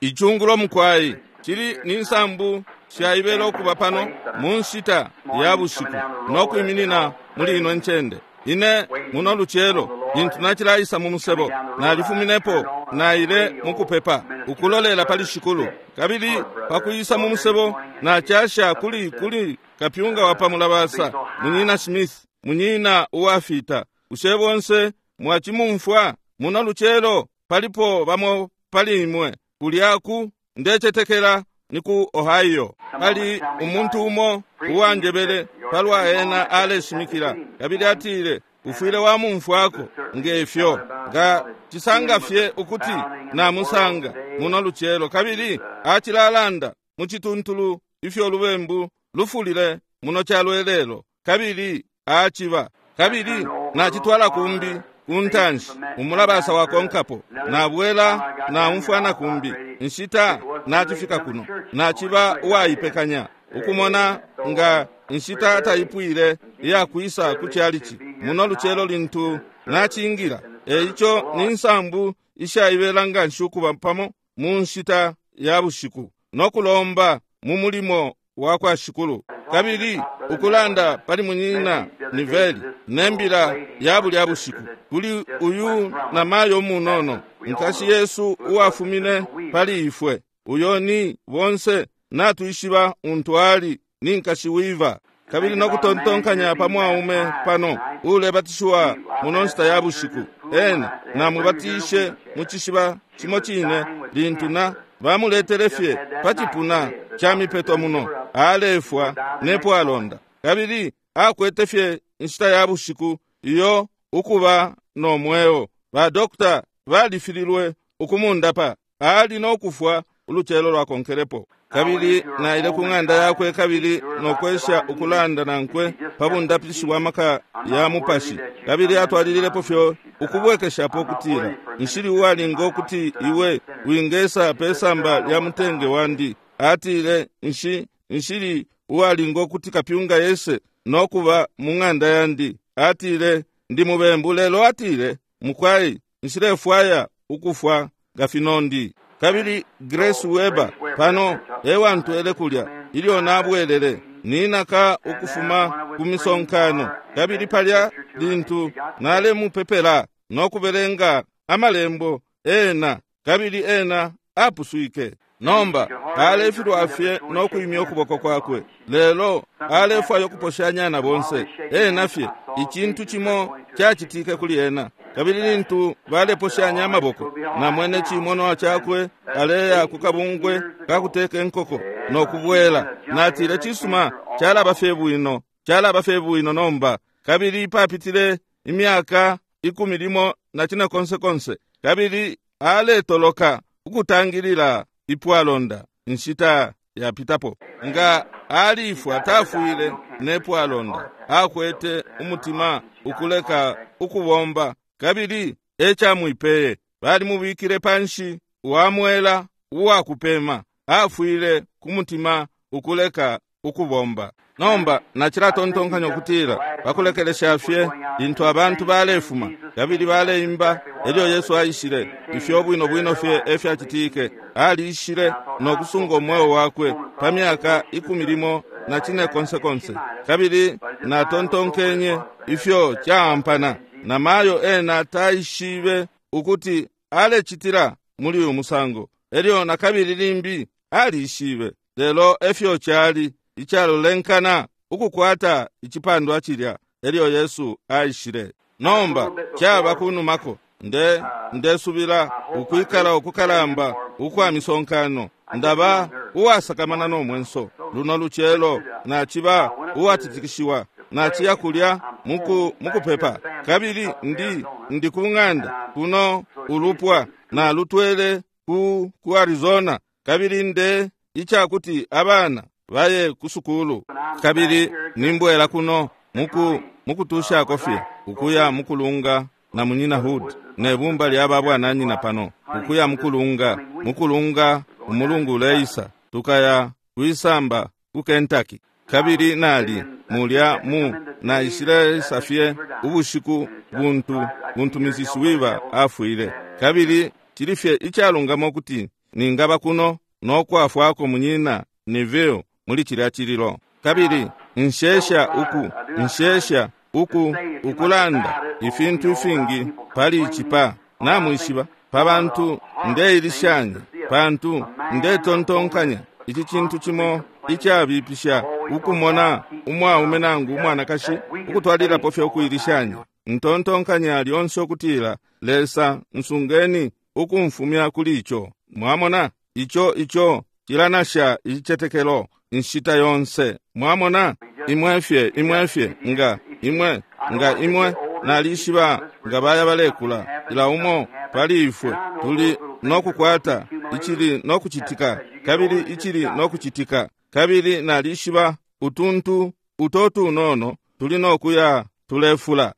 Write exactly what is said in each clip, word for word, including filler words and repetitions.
Icungulo mukwai cili ni nsambu shaibela ukuba pano mu nshita ya bushiku no kwiminina muli ino ncende. Ine muno lucelo lintu nacilaisa mu musebo nalifuminepo naile mukupepa ukulolela pali Shikulu, kabili pakuisa mu musebo nacasha kuli kuli kapyunga wa pamulabasa Munyina Smith, munyina uwafita. Bushe bonse mwachimumfwa muno lucelo? Palipo bamo pali imwe kulya ku ndecetekela ni ku Ohio. Pali umuntu umo uwanjebele palwa ena aleshimikila, kabili atile ufwile wamumfwako ngefyo nga cisanga fye ukuti namusanga muno lucelo, kabili acilalanda mucituntulu ifyo lubembu lufulile muno calo kabili aciba kabili nachitwala kumbi kuntanshi umulabasa wakonkapo nabwela naumfwana kumbi nshita nachifika kuno nachiba uwaipekanya ukumona nga nshita taipwile iyakwisa ku chalichi muno lucelo lintu nachingira. Eico ni nsambu ishaibela nga nshi ukuba pamo mu nshita ya bushiku nokulomba mu mulimo wa kwa Shikulu, kabili ukulanda pali munyina Niveli nembila ya bulya bushiku kuli uyu na mayo munono nkashi Yesu uwafumine pali ifwe uyo ni bonse natuishiba untwali ni nkashi wiva, kabili nokutontonkanya pa mwaume pano ulebatishiwa muno nshita ya bushiku ena namubatishe mu cishiba cimo cine lintu na bamuletele fye pa cipuna ca mipeto muno alefwa nepo alonda, kabili akwete fye nshita ya bushiku iyo ukuba no mweo. Ba dokta balifililwe ukumundapa, ali nokufwa ulucelo lwakonkelepo. Kabili naile ku ng'anda yakwe kabili nokwesha ukulanda nankwe pa bundapishi bwa maka ya mupashi, kabili atwalililepo fyo ukubwekeshapo kutila nshili uwalinga ukuti iwe wingesa pe samba lya mutenge wandi. Atile nshi nshili uwalinga ukuti kapyunga yese nokuba mu ng'anda yandi. Atile ndi mubembu, lelo atile mukwai nshilefwaya ukufwa nga finondi. Kabili Grace Weber pano ewantwele kulya ilyo nabwelele ninaka ukufuma ku misonkano, kabili palya lintu nalemupepela nokubelenga amalembo ena, kabili ena apuswike. Nomba alefilwa fye nokuimya ukuboko kwakwe, lelo alefwaya ukuposhanya na bonse ena fye icintu cimo cacitike kuli ena. Kabili lintu baleposhanya amaboko namwene cimono cakwe aleya ku kabungwe kakuteka enkoko nokubwela. Natile cisuma calaba fye bwino, calaba fye bwino nomba. Kabili papitile imyaka ikumi limo na cine konse konse, kabili aletoloka ukutangilila ipwalonda nshita yapitapo nga alifwa tafwile nepwalonda akwete umutima ukuleka ukubomba, kabili ecamwipeye balimubikile panshi wamwela uwakupema afwile ku mutima ukuleka ukubomba. Nomba nacilatontonkanya ukutila bakulekelesha fye lintu abantu balefuma kabili baleimba elyo Yesu aishile ifyo bwino bwino fye efyacitike. Aliishile nokusunga umweo wakwe pa myaka ikumi limo na cine konse konse, kabili natontonkenye ifyo caampana na mayo ena taishibe ukuti alecitila muli uyu musango. Elyo na kabili limbi aliishibe, lelo efyo cali icalolenkana ukukwata icipandwa cilya elyo Yesu aishile. Nomba caba kunumako nde ndesubila ukwikala ukukalamba ukwa misonkano ndaba uwasakamana no mwenso luno lucelo naciba uwatitikishiwa naciya kulya muku mukupepa, kabili ndi ndi ku ng'anda kuno ulupwa nalutwele ku ku Arizona, kabili nde icakuti abana baye ku sukulu, kabili nimbwela kuno muku mukutushako fye ukuya mukulunga na munyina Hood nebumba lya babwananyina pano ukuya mukulunga mukulunga umulungu uleisa tukaya kwisamba ku Kentucky. Kabili nali mulya mu naishile fye ubushiku buntu buntu Missus Weaver afwile, kabili cili fye icalungama ukuti ningaba kuno no kwafwako munyina Neville muli cilya cililo. Kabili nshesha uku nshesha uku ukulanda ifintu ifingi pali icipa namwishiba pa bantu ndeilishanya pantu ndetontonkanya ici cintu cimo icabipisha ukumona umwaume nangu umwanakashi ukutwalirapo fye ukuilishanya. Ntontonkanya lyonse ukutila Lesa nsungeni ukumfumya kuli ico. Mwamona ico ico cilanasha icicetekelo inshita yonse. Mwamona imwe fye imwe fye nga imwe nga imwe nalishiba nga baya balekula ila umo pali ifwe tuli nokukwata icili nokucitika kabili icili nokucitika kabili nalishiba utuntu uto tunono tuli nokuya tulefula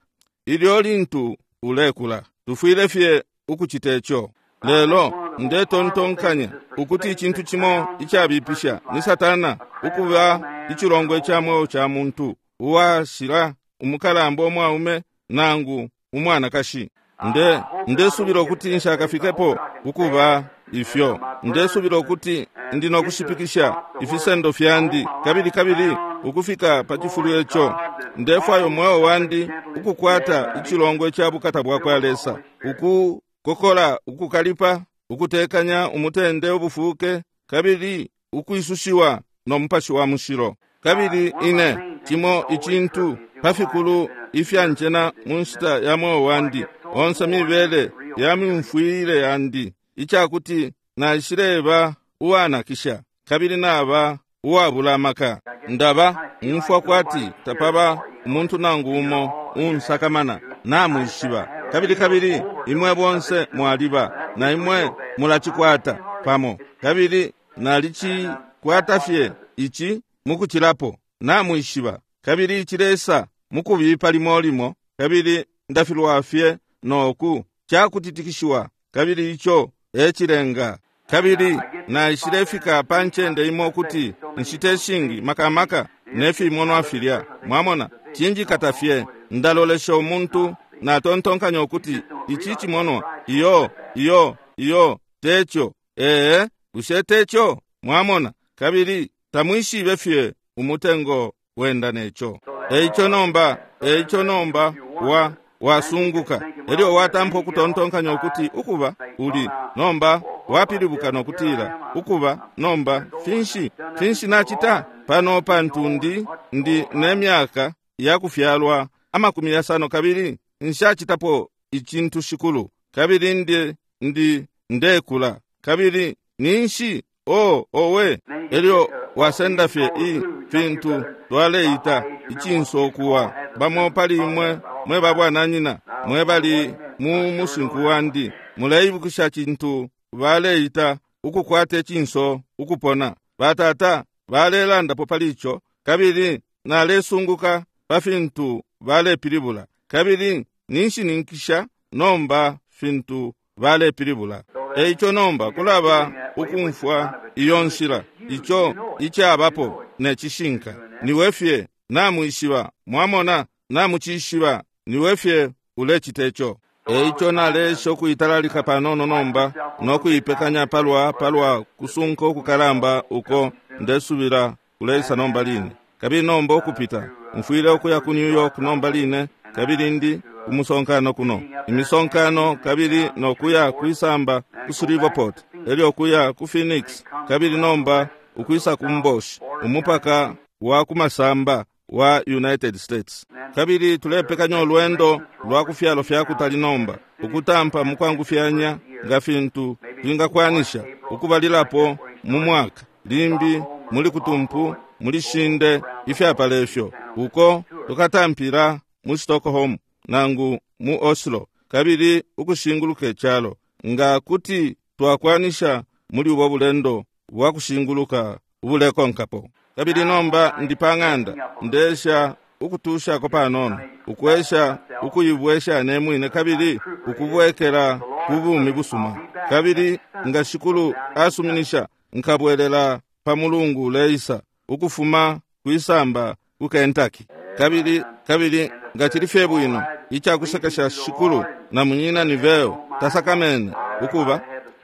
ilyo lintu ulekula tufwile fye ukucita ico. Lelo ndetontonkanya ukuti icintu cimo icabipisha ni Satana ukuba icilongwe ca mweo ca muntu uwashila umukalamba umwaume nangu umwanakashi. Nde ndesubila ukuti nshakafikepo ukuba ifyo. Ndesubila ukuti ndi nokushipikisha ifisendo fyandi kabili kabili ukufika pa cifulo ico. Ndefwaya umweo wandi ukukwata icilongwe ca bukata bwa kwa Lesa, ukukokola ukukalipa, ukutekanya umutende ubufuke kabili ukwisushiwa no mupashi wa mushilo. Kabili ine cimo icintu pafikulu ifyanjena mu nshita ya mweo wandi onse mibele ya myumfwile yandi icakuti naishileba uwanakisha kabili naba uwabula amaka. Ndaba umfwa kwati tapaba umuntu nangu umo unsakamana namwishiba kabili kabili imwe bonse mwaliba na imwe mulacikwata pamo kabili nalicikwata fye ici mukucilapo namwishiba kabili icilesa mukubipa limo limo kabili ndafilwa fye noku cakutitikishiwa kabili ico ecilenga. Kabili naishilefika pa ncende imo kuti nshite shingi makamaka nefimonwa filya. Mwamona cinjikata fye ndalolesha umuntu natontonkanya ukuti ici cimonwa iyo iyo iyo teco ee bushe teco. Mwamona kabili tamwishibe fye umutengo wenda neco. Eico nomba eico nomba wa wasunguka elyo watampa ukutontonkanya ukuti ukuba uli nomba wapilibuka nokutila ukuba nomba finshi finshi nacita pano pantu ndi ndi nemyaka yakufyalwa amakumi yasano kabili nshacitapo icintu shikulu kabili ndi ndi ndekula kabili ninshi o owe. Elyo wasenda fye i fintu twaleita icinso kuwa bamo pali imwe mwe babwananyina mwe bali mu musinku wandi muleibukisha cintu baleita ukukwata icinso ukupona. Batata balelandapo pali ico kabili nalesunguka pa fintu balepilibula kabili ninshininkisha nomba fintu balepilibula. Eico nomba kulaba ukumfwa iyo nshila ico icabapo necishinka niwe fye namwishiba. Mwamona namucishiba niwe fye ulecita ico. Eico nalesha ukuitalalika panono nomba nokuipekanya palwa palwa kusunka ukukalamba uko ndesubila kuleisa nomba line. Kabili nomba ukupita mfwile ukuya ku New York nomba line kabili ndi umusonkano kuno imisonkano kabili nokuya kwisamba ku Shreveport elyo kuya ku Phoenix kabili nomba ukwisa ku Mboshi umupaka wa kumasamba wa United States. Kabili tulepekanya olwendo lwa kufyalo fya kutali nomba ukutampa mukwangufyanya nga fintu twingakwanisha ukubalilapo mu mwaka limbi muli kutumpu muli shinde ifyapala ifyo uko tukatampila mu Stockholm nangu mu Oslo kabili ukushinguluka icalo nga kuti twakwanisha muli ubo bulendo bwa kushinguluka ubulekonkapo. Kabili nomba ndi pa ng'anda ndesha ukutushako panono ukwesha ukuibwesha nemwine kabili ukubwekela ku bumi busuma. Kabili nga shikulu asuminisha nkabwelela pa mulungu uleisa ukufuma kwisamba ku Kentucky. Kabili kabili nga cili fye bwino icakusekesha shikulu na munyina Niveo tasakamene ukuba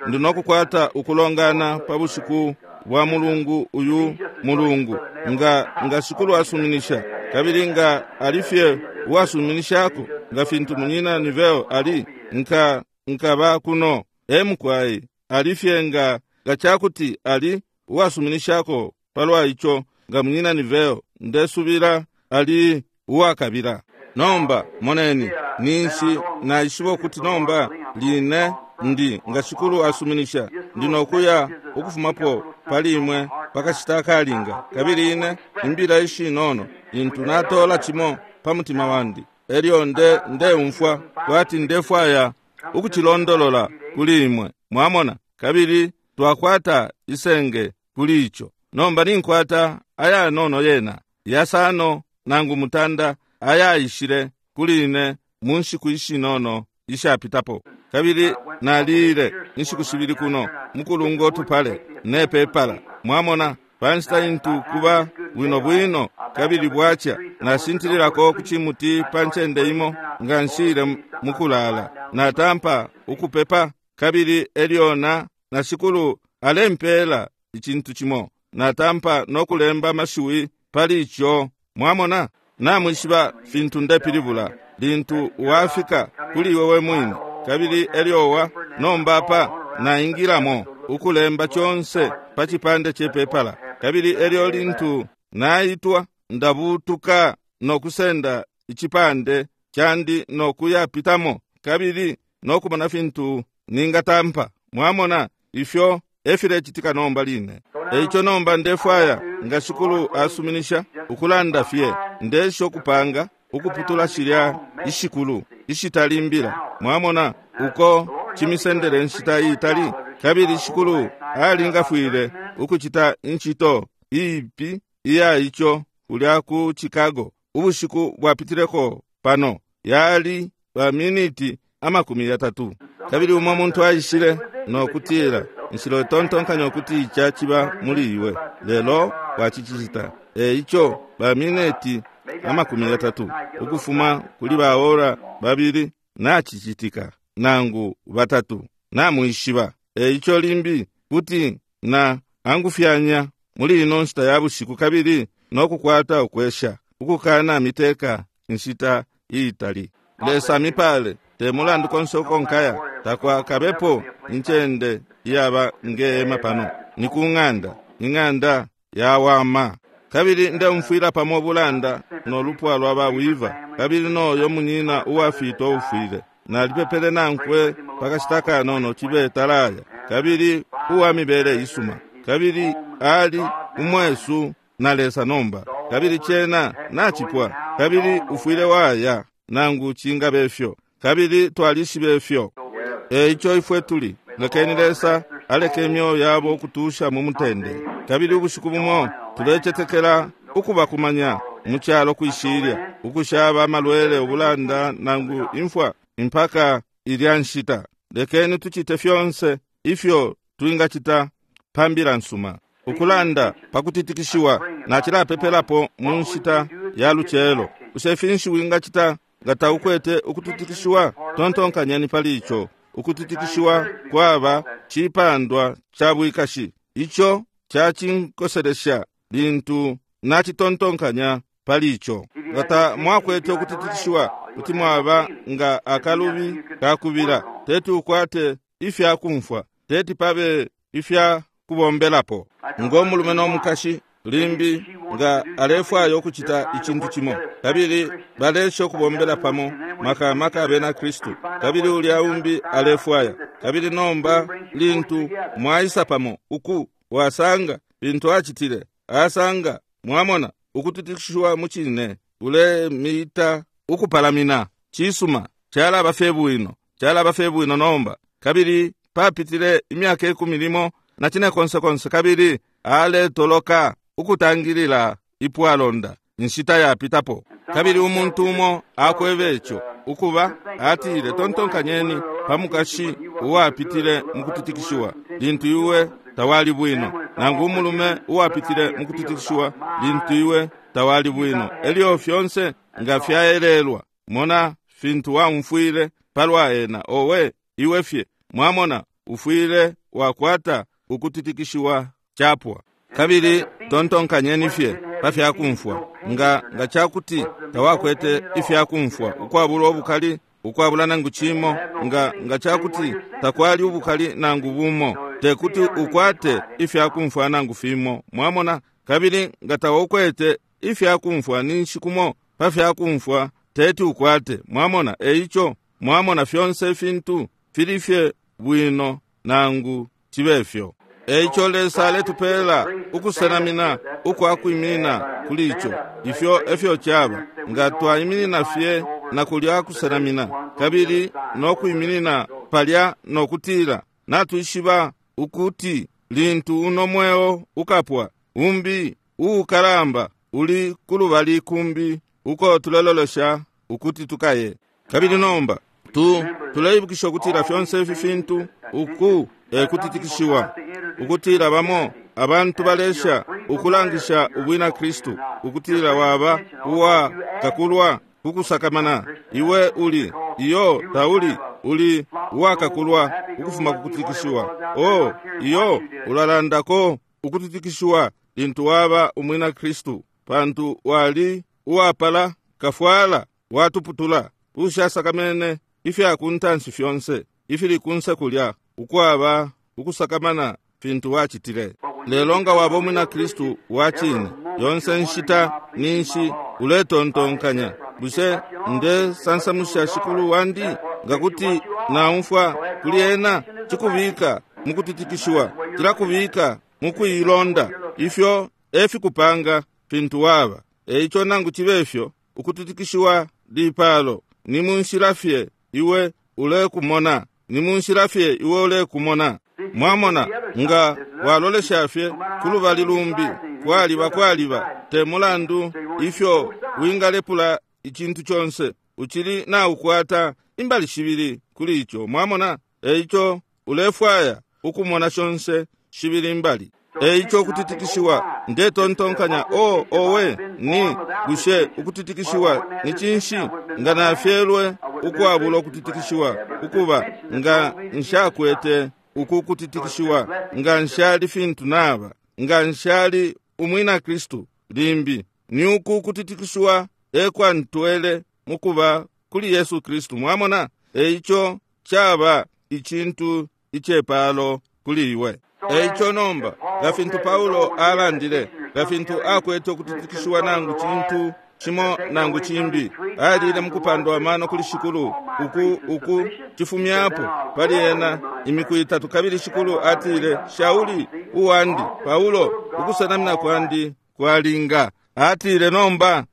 Ndi nokukwata ukulongana pa bushiku bwa mulungu uyu mulungu, nga nga Shikulu asuminisha, kabili nga alifye uwasuminishako nga fintu munyina Neville ali, nka nkaba kuno. Emukwai alifye nga nga chakuti ali uwasuminishako palwa icho, nga munyina Neville ndesubila ali uwakabila. Nomba moneni, ninshi naishiba ukuti nomba line ndi nga Shikulu asuminisha ndi nokuya ukufumapo pali imwe pakashita akalinga, kabili ine imbila ishinono intu natola chimo pa mutima wandi, elyo nde ndeumfwa kwati ndefwaya ukuchilondolola kuli imwe, mwamona, kabili twakwata isenge kuli icho. Nomba ninkwata ayanono yena yasano nangu mutanda ayaishile kuli ine mu nshiku ishinono ishapitapo, kabili nalile inshiku shibili kuno mukulunga utupale nepepala, mwamona, panshita intu kuba bwino bwino kabili bwacha nashintililako ku chimuti pa ncende imo nga nshile mukulala, natampa ukupepa, kabili elyo na na Shikulu alempela ichintu chimo, natampa nokulemba amashiwi pali icho, mwamona. Namwishiba fintu ndepilibula lintu wafika kuli iwe we mwine, kabili elyowa nomba pa naingilamo ukulemba chonse pa chipande chepepala, kabili elyo lintu naitwa ndabutuka nokusenda ichipande chandi nokuyapitamo, kabili nokumona fintu ningatampa, mwamona, ifyo efilechitika nomba line. Eicho nomba ndefwaya nga Shikulu asuminisha ukulanda fye ndesho kupanga ukuputula shilya ishikulu ishitalimbila, mwamona, uko chimisendele nshita itali, kabili Shikulu alingafwile ukuchita inchito ipi iya icho kulya ku Chicago ubushiku bwapitileko pano yali ba miniti amakumi yatatu, kabili umwe muntu aishile nokutila nshilo tontonkanya ukuti ichachiba muli iwe, lelo wachichita. Eicho ba miniti amakumi yatatu ukufuma kuli baora babili nachichitika nangu batatu namwishiba. Eicho limbi kuti na angufyanya muli ino nshita ya bushiku kabili nokukwata ukwesha ukukana miteka nshita iitali. Lesa mipale te mulandu konse uko nkaya takwakabepo incende iyaba ngeema pano, ni ku ng'anda, ing'anda yawama. Kabili ndeumfwila pamo bulanda nolupwa lwa bawiva, kabili noyo munyina uwafita ufwile nalipepele nankwe pakashita kanono chibe talaya, kabili uwa mibele isuma, kabili ali umwesu na Lesa nomba, kabili chena nachipwa, kabili ufwile waya nangu chingabefyo, kabili twalishibefyo. Eicho ifwe tuli lekeni Lesa aleke imyoyo yabo ukutusha mu mutende, kabili ubushiku bumo tulechetekela ukubakumanya mu kyalo kwishilya ukushaba amalwele ubulanda nangu imfwa impaka ilya nshita. Lekeni tuchite fyonse ifyo twingachita pambila nsuma ukulanda pakutitikishiwa nachilapepelapo mu nshita ya luchelo. Ushe finshi wingachita nga taukwete ukutitikishiwa? Tontonkanyeni pali icho. Ukutitikishiwa kwaba chipandwa cha bwikashi, icho chachinkoselesha lintu nachitontonkanya pali icho. Ngata mwakwete ukutitikishiwa kuti mwaba nga akalubi kakubila, teti ukwate ifya kumfwa, teti pabe ifya kubombelapo. Ngo mulume nomukashi limbi nga alefwaya ukuchita ichintu chimo, kabili balesha ukubombela pamo maka maka abena Kristu, kabili ulya umbi alefwaya, kabili nomba lintu mwaisa pamo uku wasanga bintu achitile asanga, mwamona, ukutitikishiwa muchine ulemita ukupalamina chisuma chalaba fye bwino, chalaba fye bwino nomba. Kabili papitile imyaka ikumi limo na chine konse konse, kabili aletoloka ukutangilila ipwalonda inshita yapitapo. Kabili umuntu umo akwebe icho ukuba atile, tontonkanyeni pamukashi uwapitile mukutitikishiwa lintu iwe tawali bwino, nangu umulume uwapitile mukutitikishiwa lintu iwe tawali bwino. Elyo fyonse nga fyaelelwa, mona fintu waumfwile palwa ena, owe iwe fye, mwamona, Ufwile wakwata ukutitikishiwa chapwa. Kabili tontonkanyeni fye pa fyakumfwa. Nga nga chakuti tawakwete ifyakumfwa ukwabula ubukali, ukwabula nangu chimo, nga nga chakuti takwali ubukali nangu bumo, tekuti ukwate ifyakumfwa nangu fimo. Mwamona? Kabili nga tawakwete ifyakumfwa ninshi kumo pa fyakumfwa teti ukwate. Mwamona? Eicho mwamona fyonse fintu fili fye bwino nangu chibefyo. Eicho Lesa aletupela ukusenamina ukwakwimina kuli icho. Ifyo efyo chaba nga twaiminina fye na kulya kusenamina, kabili nokwiminina palya nokutila natwishiba ukuti lintu uno mweo ukapwa, umbi uukalamba uli kulubali kumbi uko tulelolesha ukuti tukaye. Kabili nomba tu tuleibukisha ukutila fyonse ifi fintu uku ekutitikishiwa, ukutila bamo abantu balesha ukulangisha ubwina Kristu, ukutila waba uwa kakulwa kukusakamana. Iwe uli iyo tauli uli uwakakulwa ukufuma kukutitikishiwa. Oh, iyo ulalandako ukutitikishiwa lintu waba umwina Kristu, pantu wali uwapala kafwala watuputula ushasakamene ifyakuntanshi fyonse ifili kunse kulya ukwaba ukusakamana fintu wachitile. Lelo nga waba umwina Kristu wachine, yonse nshita ninshi uletontonkanya, bushe nde sansamusha shikulu wandi? Ngakuti naumfwa kuli ena, chikubika mukutitikishiwa, chilakubika mukuilonda. Ifyo efikupanga fintu waba. Eicho nangu chibefyo ukutitikishiwa lipalo ni munshila fye iwe ulekumona, ni munshila fye iwe ulekumona. Mwamona, nga walolesha fye kulubali lumbi, kwaliba kwaliba te mulandu ifyo wingalepula icintu chonse, uchili na ukwata imbali shibili kuli icho. Mwamona? Eicho ulefwaya ukumona shonse shibili imbali. Eicho ukutitikishiwa ndetontonkanya, o owe ni bushe ukutitikishiwa ni cinshi? Nga nafyelwe ukwabula ukutitikishiwa, ukuba nga nshakwete uku kutitikishiwa, nga nshali fintu naba, nga nshali umwina Kristu limbi. Ni uku kutitikishiwa ekwantwele mukuba kuli Yesu Kristu. Mwamona? Eicho chaba icintu ichepalo kuli iwe. Eicho nomba nga fintu Paulo alandile, nga fintu akwete ukutitikishiwa nangu cintu chimo nangu chimbi, alile mukupandwa amano kuli shikulu uku uku chifumyapo pali ena imiku itatu. Kabili shikulu atile, Shauli uwandi Paulo, ukusenamina kwandi kwalinga. Atile, nomba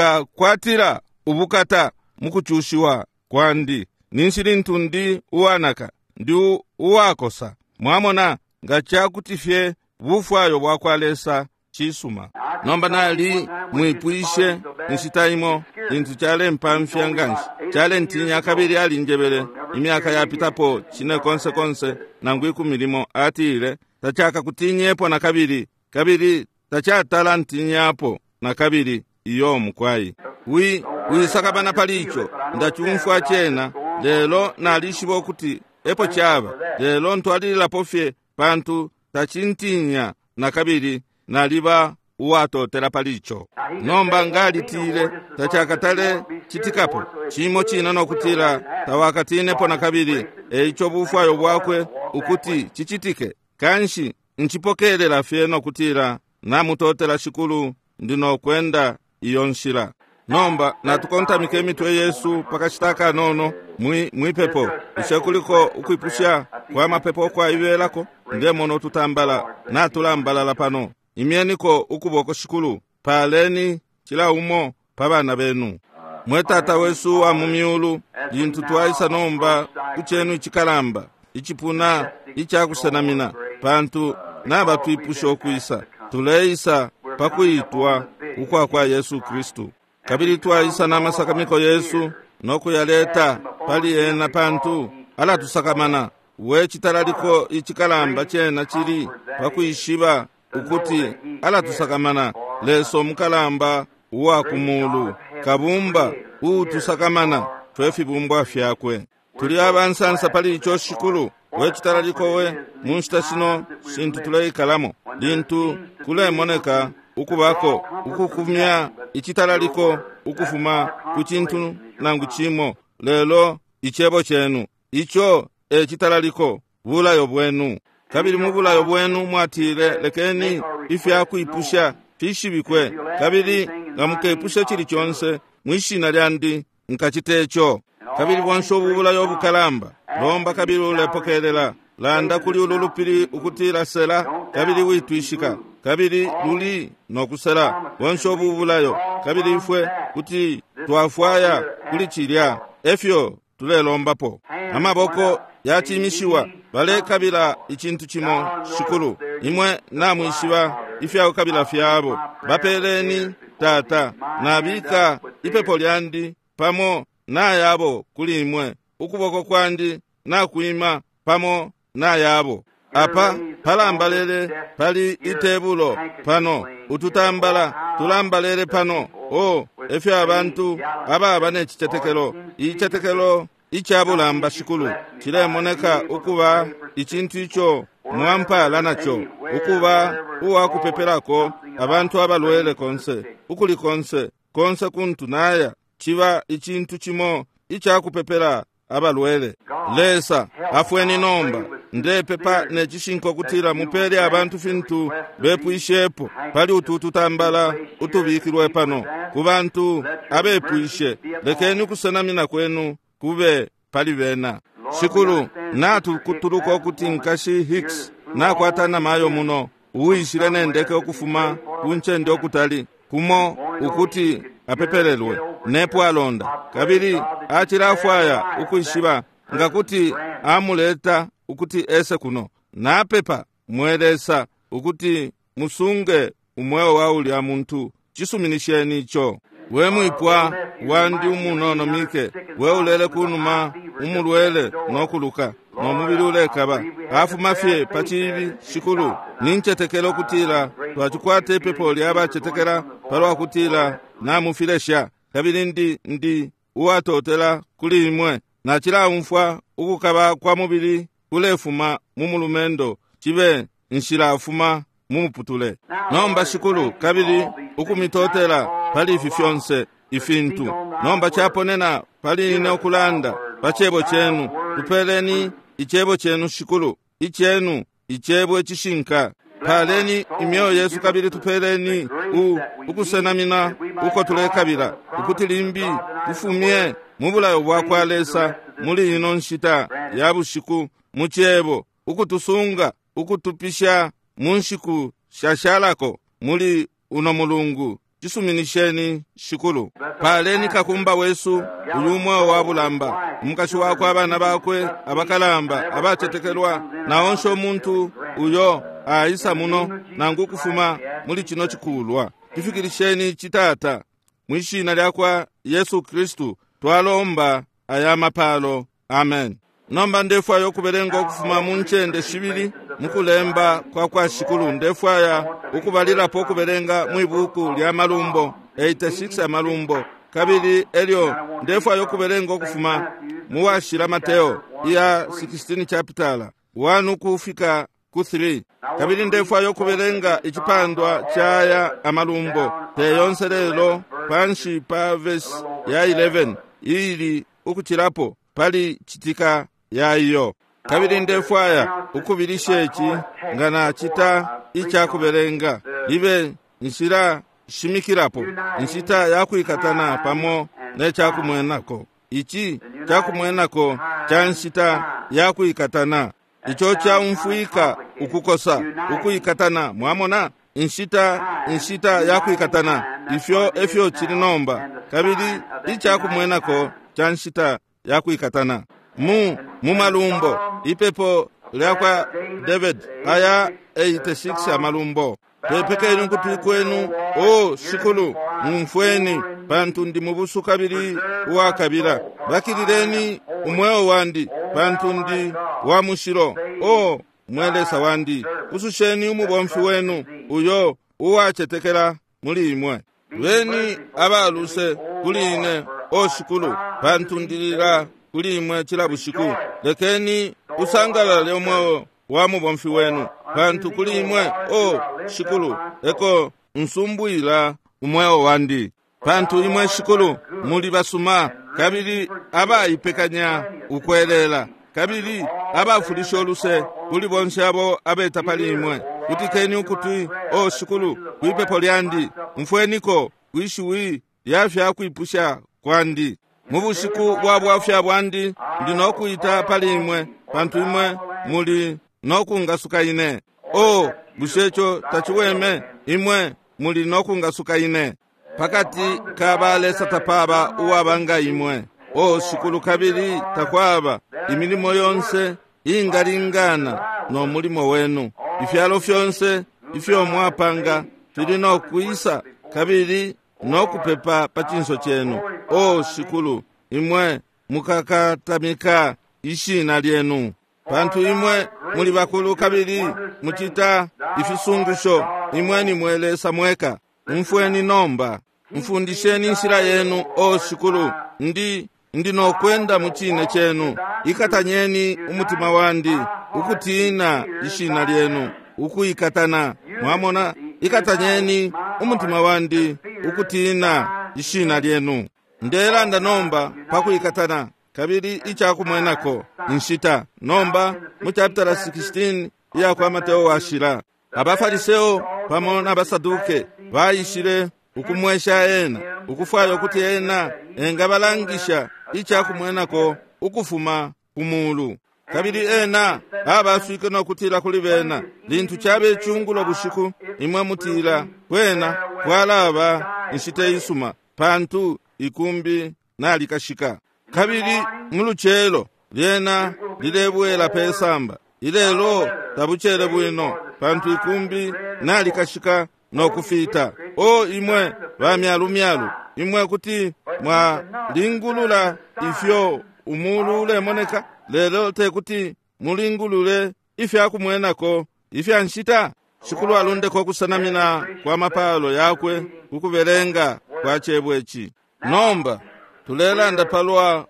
nkakwatila ubukata mukuchushiwa kwandi, ninshi lintu ndi uwanaka, ndi uwakosa. Mwamona? Nga chakuti fye bufwayo bwakwa Lesa chisuma. Nomba nali mwipwishe nshita imo lintu chalempamfya nganshi, chalentinya kabili alinjebele imyaka yapitapo chine konse konse nangu ikumi limo. Atile, tachakakutinyepo na kabili, kabili tachatala ntinyapo na kabili. Iyo mukwai wi wisakabana pali icho, ndachumfwa chena lelo nalishiba ukuti epo chaba, lelo ntwalililapo fye pantu tachintinya na kabili, naliba uwatotela pali icho. Nomba ngalitile tachakatale chitikapo chimo china nokutila tawakatinepo na kabili. Eicho bufwayo bwakwe ukuti chichitike, kanshi nchipokelela fye nokutila namutotela shikulu, ndinokwenda iyo nshila. Nomba natukontamike imitwe yesu pakashita kanono mwi mwipepo. Bushe kuliko ukwipusha kwa mapepo kwaibelako? Ndemono tutambala natulambalala pano. Imyeniko ukuboko shikulu, paleni chila umo pa bana benu. Mwe Tata wesu wa mu myulu, lintu twaisa nomba kuchenu ichikalamba ichipuna ichakusenamina, pantu nabatwipusha okwisa, tuleisa pakuitwa ukwa kwa Yesu Kristu. Kabili twaisa n'amasakamiko Yesu nokuyaleta pali ena, pantu alatusakamana. We chitalaliko ichikalamba chena chili pakuishiba ukuti alatusakamana. Leso omukalamba uwa kumulu, kabumba uutusakamana fwe fibumbwa fyakwe. Tuli abansansa pali icho shikulu, We citalaliko we mu nshita shino shintu tuleikalamo, lintu kulemoneka ukubako ukukumya icitalaliko ukufuma ku cintu nangu cimo, lelo icebo cenu ico e citalaliko, bulayo bwenu. Kabili mu bulayo bwenu mwatile, lekeni ifya kwipusha fishibikwe, kabili nga mukepusha cili conse mwishina lyandi nkacite ico. Kabili bonse ubu bulayo bukalamba, lomba kabili ulepokelela, landa kuli ulu lupili ukutila sela, kabili witwishika, kabili luli nokusela. Bonse ubu bulayo, kabili ifwe kuti twafwaya kuli cilya, efyo tulelombapo. Amaboko yacimishiwa, balekabila icintu cimo. Shikulu, imwe namwishiba ifyakukabila fyabo. Bapeleni, Tata. Nabika ipepo lyandi pamo nayabo kuli imwe, ukuboko kwandi nakwima pamo nayabo. Apa palambalele pali itebulo pano, ututambala tulambalele pano. O efyo abantu ababa necicetekelo, icetekelo icabulamba, Shikulu, cilemoneka ukuba icintu ico mwampala naco, ukuba uwakupepelako abantu abalwele konse, ukuli konse, konse kuntu naya, ciba icintu cimo icakupepela abalwele. Lesa, afweni nomba. Ndepepa necishinka kutila mupele abantu fintu bepwishepo pali utu tutambala utubikilwe pano ku bantu abepwishe. Lekeni ukusenamina kwenu kube pali bena. Shikulu, natukutuluka ukuti nkashi Hicks nakwata namayo muno uwishile nendeke ukufuma ku ncende okutali kumo ukuti apepelelwe nepo alonda, kabili acilafwaya ukwishiba nga kuti amuleta ukuti ese kuno. Napepa mwe Lesa ukuti musunge umweo wa ulya muntu, cisuminisheni ico. We mwipwa wandi umunono Mike, we ulele kunuma umulwele nokuluka nomubili ulekaba, afuma fye pa cibi. Shikulu, nincetekela ukutila twacikwata ipepo lya bacetekela palwa kutila namufilesha, kabili ndi ndi uwatotela kuli imwe. Nacilaumfwa ukukaba kwa mubili kulefuma mu mulumendo, cibe nshilafuma mu muputule. Nomba Shikulu, kabili ukumitotela pali ifi fyonse ifintu. Nomba caponena pali ine ukulanda pa cebo cenu. Tupeleni icebo cenu, Shikulu, icenu icebo icishinka. Paleni imyoyo yesu, kabili tupeleni u ukusenamina uko tulekabila, ukuti limbi tufumye mu bulayo bwa kwa Lesa muli ino nshita ya bushiku mu cebo, ukutusunga ukutupisha mu nshiku shashalako muli uno mulungu. Cisuminisheni, Shikulu. Paleni kakumba wesu uyu umweo wa bulamba, umukashi wakwe, abana bakwe abakalamba abacetekelwa, na onse umuntu uyo aisa muno nangu kufuma muli cino cikulwa. Tufikilisheni citata, mwishina lya kwa Yesu Kristu twalomba aya mapalo. Amen. Nomba ndefwaya ukubelenga ukufuma mu ncende shibili mukulemba kwa kwa Shikulu. Ndefwaya ukubalilapo ukubelenga mwibuku lya Malumbo eighty-six Amalumbo, kabili elyo ndefwaya ukubelenga ukufuma mu washila Mateo iya sixteen chapitala one ukufika ku three. Kabili ndefwaya ukubelenga icipandwa caya Amalumbo te yonse lelo panshi pa verse ya eleven ili ukucilapo pali citika ya iyo. Kabili ndefwaya ukubilisha ici nga nacita icakubelenga libe nshila shimikilapo inshita yakwikatana pamo ne cakumwenako. Ici cakumwenako ca nshita yakwikatana, ico caumfwika ukukosa ukwikatana. Mwamona inshita inshita yakwikatana, ifyo efyo cili nomba. Kabili icakumwenako ca nshita yakwikatana mu mu Malumbo, ipepo lya kwa David aya eighty-six Amalumbo. Pepekeni ukutwi kwenu, o Shikulu, mumfweni, pantu ndi mubusu kabili uwakabila. Bakilileni umweo wandi, pantu ndi wa mushilo. O mwe Lesa wandi, pususheni umubomfi wenu uyo uwacetekela muli imwe. Beni abaluse kuli ine, o Shikulu, pantu ndilila kuli imwe cila bushiku. Lekeni usangalale umweo wa mubomfi wenu, pantu kuli imwe, o Shikulu, eko nsumbwila umweo wandi. Pantu imwe Shikulu muli basuma kabili abaipekanya ukwelela, kabili abafulisha oluse kuli bonse abo abeta pali imwe. Kutikeni ukutwi, o Shikulu, kwipepo lyandi, mfweniko kwishiwi lya fyakwipusha kwandi. Mu bushiku bwa bwafya bwandi ndi nokuita pali imwe, pantu imwe muli nokungasuka ine. O bushe ico taciweme? Imwe muli nokungasuka ine. Pakati ka balesa tapaba uwaba nga imwe, o Shikulu, kabili takwaba imilimo yonse ingalingana no mulimo wenu. Ifyalo fyonse ifyo mwapanga fili nokwisa kabili nokupepa pa cinso cenu. O Shikulu, imwe mukakatamika ishina lyenu, pantu imwe muli bakulu kabili mucita ifisungusho. Imwe ni mwe Lesa mweka. Mfweni nomba, mfundisheni inshila yenu, o Shikulu, ndi ndi nokwenda mu cine cenu. Ikatanyeni umutima wandi ukutina ishina lyenu, ukuikatana. Mwamona, ikatanyeni umutima wandi ukutina ishina lyenu. Ndelanda nomba pakuikatana kabili icakumwenako inshita. Nomba mu chapter sixteen iya kwa Mateo washila, abafariseo pamo n'abasaduke baishile ukumwesha ena, ukufwaya ukuti ena engabalangisha icakumwenako ukufuma ku mulu. Kabili ena abaswike nokutila kuli bena, lintu cabe icungulo bushiku, imwe mutila kwena kwalaba inshita isuma, pantu ikumbi nalikashika. Kabili mu lucelo lyena lilebwela pesamba, ilelo tabucele bwino, pantu ikumbi nalikashika nokufita. O imwe bamyalumyalu, imwe kuti mwalingulula ifyo umulu ulemoneka, lelo tekuti mulingulule ifyakumwenako ifya nshita. Shikulu alundeko ukusanamina kwa mapalo yakwe kukubelenga kwa cebo ici. Nomba tulelanda palwa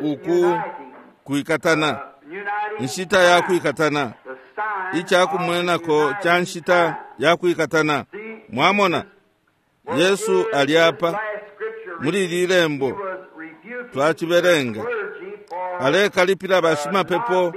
uku kuikatana, inshita ya kuikatana, icakumwenako ca nshita ya kuikatana. Mwamona, Yesu aliapa muli ili lembo twacibelenga, alekalipila bashimapepo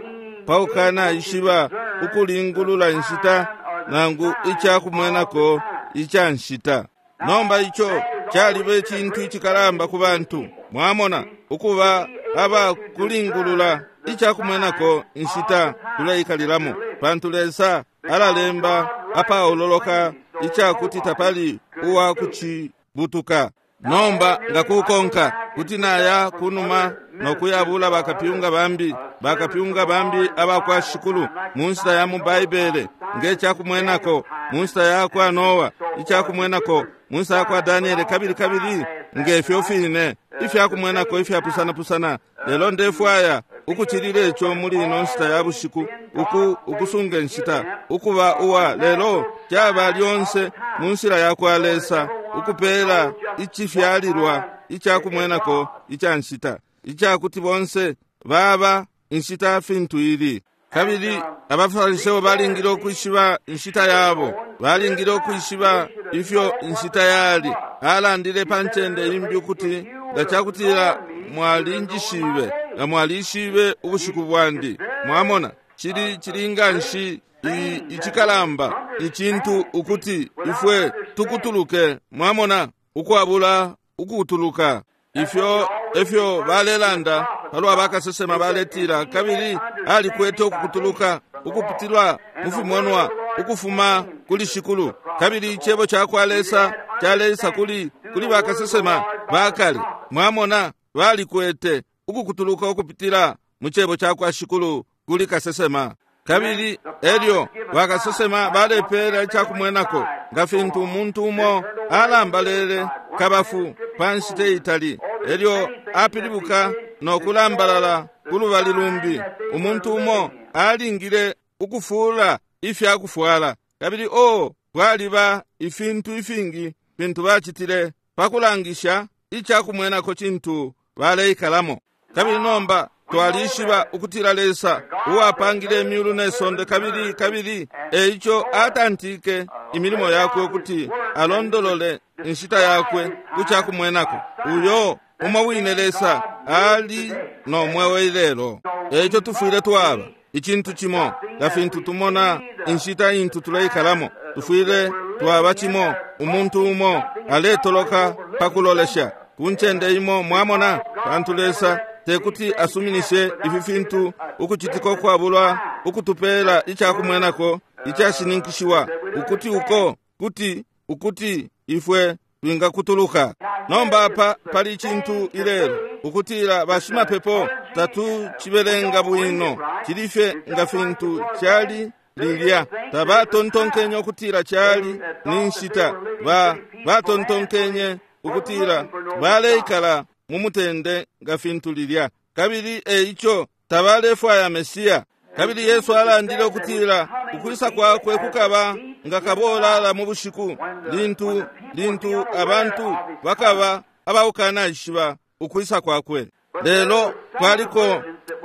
paukana ishiba ukulingulula inshita nangu icakumwenako ica nshita. Nomba ico caliba icintu icikalamba ku bantu, mwamona, ukuba aba kulingulula icakumwenako inshita tuleikalilamo, pantu Lesa alalemba apaololoka icakuti tapali uwa kucibutuka. Nomba nga kukonka kuti naya kunuma nokuyabula bakapyunga bambi, bakapyunga bambi abakwa Shikulu mu nshita ya mu Baibele, ngecakumwenako mu nshita ya kwa Noa, icakumwenako mu nshita ya kwa Daniele, kabili kabili ngefyo fine ifyakumwenako ifyapusanapusana. Lelo ndefwaya ukucilila ico muli ino nshita ya bushiku, uku ukusunga inshita ukuba uwa lelo caba lyonse mu nshila ya kwa Lesa ukupela icifyalilwa icakumwenako ica nshita, icakuti bonse baba inshita fintu ili. Kabili abafariseo balingile ukwishiba inshita yabo, balingile ukwishiba ifyo inshita yali. Alandile pa ncende imbi ukuti nga cakutila mwalinjishibe, nga mwalishibe ubushiku bwandi. Mwamona, cili cilinga nshi icikalamba icintu ukuti ifwe tukutuluke, mwamona, ukwabula ukutuluka. Ifyo efyo balelanda palwa bakasesema baletila, kabili alikwete ukukutuluka ukupitilwa mu fimonwa ukufuma kuli Shikulu, kabili icebo ca kwa Lesa caleisa kuli kuli bakasesema bakale. Mwamona, balikwete ukukutuluka ukupitila mu cebo ca kwa Shikulu kuli kasesema. Kabili elyo bakasesema balepela icakumwenako, nga fintu umuntu umo alambalele kabafu pa nshita itali, elyo apilibuka no kulambalala kulubali lumbi. Umuntu umo alingile ukufula ifyakufwala, kabili o kwaliba ifintu ifingi fintu bacitile pakulangisha icakumwenako cintu baleikalamo. Kabili nomba twalishiba ukutila Lesa uwapangile imyulu ne sonde, kabili kabili eico atantike imilimo yakwe ukuti alondolole inshita yakwe ku cakumwenako. Uyo umo wine Lesa ali no mweo ilelo. Eico tufwile twaba icintu cimo nga fintu tumona inshita intu tuleikalamo. Tufwile twaba cimo, umuntu umo aletoloka pakulolesha ku ncende imo, mwamona, pantu Lesa tekuti asuminishe ifi fintu ukucitika ukwabulwa ukutupela icakumwenako icashininkishiwa ukuti uko kuti ukuti ifwe twingakutuluka. Nomba apa pali icintu ilelo ukutila bashimapepo tatucibelenga bwino, cili fye nga fintu cali lilya. Tabatontonkenye ukutila cali ni nshita, ba batontonkenye ukutila baleikala mu mutende nga fintu lilya, kabili eico tabalefwaya Mesiya. Kabili Yesu alandile ukutila ukwisa kwakwe kukaba nga kabolala mu bushiku, lintu lintu abantu bakaba abaukanashiba ukwisa kwakwe. Lelo kwaliko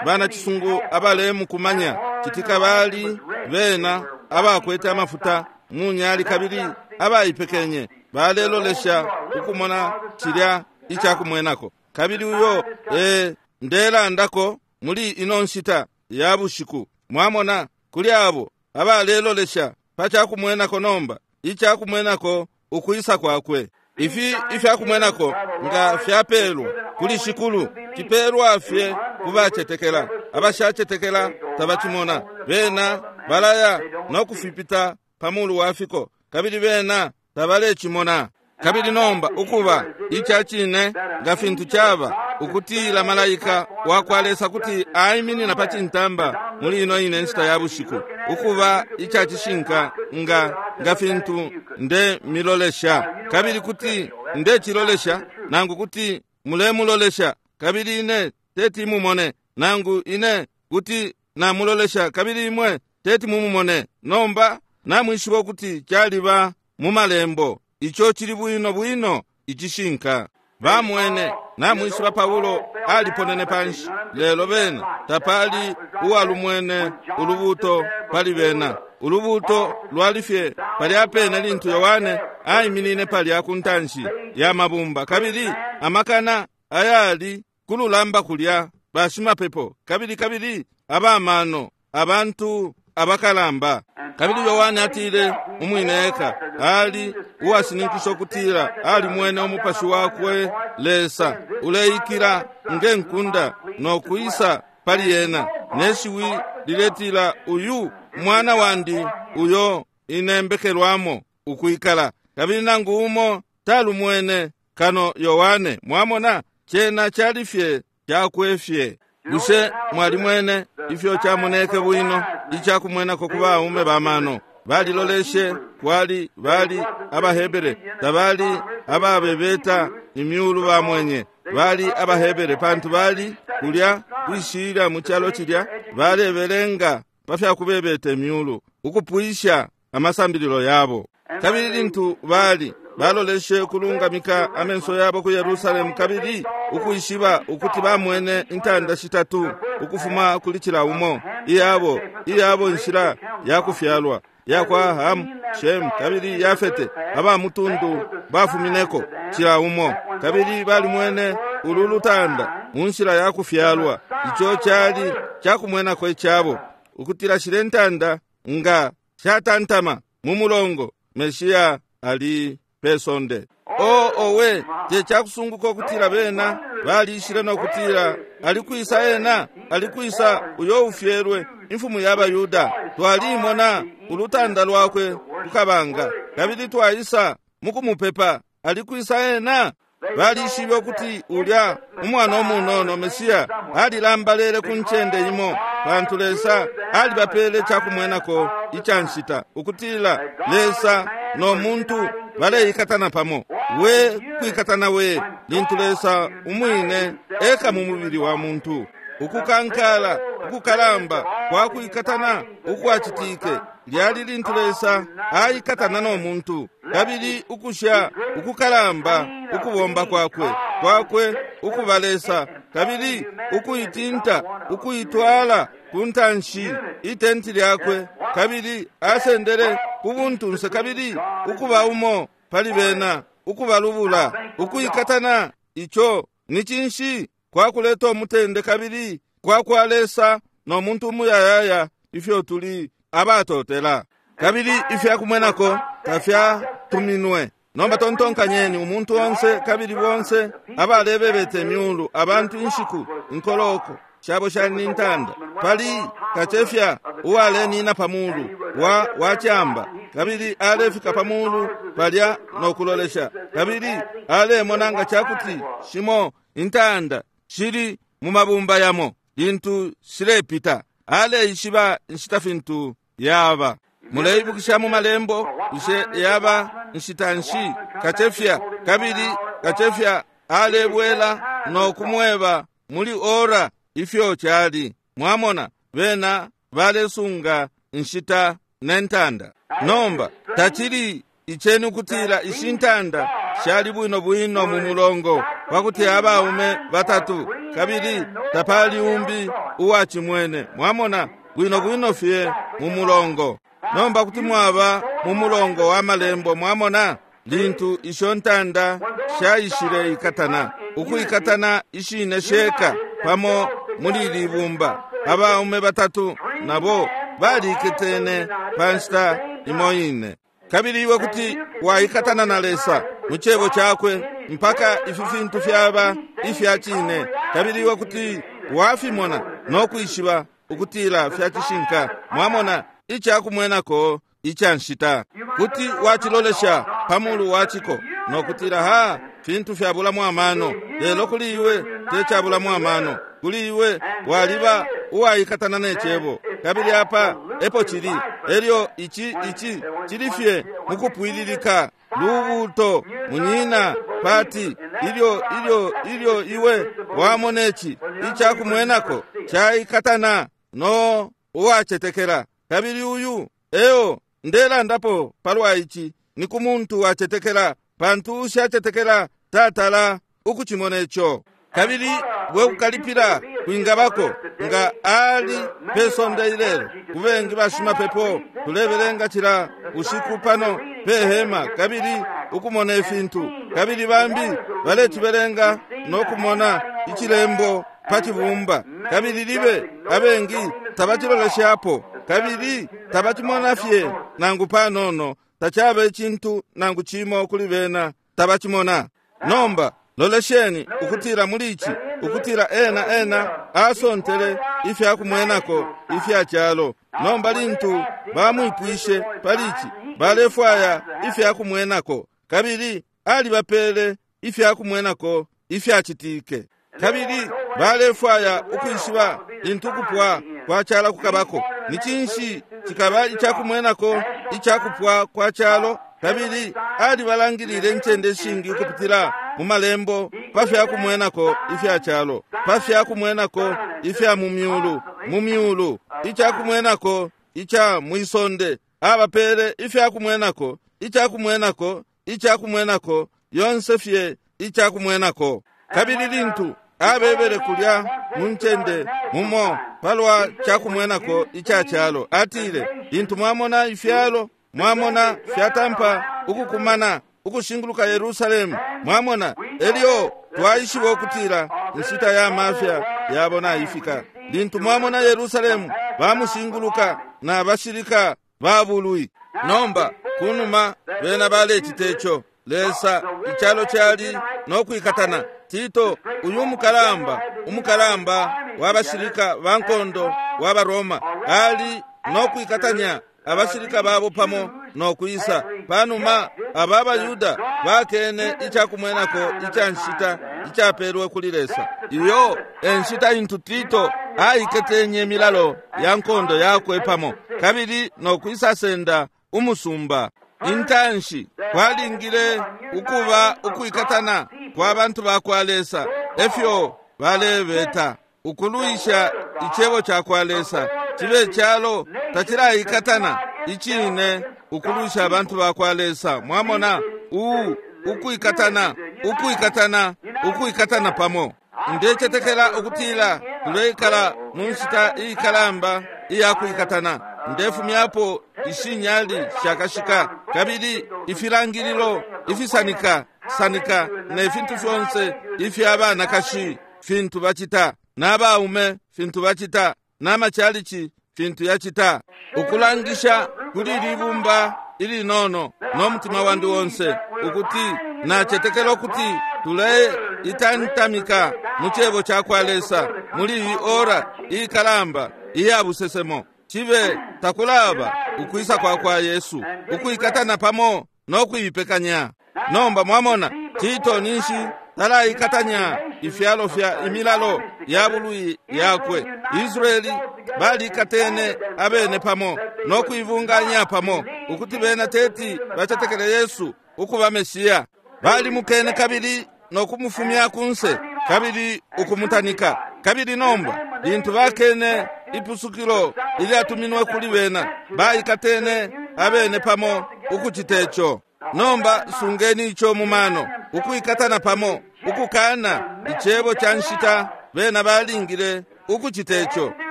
banacisungu abalemukumanya citika, bali bena abakwete amafuta mu nyali kabili abaipekenye, balelolesha ukumona cilya icakumwenako. Kabili uyo e ndelandako muli ino nshita ya bushiku, mwamona, kuli abo abalelolesha pa cakumwenako nomba, icakumwenako ukwisa kwakwe. Ifi ifyakumwenako nga fyapelwa kuli Shikulu, cipelwa fye kubacetekela. Abashacetekela tabacimona, bena balaya no kufipita pa mulu wa fiko, kabili bena tabalecimona. Kabili nomba ukuba ica cine nga fintu caba ukutila malaika wa kwa Lesa kuti aiminina pa cintamba muli ino ine nshita ya bushiku, ukuba ica cishinka nga nga fintu nde milolesha, kabili kuti ndecilolesha, nangu kuti mulemulolesha, kabili ine teti mumone, nangu ine kuti namulolesha, kabili imwe teti mumumone. Nomba namwishiba ukuti caliba mu malembo, ico cili bwino bwino icishinka. Bamwene, namwishiba Paulo aliponene panshi, lelo bena tapali uwalumwene ulubuto pali bena. Ulubuto lwali fye palya pene lintu Yohane aiminine palya ku ntanshi ya mabumba, kabili amakana ayali kululamba kulya bashimapepo, kabili kabili abamano, abantu abakalamba. Kabili Yohane atile umwine eka ali uwashininkisha ukutila alimwene umupashi wakwe Lesa uleikila nge nkunda no kwisa pali yena, ne shiwi liletila, uyu mwana wandi uyo inembekelwamo ukwikala. Kabili nangu umo talumwene kano Yohane. Mwamona, cena cali fye cakwe fye. Bushe mwalimwene ifyo camoneke bwino icakumwenako ku baume bamano? Baliloleshe kwali bali abaHebere, tabali ababebeta imyulu bamwenye, bali abaHebere, pantu bali kulya kwishilya mu calo cilya balebelenga pa fya kubebeta imyulu ukupwisha amasambililo yabo. Kabili lintu bali baloleshe kulungamika amenso yabo ku Yerusalemu, kabili ukwishiba ukuti bamwene intanda shitatu ukufuma kuli cila umo, iyabo iyabo nshila ya kufyalwa yakwa Hamu, Shemu kabili Yafete, aba mutundu bafumineko cila umo. Kabili balimwene ulu lutanda mu nshila ya kufyalwa, ico cali cakumwenako icabo, ukutila shile ntanda nga shatantama mu mulongo, Meshiya ali pesonde. O owe, te cakusunguka ukutila bena balishile no kutila alikwisa ena, alikwisa uyo ufyelwe imfumu ya Bayuda. Twalimona ulutanda lwakwe kukabanga, kabili twaisa mukumupepa, alikwisa ena. Balishibe ukuti ulya umwana umunono Mesiya alilambalele ku ncende imo, pantu Lesa alibapele cakumwenako ica nshita, ukutila Lesa no muntu baleikatana pamo. We kwikatana we lintu Lesa umwine eka mu mubili wa muntu. Ukukankala ukukalamba kwa kwikatana ukwacitike lyali lintu Lesa aikatana no muntu, kabili ukusha ukukalamba ukubomba kwakwe kwakwe ukuba Lesa, kabili ukuitinta, ukuitwala ku ntanshi itenti lyakwe, kabili asendele ku buntunse kabili ukuba umo pali bena, ukubalubula, ukuikatana. Ico ni cinshi? Kwakuleta umutende kabili kwa kwa Lesa no muntu umuyayaya, ifyo tuli abatotela. Kabili ifyakumwenako tafyatuminwe. Nomba tontonkanyeni, umuntu onse kabili bonse abalebebete myulu, abantu inshiku inkoloko shabo shali ni ntanda, pali kacefya uwalenina pamulu wa wachamba, kabili alefika pamulu palya no kulolesha, kabili alemona nga chakuti shimo intanda shili mu mabumba yamo lintu shilepita, aleishiba nshita fintu yaba. Muleibukisha mu malembo ishe yaba nshita nshi kacefya, kabili kacefya alebwela no kumweba muli ora ifyo chali. Mwamona, bena balesunga nshita nentanda. Nomba tachili icheni kutila ishi ntanda shali bwino bwino mu mulongo pakuti abaume batatu, kabili tapali umbi uwachimwene. Mwamona, bwino bwino fye mu mulongo. Nomba kuti mwaba mu mulongo wa malembo. Mwamona, lintu isho ntanda shaishile ikatana, ukuikatana ishine sheka pamo muli libumba, abaume batatu nabo baliketene pa nshita imo ine. Kabili iwe kuti waikatana na Lesa mu cebo chakwe mpaka ifi fintu fyaba ifya cine, kabili iwe kuti wafimona no kwishiba ukutila fya cishinka. Mwamona, icakumwenako ica nshita kuti wachilolesha pamulu wachiko no kutila, ha, fintu fyabulamo amano. Lelo kuli iwe techabulamo amano, kuli iwe waliba uwaikatana ne cebo, kabili apa epo chili. Elyo ichi ichi chili fye mukupwililika lubuto munyina pati ilyo ilyo ilyo iwe wamona ichi icakumwenako chaikatana no uwachetekela. Kabili uyu eo ndelandapo palwa ichi ni ku muntu wachetekela, pantu ushachetekela tatala ukuchimona icho. Kabili bwe kukalipila kwingabako nga ali pesonde ilelo kubengi bashimapepo tulebelenga chila usiku pano pehema kabili ukumona ifintu, kabili bambi balechibelenga nokumona ichilembo pachibumba, kabili libe abengi tabachiloleshapo kabili tabachimona fye nangu panono, tachaba ichintu nangu chimo kuli bena, tabachimona. Nomba lolesheni ukutila muli ichi, ukutila ena ena asontele ifyakumwenako ifya chalo. Nomba lintu bamwipwishe pali ichi, balefwaya ifyakumwenako, kabili alibapele ifyakumwenako ifyachitike. Kabili balefwaya ukwishiba lintu kupwa kwa chala kukabako ni chinshi chikaba ichakumwenako ichakupwa kwa chalo. Kabili alibalangilile ncende shingi ukupitila mu malembo pa fyakumwenako ifya chalo, pa fyakumwenako ifya mu myulu, mu myulu, ichakumwenako icha mwisonde. Abapele ifyakumwenako, ichakumwenako, ichakumwenako, yonse fye ichakumwenako. Kabili lintu abebele kulya mu ncende mumo palwa chakumwenako icha chalo, atile lintu mwamona ifyalo, mwamona fyatampa ukukumana ukushinguluka Yerusalemu, mwamona elyo twaishiba ukutila nshita ya mafya yabo naifika. Lintu mwamona Yerusalemu bamushinguluka na bashilika babulwi. Nomba kunuma bena balecita ico Lesa ichalo chali nokwikatana. Tito uyu umukalamba umukalamba wabashilika bankondo wa Roma ali nokwikatanya abashilika babo pamo nokwisa. Panuma aba Bayuda bakene ichakumwenako icha nshita ichapelwe kuli Lesa. Iyo enshita intu Tito aiketenye milalo ya nkondo yakwe pamo kabili nokwisa senda umusumba. Intanshi kwalingile ukuba ukwikatana kwa bantu ba kwa Lesa, efyo balebeta ukulwisha icebo cha kwa Lesa. Chibe chalo tachilaikatana ichine ukulwisha abantu ba kwa Lesa. Mwamona u ukwikatana ukwikatana ukwikatana pamo. Ndecetekela ukutila tuleikala mu nshita iikalamba iyakwikatana. Ndefumyapo ishinyali shakashika kabili ifilangililo ifisanika sanika ne fintu fyonse ifya banakashi fintu bacita, n'abaume fintu bacita, n'amachalichi fintu yacita, ukulangisha kuli libumba ilinono no mutima wandi wonse ukuti nacetekela ukuti tuleitantamika mu cebo ca kwa Lesa muli iyi ora iikalamba iya busesemo. Cibe takulaba ukwisa kwa kwa Yesu, ukwikatana pamo no kuipekanya. Nomba mwamona Tito ninshi talaikatanya ifyalo fya imilalo ya bulwi yakwe. Israeli balikatene abene pamo no kuibunganya pamo ukuti bena teti bacetekele Yesu ukuba Mesiya. Balimukene kabili no kumufumya kunse kabili ukumutanika. Kabili nomba lintu bakene ipusukilo ilyatuminwe kuli bena, baikatene abene pamo ukucita ico. Nomba sungeni ico mu mano, ukwikatana pamo, ukukana icebo ca nshita. Bena balingile ukucita ico,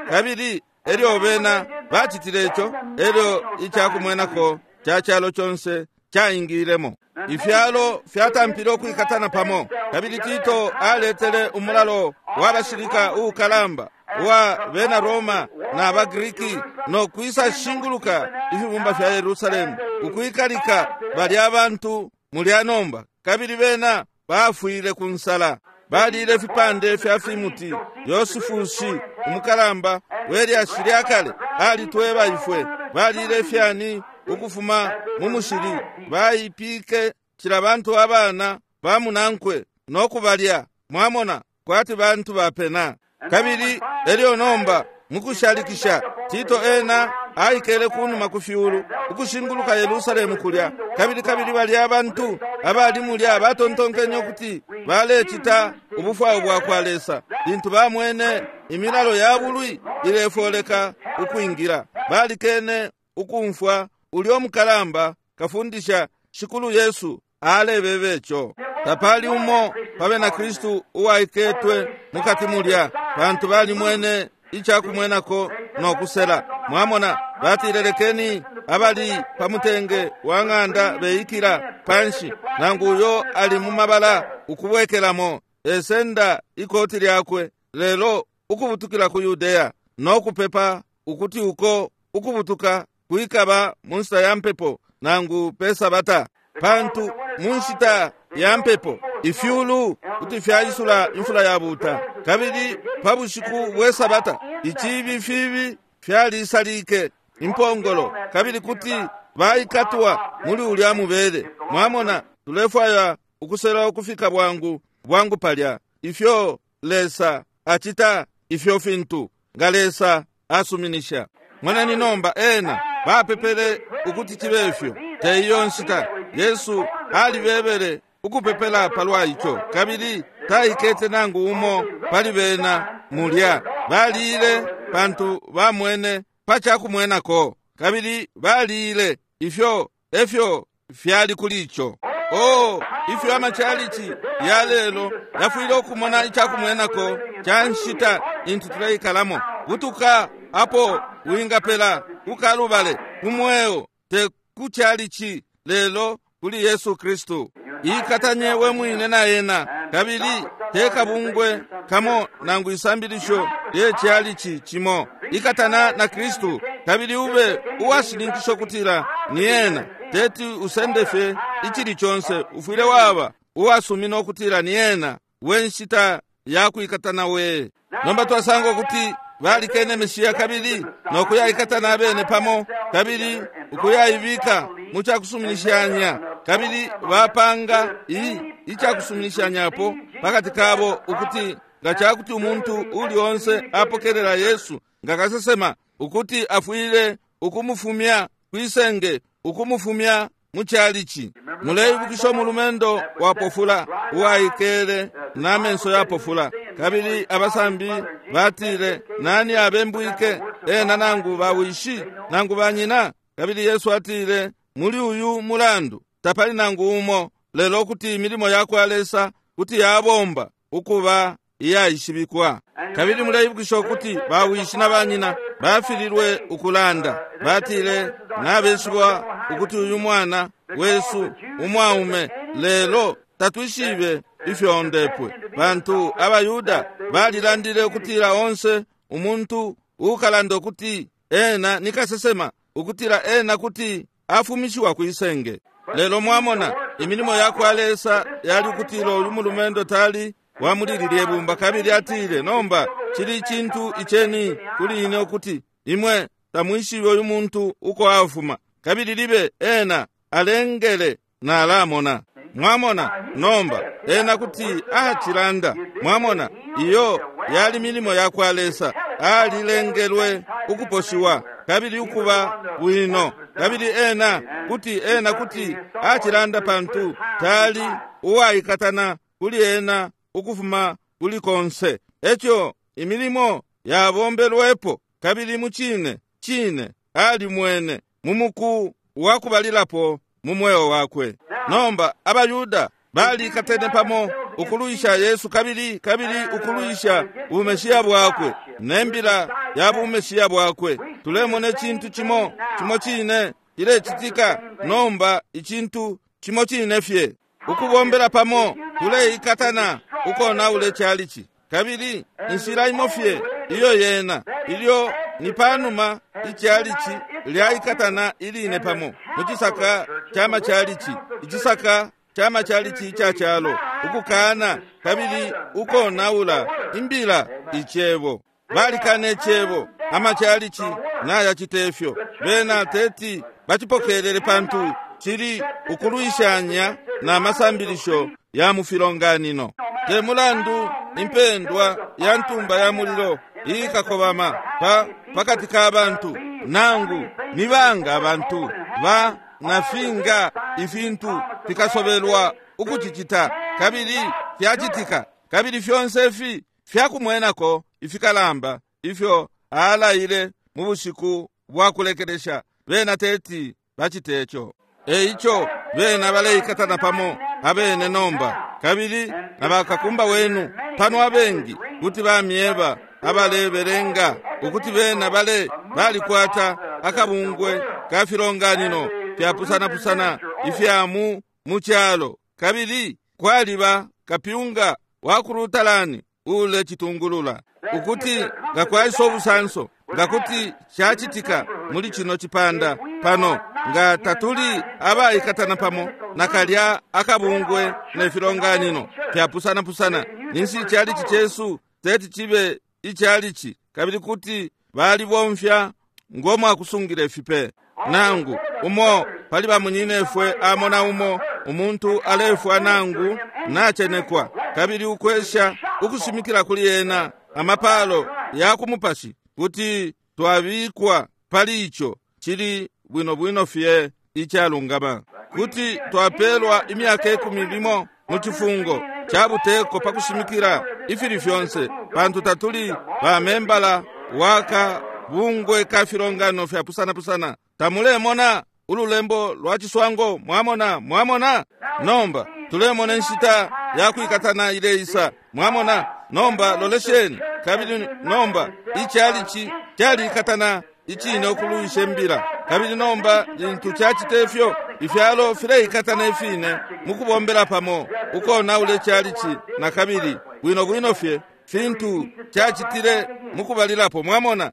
kabili elyo bena bacitile ico, elyo icakumwenako ca calo conse caingilemo. Ifyalo fyatampile ukwikatana pamo, kabili Tito aletele umulalo wa bashilika uukalamba wa bena Roma na Bagriki no kwisa shinguluka ifibumba fya Yerusalemu, ukwikalika balya abantu mulya nomba. Kabili bena bafwile ku nsala, balile fipande fya fimuti. Yosifusi umukalamba welyashi lya kale alitweba ifwe balile fyani ukufuma mu mushili, baipike cila bantu abana bamunankwe no kubalya, mwamona, kwati bantu bapena. Kabili elyo nomba mukushalikisha Tito ena aikele kunuma ku fyulu ukushinguluka Yerusalemu kulya. Kabili kabili balya abantu abali mulya batontonkenye ukuti balecita ubufwayo bwa kwa Lesa lintu bamwene imilalo ya bulwi ilefoleka ukwingila. Balikene ukumfwa ulyo mukalamba kafundisha Shikulu Yesu alebebe ico. Tapali umo pa bena Kristu uwaiketwe mukati mulya, pantu balimwene icakumwenako no kusela. Mwamona, batile lekeni abali pa mutenge wa ng'anda beikila panshi, nangu uyo ali mu mabala ukubwekelamo esenda ikoti lyakwe, lelo ukubutukila ku Yudeya no kupepa ukuti uko ukubutuka kwikaba mu nshita ya mpepo nangu pe Sabata, pantu mu nshita ya mpepo ifyulu kuti fyaisula imfula yabuta, kabili pa bushiku bwe Sabata icibi fibi fyalisalike impongolo, kabili kuti baikatwa muli ulya mubele. Mwamona, tulefwaya ukusela ukufika bwangu bwangu palya ifyo Lesa acita ifyo fintu nga Lesa asuminisha. Mwanani nomba ena bapepele ukuti cibe ifyo te iyo nshita. Yesu alibebele ukupepela palwa ico, kabili taikete nangu umo pali bena mulya. Balile pantu bamwene pa cakumwenako, kabili balile ifyo efyo fyali kuli ico. Oh, ifyo amachalichi ya lelo yafwile ukumona icakumwenako ca nshita intu tuleikalamo. Butuka apo wingapela ukalubale kumweo, te kuchalichi lelo kuli Yesu Kristu. Ikatanye we mwine na ena, kabili tekabungwe kamo nangu isambilisho lyechalichi chimo. Ikatana na Kristu, kabili ube uwashininkisha kutila ni ena. Teti usende fye ichili chonse, ufwile waba uwasumina ukutila ni ena we nshita yakwikatana we. Nomba twasanga ukuti balikene Meshiya kabili nokuyaikatana abene pamo, kabili ukuyaibika mu cakusuminishanya, kabili bapanga iyi icakusuminishanyapo pakati kabo ukuti nga cakuti umuntu uli onse apokelela Yesu nga kasesema, ukuti afwile ukumufumya kwisenge, ukumufumya mu chalichi. Muleibukisha umulumendo wapofula uwaikele n'amenso yapofula, kabili abasambi batile, nani abembwike, ena nangu bawishi nangu banyina? Kabili Yesu atile, muli uyu mulandu tapali nangu umo, lelo kuti imilimo ya kwa Lesa kuti yabomba ukuba iyaishibikwa. Kabili muleibukisha ukuti bawishi na banyina bafililwe ukulanda. Batile, nabeshiba ukuti uyu mwana wesu umwaume, lelo tatwishibe ifyo ondepwe. Pantu abaYuda balilandile ukutila onse umuntu ukalanda ukuti ena ni kasesema, ukutila ena kuti afumishiwa kwisenge. Lelo mwamona imilimo yakwa Lesa yali ukutila uyu mulumendo tali wamulilile bumba. Kabili atile, nomba chili chintu icheni kuli ine ukuti imwe tamwishibe uyu muntu uko afuma, kabili libe ena alengele nalamona. Mwamona, nomba ena kuti achilanda. Mwamona, iyo yali milimo yakwa Lesa, alilengelwe ukuposhiwa kabili ukuba bwino, kabili ena kuti ena kuti achilanda pantu tali uwaikatana kuli ena ukufuma kuli konse. Echo imilimo yabombelwepo, kabili muchine chine alimwene mumuku wakubalilapo mu mweo wakwe. Nomba abayuda balikatene pamo ukuluisha Yesu kabili kabili ukuluisha bumeshiya bwakwe nembila ya bumeshiya bwakwe. Tulemona icintu chimo chimo chine cilechitika nomba, icintu chimo chine fye ukubombela pamo, tuleikatana ukonaule chalichi. Kabili inshila imo fye iyo yena ilyo ni panuma ichalichi lyaikatana iline pamo muchisaka chama chalichi, ichisaka chama chalichi icha chalo, ukukana kabili ukonaula imbila ichebo. Balikana ichebo, amachalichi nayachitefyo bena teti bachipokelele pantu chili ukuluishanya na masambilisho ya mufilonganino. Te mulandu impendwa ya ntumba ya mulilo ikakobama pa pakati ka bantu, nangu nibanga abantu ba nafinga ifintu fikasobelwa ukuchichita kabili fyachitika, kabili fyonse fi fyakumwenako ifikalamba ifyo alaile mu bushiku bwa kulekelesha, bena teti bachitecho. Eicho bena baleikatana pamo abene nomba, kabili abakakumba wenu pano abengi kuti bamyeba abalebelenga ukuti bena bale balikwata akabungwe ka filonganino fyapusana-pusana ifya mu muchalo, kabili kwaliba kapyunga wa kulutalani ule chitungulula ukuti nga kwaisa obusanso, nga kuti chachitika muli chino chipanda pano, nga tatuli abaikatana pamo nakalya akabungwe ne filonganino fyapusana-pusana, ninsi chalichi chesu teti chibe ichalichi, kabili kuti balibomfya ngomwa akusungira ifipe. Nangu umo pali bamunyinefwe amona umo umuntu alefwa nangu nachenekwa, kabili ukwesha ukushimikila kuli ena amapalo ya kumupashi kuti twabikwa pali icho chili bwino bwino fye ichalungama, kuti twapelwa imyaka ikumi limo mu chifungo cha buteko pakushimikila ifili fyonse, pantu tatuli bamembala waka bungwe ka filongano fya pusana-pusana. Tamulemona ululembo lwa chiswango? Mwamona, mwamona? Nomba tulemona inshita ya kwikatana ileisa. Mwamona? Nomba lolesheni. Kabili nomba ichalichi chalikatana ichine okuluisha embila, kabili nomba lintu chachitefyo ifyalo fileikatana ifine mukubombela pamo ukonaula ichalichi na kabili bwino bwino fye fintu chachitile mukubalilapo. Mwamona,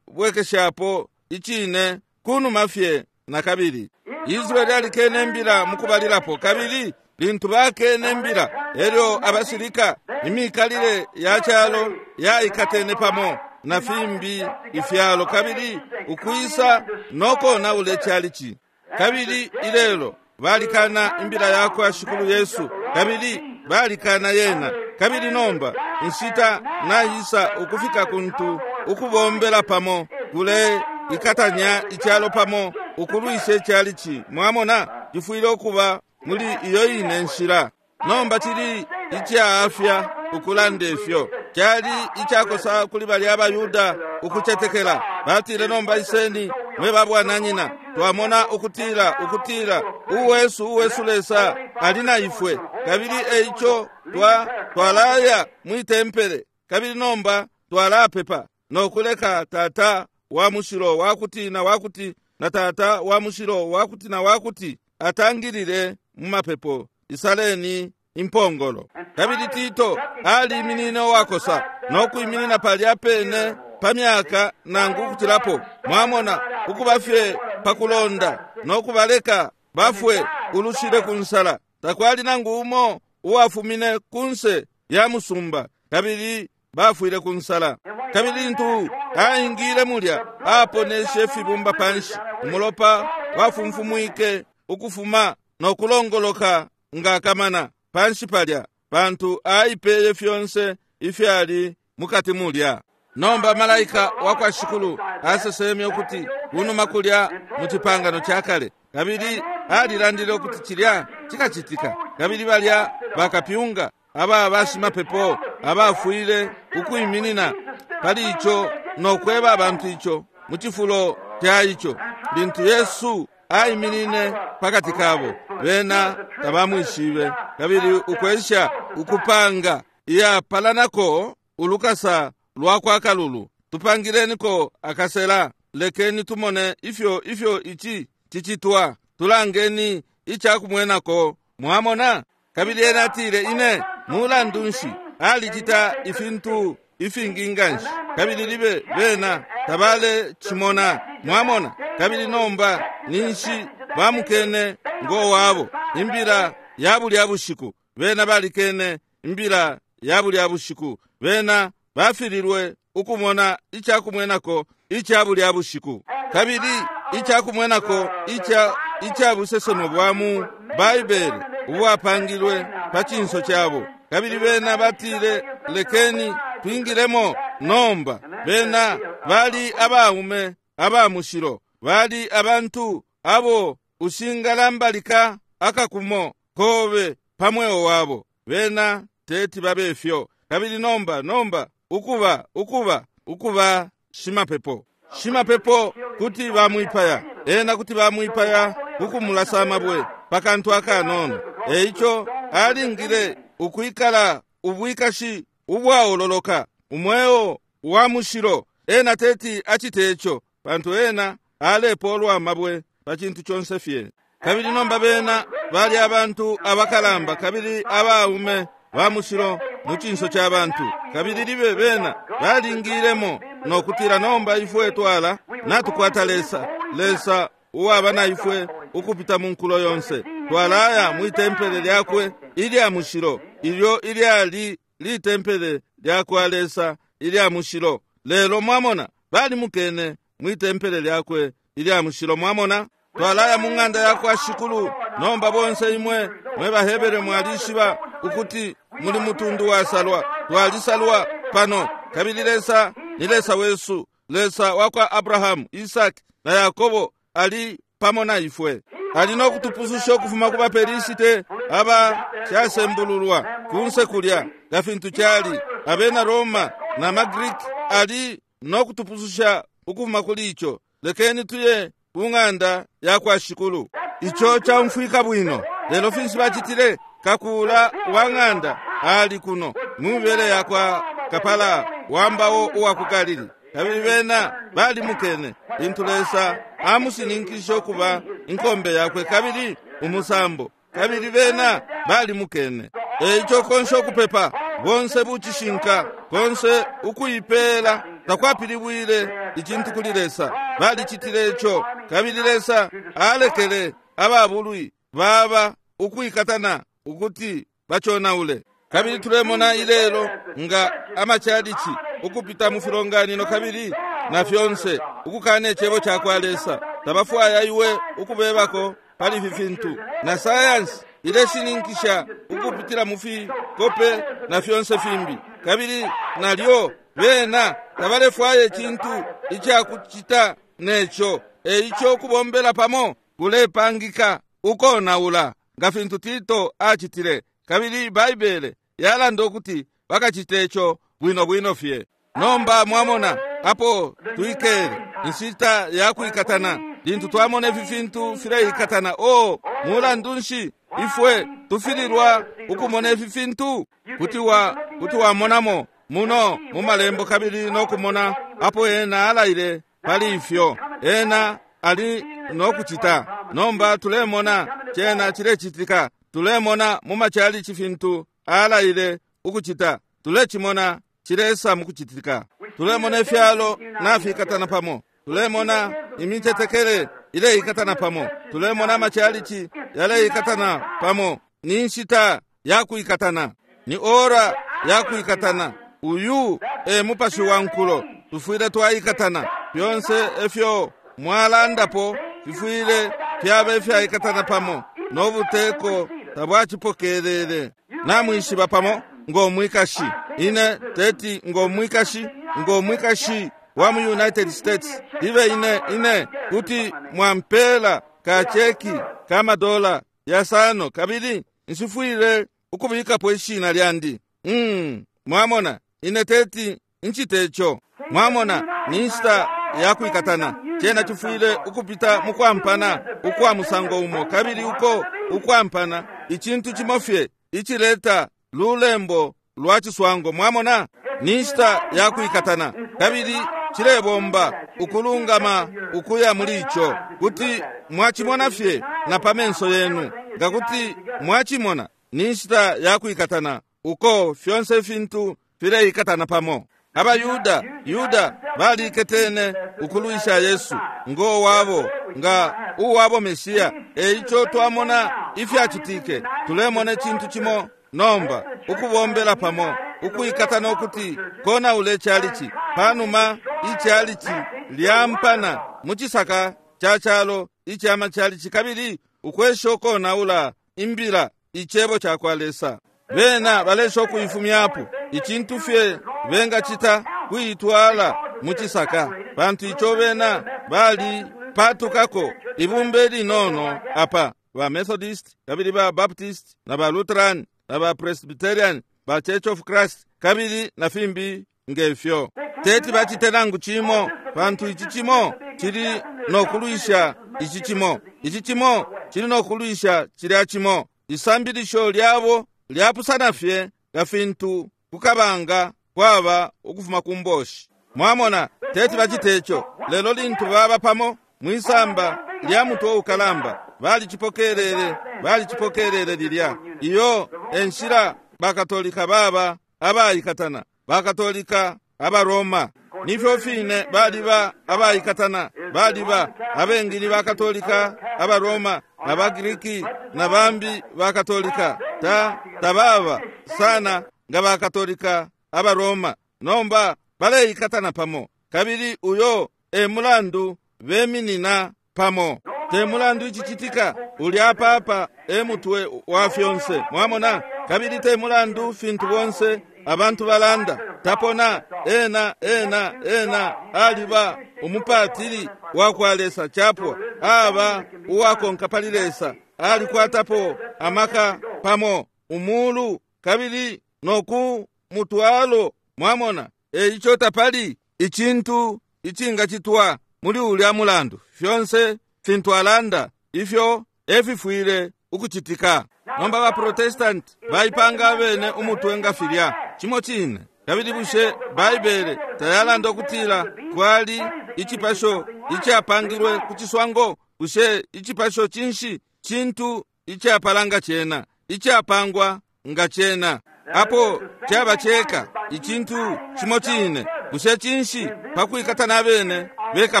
chilebwekeshapo ichine kunuma fye na kabili. Israeli alikene embila mukubalilapo, kabili lintu bakene embila elyo abashilika imikalile ya chalo yaikatene pamo na fimbi ifyalo, kabili ukwisa nokonaula ichalichi. Kabili ilelo balikana imbila yakwa Shikulu Yesu, kabili balikana yena. Kabili nomba inshita naisa ukufika kuntu ukubombela pamo kule ikatanya ichalo pamo ukulwisha ichalichi. Mwamona, chifwile okuba muli iyo ine nshila. Nomba chili ichaafya ukulanda ifyo chali ichakosa kuli bali abayuda ukuchetekela. Batile, nomba iseni mwe babwananyina, twamona ukutila ukutila uwesu uwesu Lesa ali na ifwe, kabili eicho twa Twalaya mwi tempele, kabili nomba twalapepa no kuleka tata wa mushilo wakuti na wakuti na tata wa mushilo wakuti na wakuti atangilile mu mapepo. Isaleni impongolo. Kabili Tito aliminine uwakosa no kwiminina palya pene pa myaka nangu kutilapo, mwamona, ukuba fye pakulonda no kubaleka bafwe ulushile ku nsala. Takwali nangu umo uwafumine kunse ya musumba, kabili bafwile ku nsala. Kabili lintu aingile mulya, aponeshe fibumba panshi, umulopa wafumfumwike ukufuma no kulongoloka nga kamana panshi palya, pantu aipeye fyonse ifyali mukati mulya. Nomba malaika wakwa Shikulu aseseme ukuti kunuma kulya mu cipangano ca kale, kabili alilandile ukuti cilya cikacitika. Kabili balya bakapyunga aba bashimapepo abafwile ukwiminina pali ico no kweba abantu ico mu cifulo ca ico. Lintu Yesu aiminine pakati kabo, bena tabamwishibe, kabili ukwesha ukupanga iyapalanako ulukasa lwa kwa kalulu. Tupangileniko akasela, lekeni tumone ifyo ifyo ici cicitwa, tulangeni icakumwenako. Mwamona? Kabili ena atile, ine mulandu nshi alicita ifintu ifingi nganshi, kabili libe bena tabale chimona. Mwamona? Kabili nomba ninshi bamukene ngo wabo imbila ya bulya bushiku. Bena balikene imbila ya bulya bushiku. Bena bafililwe ukumona icakumwenako ica bulya bushiku. Kabili icakumwenako ica ica busesemo bwa mu Baibele ubwapangilwe pa cinso cabo. Kabili bena batile, lekeni twingilemo nomba. Bena bali abaume aba mushilo, bali abantu abo ushingalambalika akakumo kobe pamweo wabo. Bena teti babefyo. Kabili nomba nomba ukuba ukuba ukuba shimapepo shimapepo kuti bamwipaya ena, kuti bamwipaya kukumulasa amabwe pakantu akanono. Eico alingile ukwikala ubwikashi ubwaololoka, umweo wa mushilo. Ena teti acite ico, pantu ena alepolwa amabwe pa cintu conse fye. Kabili nomba bena bali abantu abakalamba kabili abaume ba mushilo mu cinso ca bantu. Kabili libe bena balingilemo no kutila, nomba ifwe twala natukwata Lesa, Lesa uwaba na ifwe ukupita mu nkulo yonse. Twalaya mwi tempele lyakwe ilya mushilo, ilyo ilyali litempele lyakwa Lesa ilya mushilo. Lelo mwamona, balimukene mwi tempele lyakwe ilya mushilo. Mwamona, twalaya mu ng'anda yakwa Shikulu. Nomba bonse imwe mwe Bahebere mwalishiba ukuti muli mutundu wasalwa. Twalisalwa pano, kabili Lesa ni Lesa wesu, Lesa wakwa Abrahamu, Isaki na Yakobo ali pamo na ifwe. Ali no kutupususha ukufuma ku baPelisite aba casembululwa kunse kulya nga fintu cali abena Roma na maGreek. Ali no kutupususha ukufuma kuli ico. Lekeni tuye ku ng'anda yakwa Shikulu. Ico caumfwika bwino. Lelo finshi bacitile? Kakula wa ng'anda ali kuno mu mibele yakwa kapala wambawo uwa ku Galili. Kabili bena balimukene lintu Lesa amusininkishe ukuba inkombe yakwe kabili umusambo. Kabili bena balimukene. Eico konse ukupepa bonse bucishinka konse ukuipeela takwapilibwile icintu kuli Lesa. Balicitile ico, kabili Lesa alekele ababulwi baba ukwikatana ukuti baconaule. Kabili tulemona ilelo nga amachalichi ukupita mu filonganino kabili na fyonse ukukana icebo ca kwa Lesa. Tabafwaya iwe ukubebako pali ifi fintu, na sayansi ileshininkisha ukupitila mu fikope na fyonse fimbi. Kabili nalyo bena tabalefwaya icintu icakucita neco. Eico kubombela pamo kulepangika ukonaula nga fintu Tito acitile. Kabili Baibele yalanda ukuti bakacite ico bwino bwino fye. Nomba mwamona apo twikele inshita ya kwikatana. Lintu twamona ifi fintu fileikatana, o mulandu nshi ifwe tufililwa ukumona ifi fintu? Kuti wa kuti wamonamo muno mu malembo kabili nokumona apo ena alaile pali ifyo ena ali nokucita. Nomba tulemona cena cilecitika, tulemona mu machalichi fintu alaile ukucita, tulecimona cilesa mukucitika, tulemona ifyalo nafikatana pamo, tulemona imicetekele ileikatana pamo, tulemona amachalichi yaleikatana pamo. Ni nshita yakuikatana, ni ora yakuikatana. Uyu e mupashi wa nkulo, tufwile twaikatana. Fyonse efyo mwalandapo fifwile fyaba ifyaikatana pamo, nobuteko tabwacipokelele. Namwishiba pamo ng'omwikashi, ine teti ng'omwikashi, ng'omwikashi wa mu United States, ibe ine ine kuti mwampela kacheki kamadola yasano kabili nshifwile ukubikapo ishina lyandi. Mm, mwamona ine teti nchitecho. Mwamona ni nshita yakuikatana. Chena chifwile ukupita mukwampana ukwa musango umo, kabili uko ukwampana ichintu chimofye ichileta lulembo lwa chiswango. Mwamona ni nshita yakuikatana kabili chilebomba ukulungama ukuya muli icho. Kuti mwachimona fye na pamenso yenu, ngakuti mwachimona ni nshita yakuikatana uko fyonse fintu fileikatana pamo. Abayuda Yuda baliketene ukulwisha Yesu ngo wabo nga uwabo Mesiya. Eicho twamona ifyachitike, tulemona chintu chimo nomba ukubombela pamo ukuikatana ukuti kona ule chalichi panuma ichalichi lyampana muchisaka cha chalo ichama chalichi kabili ukwesha konaula imbila ichebo cha kwa Lesa. Bena balesha okuifumyapo ichintu fye bengachita kuitwala muchisaka, pantu icho bena bali patukako ibumbe linono apa ba Methodist kabili ba Baptist na ba Lutheran na ba Presbyterian ba Church of Christ kabili na fimbi ngefyo. Teti bachite nangu chimo, pantu ichi chimo chili nokulwisha ichi chimo, ichi chimo chili nokulwisha chilya chimo. Isambilisho lyabo lyapusana fye nga fintu kukabanga kwaba ukufuma kumboshi. Mwamona teti bachitecho. Lelo lintu baba pamo mwisamba lya mutwe ukalamba balichipokelele, balichipokelele lilya. Iyo enshila bakatolika baba abayikatana, bakatolika abaroma nifyo fine baliba abayikatana, baliba abengili bakatolika abaroma na bagiriki na bambi bakatolika ta tababa sana nga bakatolika abaroma. Nomba baleikatana pamo kabili uyo e mulandu beminina pamo. Te mulandu ichichitika ulya papa e mutwe wa fyonse. Mwamona kabili te mulandu fintu bonse abantu balanda tapona ena ena ena aliba umupatili wa kwa Lesa chapwa aba uwakonka pali Lesa alikwatapo amaka pamo umulu kabili noku mutwalo. Mwamona eicho tapali ichintu ichingachitwa muli ulya mulandu. Fyonse fintu alanda ifyo efifwile ukuchitika. Nomba ba Protestant baipanga bene umutwe nga filya chimo chine. Kabili bushe Baibele tayalanda okutila kwali ichipasho ichapangilwe kuchiswango? Bushe ichipasho chinshi? Chintu ichapalanga chena, ichapangwa nga chena, apo chaba cheka ichintu chimo chine. Bushe chinshi pakuikatana bene beka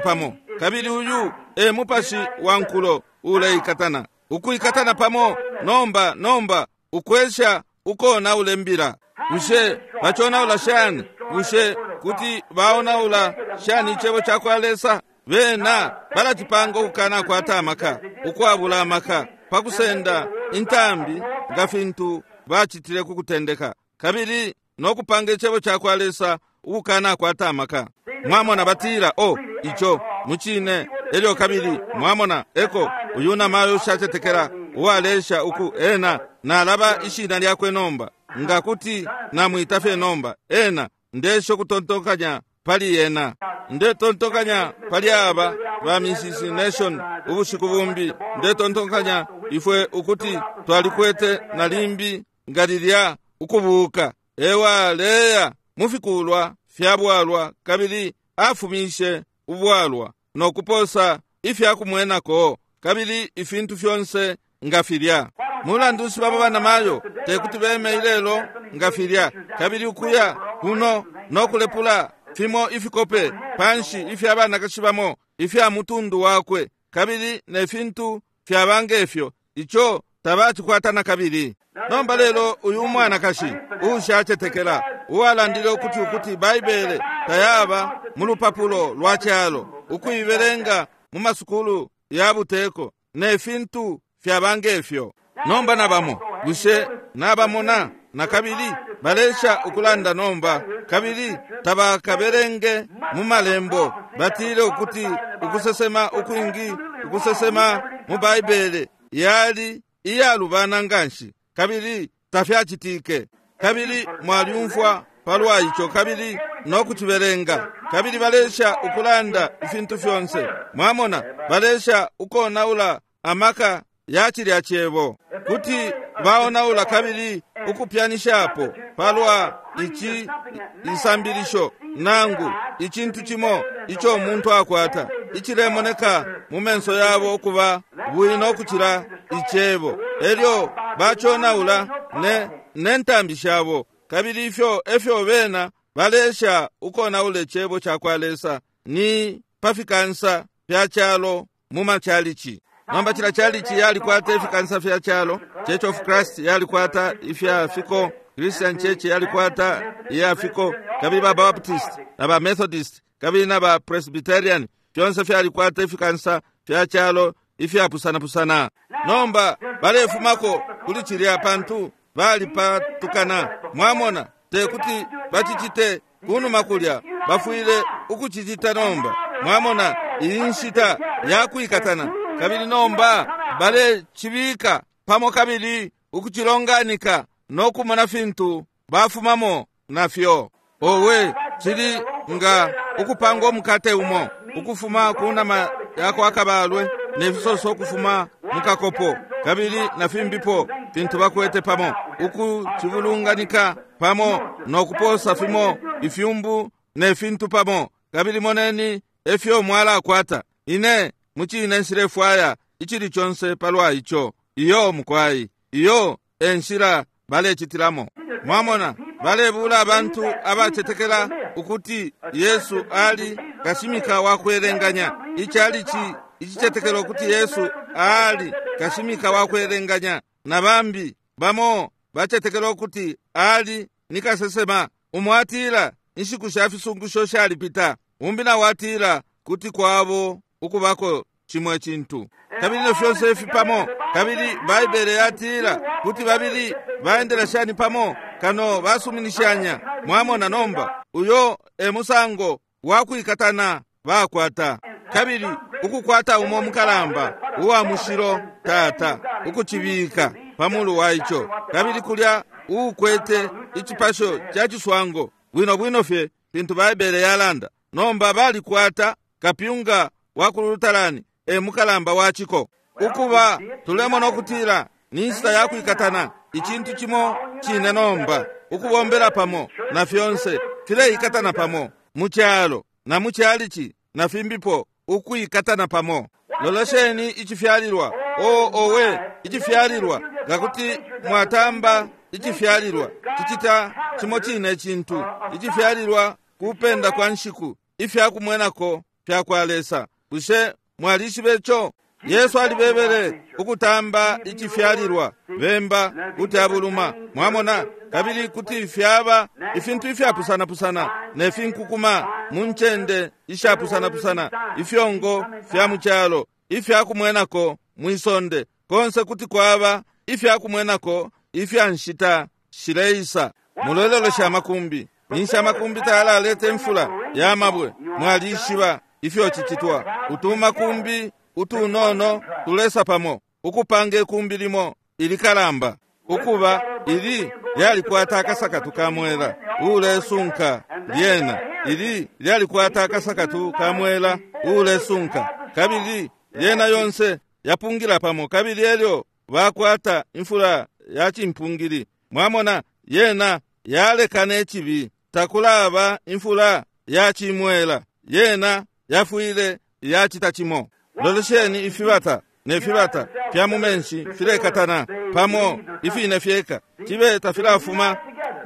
pamo? Kabili uyu e mupashi wa nkulo uleikatana ukuikatana pamo. Nomba nomba ukwesha ukona ulembila. Bushe bachonaula shani? Bushe kuti baonaula shani ichebo cha kwa Lesa? Bena balachipanga ukukana kwata amaka ukwabula amaka pakusenda intambi nga fintu bachitile kukutendeka kabili nokupanga ichebo cha kwa Lesa ukukana kwata amaka. Mwamona batila o icho muchine elyo kabili mwamona eko uyu namayo ushachetekela uwalesha uku ena nalaba ishina lyakwe nomba nga kuti namwita fye nomba ena ndesho kutontokanya pali yena ndetontokanya pali aba ba Missis Nation ubushiku bumbi ndetontokanya Ifwe ukuti twalikwete na limbi nga lilya ukubuka ewaleya mufikulwa fya bwalwa kabili afumishe ubwalwa no kuposa ifyakumwenako kabili ifintu fyonse nga filya. Mulandu nshi babo banamayo tekuti beme ilelo nga filya kabili ukuya kuno no kulepula fimo ifikope panshi ifya banakashi bamo ifya mutundu wakwe kabili ne fintu fyaba ngefyo ico tabacikwata na kabili. Nomba lelo uyu mwanakashi uushacetekela uwalandile ukuti ukuti Baibele tayaba mu lupapulo lwa calo ukuibelenga mu masukulu ya buteko ne fintu fyaba ngefyo. Nomba nabamo bushe nabamona na kabili balesha ukulanda nomba kabili tabakaberenge mu malembo. Batile ukuti ukusesema ukwingi ukusesema mu Baibele yali iyalubana nganshi kabili tafyacitike kabili mwalyumfwa palwa ico kabili no kucibelenga kabili balesha ukulanda ifintu fyonse. Mwamona balesha ukonaula amaka ya cilya cebo kuti baonaula kabili ukupyanishapo palwa ici isambilisho nangu icintu cimo ico umuntu akwata icilemoneka mu menso yabo ukuba bwino kucila icebo elyo baconaula ne ne ntambi shabo kabili ifyo efyo bena balesha ukonaula icebo ca kwa Lesa ni pafikansa fya calo mu machalichi. Nomba cila chalichi yalikwata ifikansa fya calo. Church of Christ yalikwata ifya fiko, Christian Church yalikwata iya fiko, kabili ba Baptist na ba Methodist kabili na ba Presbyterian fyonse fyalikwata ifikansa fya calo ifyapusana-pusana. Nomba balefumako kuli cilya pantu balipatukana. Mwamona tekuti bacicite kunuma kulya bafwile ukucicita nomba. Mwamona iyi nshita yakwikatana kabili nomba balecibika pamo kabili ukucilonganika no kumona fintu bafumamo nafyo. Owe cili nga ukupanga umukate umo ukufuma ku nama yako akabalwe ne fisoso ukufuma mukakopo kabili na fimbipo fintu bakwete pamo ukucibulunganika pamo no kuposa fimo ifyumbu ne fintu pamo kabili moneni efyo mwalakwata. Ine mucine nshilefwaya icili conse palwa ico. Iyo mukwai iyo enshila balecitilamo. Mwamona balebula abantu abacetekela ukuti Yesu ali kashimika wa kwelenganya. Ichalichi icicetekela ukuti Yesu ali kashimika wa kwelenganya na bambi bamo bacetekela ukuti ali ni kasesema. Umwatila inshiku sha fisungusho shalipita, umbi na watila kuti kwabo ukubako chimwe chintu kabili ne fyonse ifi pamo kabili Baibele yatila kuti babili baendela shani pamo kano basuminishanya. Mwamona nomba uyo e musango wakwikatana bakwata kabili ukukwata umo mukalamba uwa mushilo tata ukucibika pamulu wa ico kabili kulya uukwete icipasho ca ciswango bwino bwino fye fintu Baibele yalanda. Nomba balikwata kapyunga wa kulutalani e mukalamba wa ciko. Ukuba tulemona ukutila ni nshita yakwikatana icintu cimo cine nomba ukubombela pamo na fyonse fileikatana pamo mu calo na mu chalichi na fimbipo ukuikatana pamo. Lolesheni icifyalilwa o owe icifyalilwa ngakuti mwatamba icifyalilwa cicita cimo cine cintu icifyalilwa kupenda kwa nshiku ifyakumwenako fya kwa Lesa. Bushe mwalishibe ico? Yesu alibebele ukutamba icifyalilwa bemba kuti abuluma. Mwamona kabili kuti fyaba ifintu ifyapusana-pusana ne finkukuma mu ncende ishapusana-pusana ifyongo fya mu calo ifyakumwenako mwisonde konse kuti kwaba ifyakumwenako ifya nshita shileisa. Mulolelesha amakumbi ninshi amakumbi tayalaleta imfula ya mabwe. Mwalishiba ifyo cicitwa. Utumakumbi utunono tulesa pamo ukupanga ikumbi limo ilikalamba ukuba ili lyalikwata akasakatu kamwela ulesunka lyena ili lyalikwata akasakatu kamwela ulesunka kabili lyena yonse yapungila pamo kabili elyo bakwata imfula ya cimpungili. Mwamona, yena yalekana icibi. Takulaba imfula ya cimwela, yena yafwile yacita cimo. Lolesheni ifibata ne fibata fya mu menshi filekatana pamo ifine fyeka, cibe tafilafuma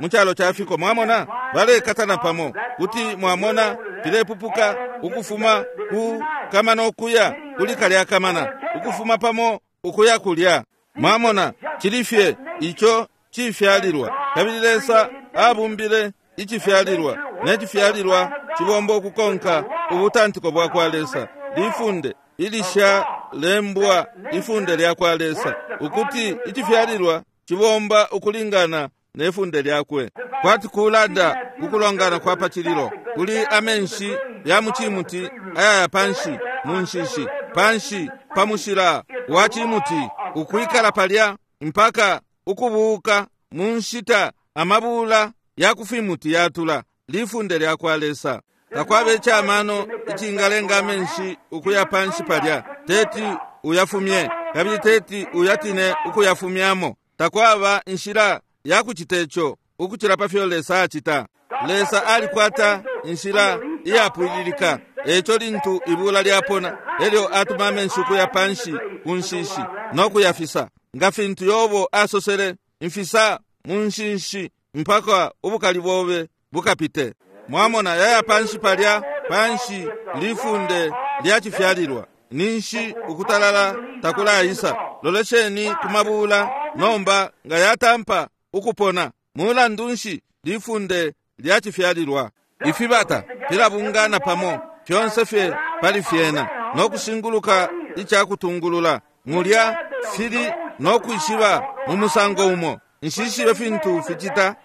mu calo ca fiko. Mwamona, balekatana pamo. Kuti mwamona filepupuka ukufuma ku kamana ukuya kuli kalya kamana, ukufuma pamo ukuya kulya. Mwamona, cilifye ico cifyalilwa. Kabili Lesa abumbile icifyalilwa, ne cifyalilwa cibomba ukukonka ubutantiko bwa kwa Lesa. Lifunde ilisha lembwa, ifunde lya kwa Lesa, ukuti icifyalilwa cibomba ukulingana ne funde lyakwe. Kwati kulanda kukulongana kwa pacililo, kuli amenshi ya mucimuti ayaya panshi mu nshishi, panshi pa mushila wa cimuti, ukwikala palya mpaka ukubuka mu nshita amabula ya kufimuti yatula. Lifunde lya kwa Lesa. Takwaba icamano icingalenga amenshi ukuya panshi palya, teti uyafumye, kabili teti uyatine ukuyafumyamo. Takwaba inshila ya kucita ico ukucila pa fyo Lesa acita. Lesa alikwata inshila iyapwililika. Eco lintu ibula lyapona, elyo atuma amenshi ukuya panshi ku nshishi no kuyafisa. Nga fintu Yobo asosele, mfisa mu nshishi mpaka ubukali bobe bukapite. Mwamona, yaya panshi palya, panshi lifunde lya cifyalilwa. Ninshi ukutalala takulaisa. Lolesheni kumabula nomba nga yatampa ukupona. Mulandu nshi? Lifunde lya cifyalilwa. Ifibata filabungana pamo fyonse fye pali fyena no kushinguluka icakutungulula. Mulya fili no kwishiba mu musango umo. Nshishibe fintu ficita,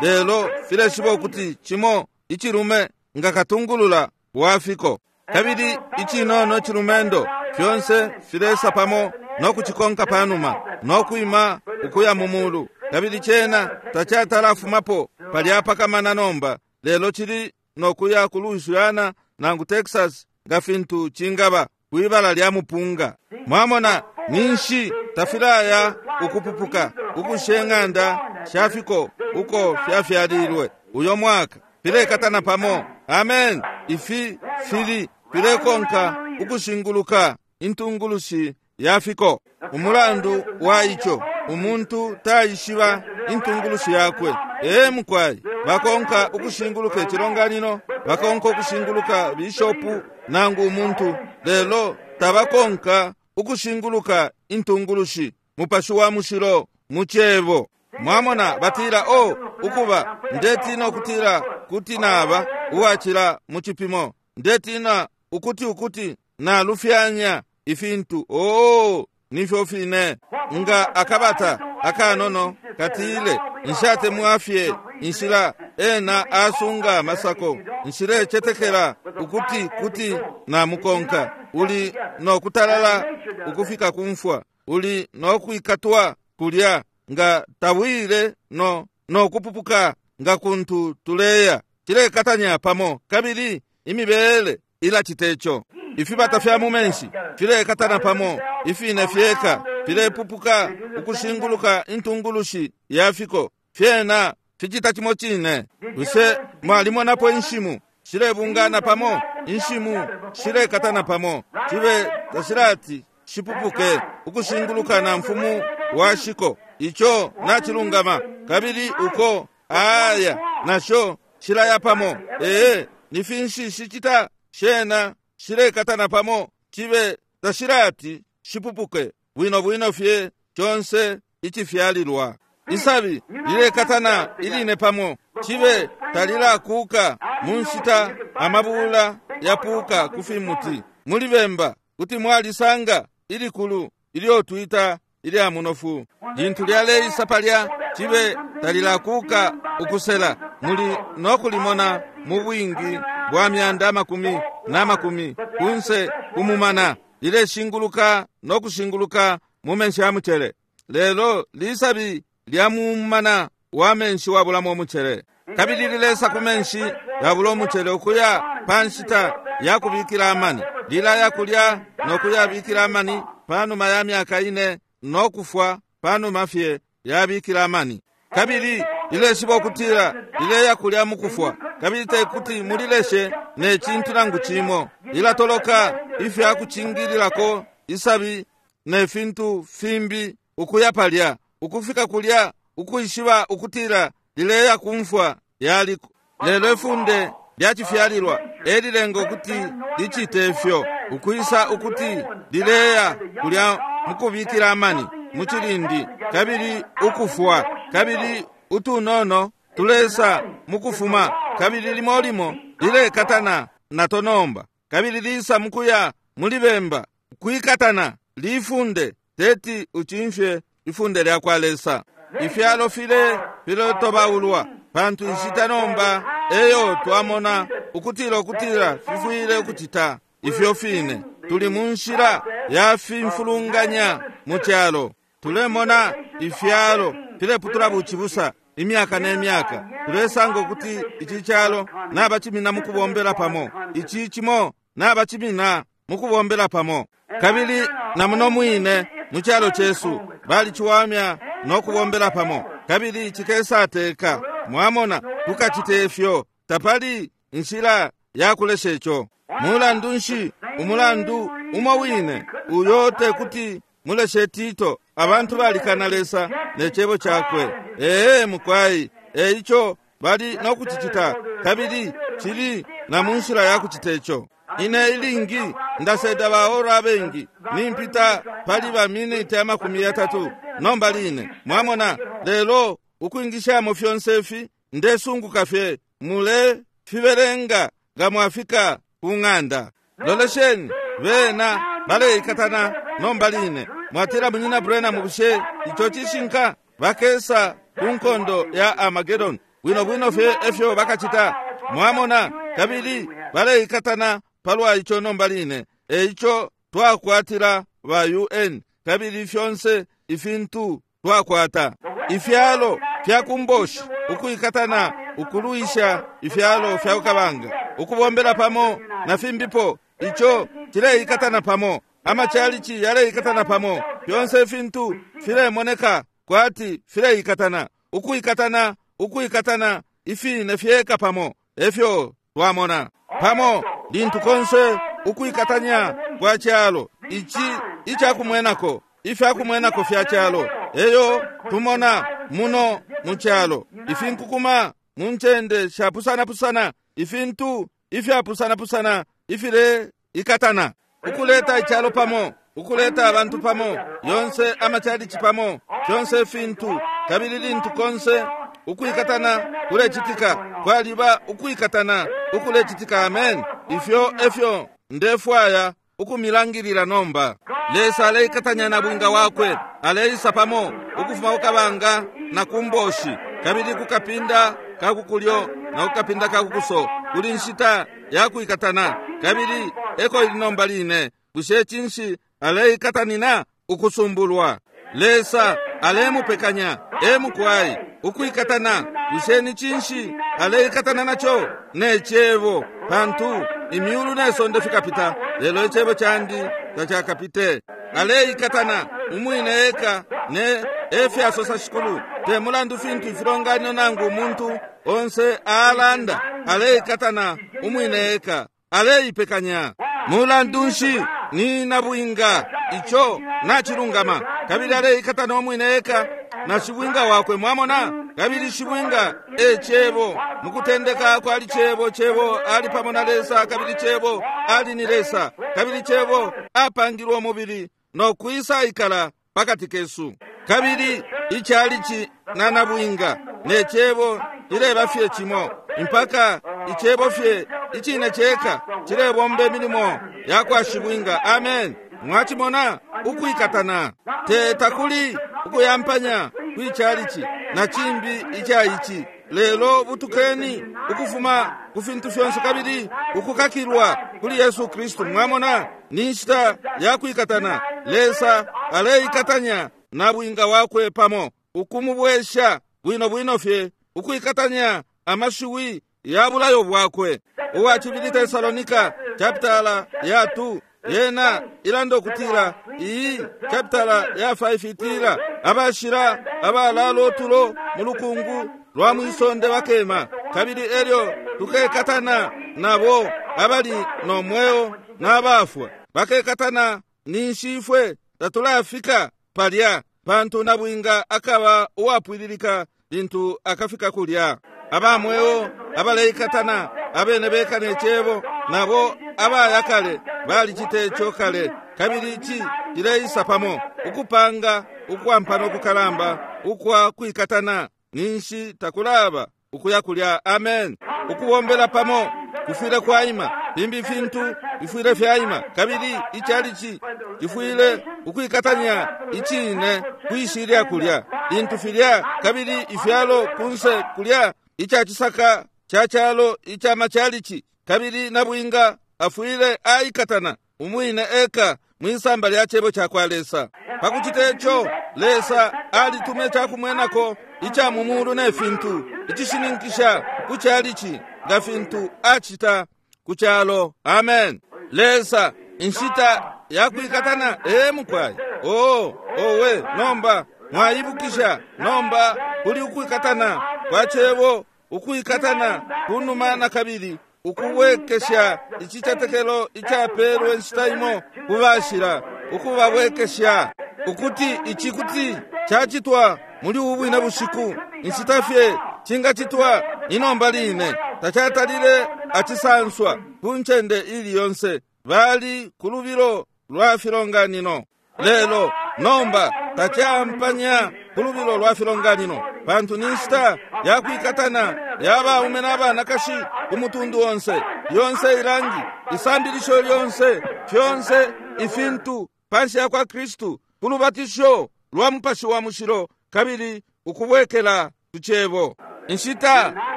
lelo fileshiba ukuti cimo icilume nga katungulula wafiko, kabili icinono cilumendo fyonse filesa pamo no kucikonka panuma no kwima ukuya mu mulu. Kabili cena tacatalafumapo palya pakamana nomba, lelo cili no kuya ku Louisiana nangu Texas nga fintu cingaba kwibala lya mupunga. Mwamona, ninshi tafilaya ukupupuka ukushe ng'anda shafiko uko fyafyalilwe uyo mwaka. Filekatana pamo. Amen. Ifi fili filekonka ukushinguluka intungulushi yafiko. Umulandu wa ico, umuntu taishiba intungulushi yakwe. Ee mukwai, bakonka ukushinguluka icilonganino, bakonka ukushinguluka bishopu nangu umuntu, lelo tabakonka ukushinguluka intungulushi, Mupashi wa Mushilo mu cebo. Mwamona, batila, o ukuba ndetina ukutila kuti naba uwacila mu cipimo, ndetina ukuti ukuti nalufyanya ifintu. Oo, nifyo fine. Nga akabata akanono katile, nshatemwa fye inshila ena asunga masako, nshilechetekela ukuti kuti namukonka. Uli no kutalala ukufika kumfwa, uli no kwikatwa kulya nga tawile no no kupupuka nga kuntu tuleya. Cilekatanya pamo, kabili imibele ilaciteco. Ifibata fya mu menshi filekatana pamo, ifine fyeka filepupuka ukushinguluka intungulushi yafiko. Fyena ficita cimo cine. Bushe mwalimonapo inshimu shilebungana pamo? Inshimu shilekatana pamo, cibe tashilati shipupuke ukushinguluka na mfumu washiko. Ico nachilungama. Kabili uko aya nasho shilaya pamo. Ee, ni finshi shicita? Shena shilekatana pamo, cibe tashilati shipupuke bwino bwino fye conse icifyalilwa. Isabi lilekatana iline pamo, cibe talilakuka mu nshita amabula yapuka kufimuti. Muli bemba kuti mwalisanga ilikulu ilyo twita ilya munofu. Lintu lyaleisa palya, cibe talilakuka ukusela. Muli nokulimona mu bwingi bwa myanda makumi na makumi kunse kumumana, lileshinguluka nokushinguluka mu menshi ya mucele. Lelo lisabi lya mumana wa menshi wabulamo umucele, kabili lilesa ku menshi yabula umucele ukuya pa nshita yakubikila amani. Lilaya kulya nokuyabikila amani panuma ya myaka ine no kufwa panuma fye yabikila amani. Kabili lileshiba ukutila lileya kulya mukufwa, kabili tekuti mulileshe ne cintu nangu cimo. Lilatoloka ifya kucingililako isabi ne fintu fimbi ukuya palya, ukufika kulya, ukwishiba ukutila lileya kumfwa yaliko. Lelo ifunde lyacifyalilwa elilenga ukuti licite ifyo, ukwisa ukuti lileya kulya mukubikila amani mucilindi, kabili ukufwa, kabili utunono tulesa mukufuma, kabili limo limo lilekatana nato nomba, kabili lisa mukuya mulibemba kwikatana. Lifunde teti uchimfye ifunde lya kwa Lesa. Ifyalo file filotobaulwa pantu inshita nomba eyo twamona ukutila ukutila fifwile ukucita ifyo fine. Tuli mu nshila ya fimfulunganya mu cyalo. Tulemona ifyalo fileputula bucibusa imyaka ne myaka. Tulesanga ukuti ici cyalo nabacimina mu kubombela pamo, ici cimo nabacimina mu kubombela pamo. Kabili na muno mwine mu cyalo cesu baliciwamya no kubombela pamo, kabili cikesateka. Mwamona, tukacite ifyo, tapali inshila ya kulesha ico. Mulandu nshi umulandu umo wine uyo tekuti muleshe Tito? Abantu balikana Lesa ne cebo cakwe. Ee mukwai, eico bali no kucicita, kabili cili na mu nshila ya kucita ico. Ine ilingi ndaseda baora abengi nimpita pali ba miniti amakumi yatatu nomba line. Mwamona, lelo ukwingishamo fyonse ifi ndesunguka fye mule fibelenga nga mwafika ku ng'anda. Lolesheni bena baleikatana nomba line. Mwatila munyina Branham, bushe ico cishinka? Bakesa ku nkondo ya Armageddon bwino bwino fye efyo bakacita. Mwamona, kabili baleikatana palwa ico nomba line. Eico twakwatila ba U N, kabili fyonse ifintu twakwata. Ifyalo fya kumboshi ukuikatana ukulwisha ifyalo fya kukabanga, ukubombela pamo na fimbipo, ico cileikatana pamo. Amachalichi yaleikatana pamo. Fyonse ifintu filemoneka kwati fileikatana, ukuikatana, ukuikatana ifine fyeka pamo. Efyo twamona pamo lintu konse ukuikatanya kwa cyalo ici icakumwenako, ifyakumwenako fya cyalo. Eyo tumona muno mu cyalo ifinkukuma mu ncende shapusana-pusana, ifintu ifyapusana-pusana ifile ikatana, ukuleta icyalo pamo, ukuleta abantu pamo, yonse amachalichi pamo, fyonse ifintu. Kabili lintu konse ukuikatana kulecitika, kwaliba ukuikatana ukulecitika. Amen. Ifyo efyo ndefwaya ukumilangilila nomba. Lesa aleikatanya na bwinga wakwe, aleisa pamo ukufuma kukabanga na kumboshi, kabili kukapinda kakukulyo na kukapinda kakukuso. Kuli nshita ya kuikatana, kabili eko ili nomba line. Bushe cinshi aleikatanina? Ukusumbulwa. Lesa alemupekanya emukwai ukuikatana. Bushe ni cinshi aleikatana naco? Ne cebo, pantu imyulu ne sonde fikapita, lelo icebo candi tacakapite. Aleikatana umwine eka ne efyasosa Shikulu. Te mulandu fintu ifilonganino nangu umuntu onse alanda, aleikatana umwine eka, aleipekanya. Mulandu nshi ni nabwinga ico nachilungama, kabili aleikatana umwine eka na shibwinga wakwe. Mwamona, kabili shibwinga e cebo. Mukutendeka kwali cebo, cebo ali pamo na Lesa, kabili cebo ali ni Lesa, kabili cebo apangilwe umubili no kwisa ikala pakati kesu. Kabili ichalichi na nabwinga ne cebo ileba fye cimo, mpaka icebo fye icine ceka cilebomba milimo ya kwa shibwinga. Amen. Mwachimona ukuikatana te takuli ukuyampanya kwichalichi na chimbi ichaichi. Lelo butukeni ukufuma ku fintu fyonse kabili ukukakilwa kuli Yesu Kristu. Mwamona, ni nshita ya kuikatana. Lesa aleikatanya na bwinga wakwe pamo, ukumubwesha bwino bwino fye, ukuikatanya amashiwi ya bulayo bwakwe. Uwa cibili Tesalonika chapitala ya two Yena ilanda ukutila iyi chapitala ya five itila abashila abalala otulo mu lukungu lwa mwisonde bakema, kabili elyo tukekatana nabo abali no mweo n'abafwa bakekatana. Ninshi ifwe tatulafika palya, pantu nabwinga akaba uwapwililika lintu akafika kulya. Abamweo abaleikatana abene beka ne cebo, nabo abayakale balicite ico kale, kabili ici cileisa pamo ukupanga ukwampana ukukalamba ukwa kwikatana. Ninshi takulaba ukuya kulya. Amen. Ukubombela pamo kufwile kwaima, limbi fintu bifwile fyaima, kabili ichalichi cifwile ukwikatanya icine kwishilya kulya lintu filya, kabili ifyalo kunse kulya icacisaka ca calo ica machalichi, kabili nabwinga afwile aikatana umwine eka mwisamba lya cebo ca kwa Lesa. Pakucita ico, Lesa alitume cakumwenako ica mumulu ne fintu icishininkisha ku chalichi nga fintu acita ku calo. Amen. Lesa inshita yakwikatana ee mukwai. Oh, owe, nomba mwaibukisha nomba kuli ukwikatana kwa cebo, ukwikatana kunuma na kabili ukubwekesha icicetekelo icapelwe nshita imo kubashila, ukubabwekesha ukuti ici kuti cacitwa muli ubu bwine bushiku, inshita fye cingacitwa inomba line. Tacatalile acisanswa ku ncende ili yonse, bali ku lubilo lwa filonganino. Lelo nomba tacampanya ku lubilo lwa filonganino, pantu ni nshita yakwikatana ya baume n'abanakashi ku mutundu onse, yonse ilangi, isambilisho lyonse, fyonse ifintu panshi ya kwa Kristu, ku lubatisho lwa Mupashi wa Mushilo, kabili ukubwekela ku cebo. Inshita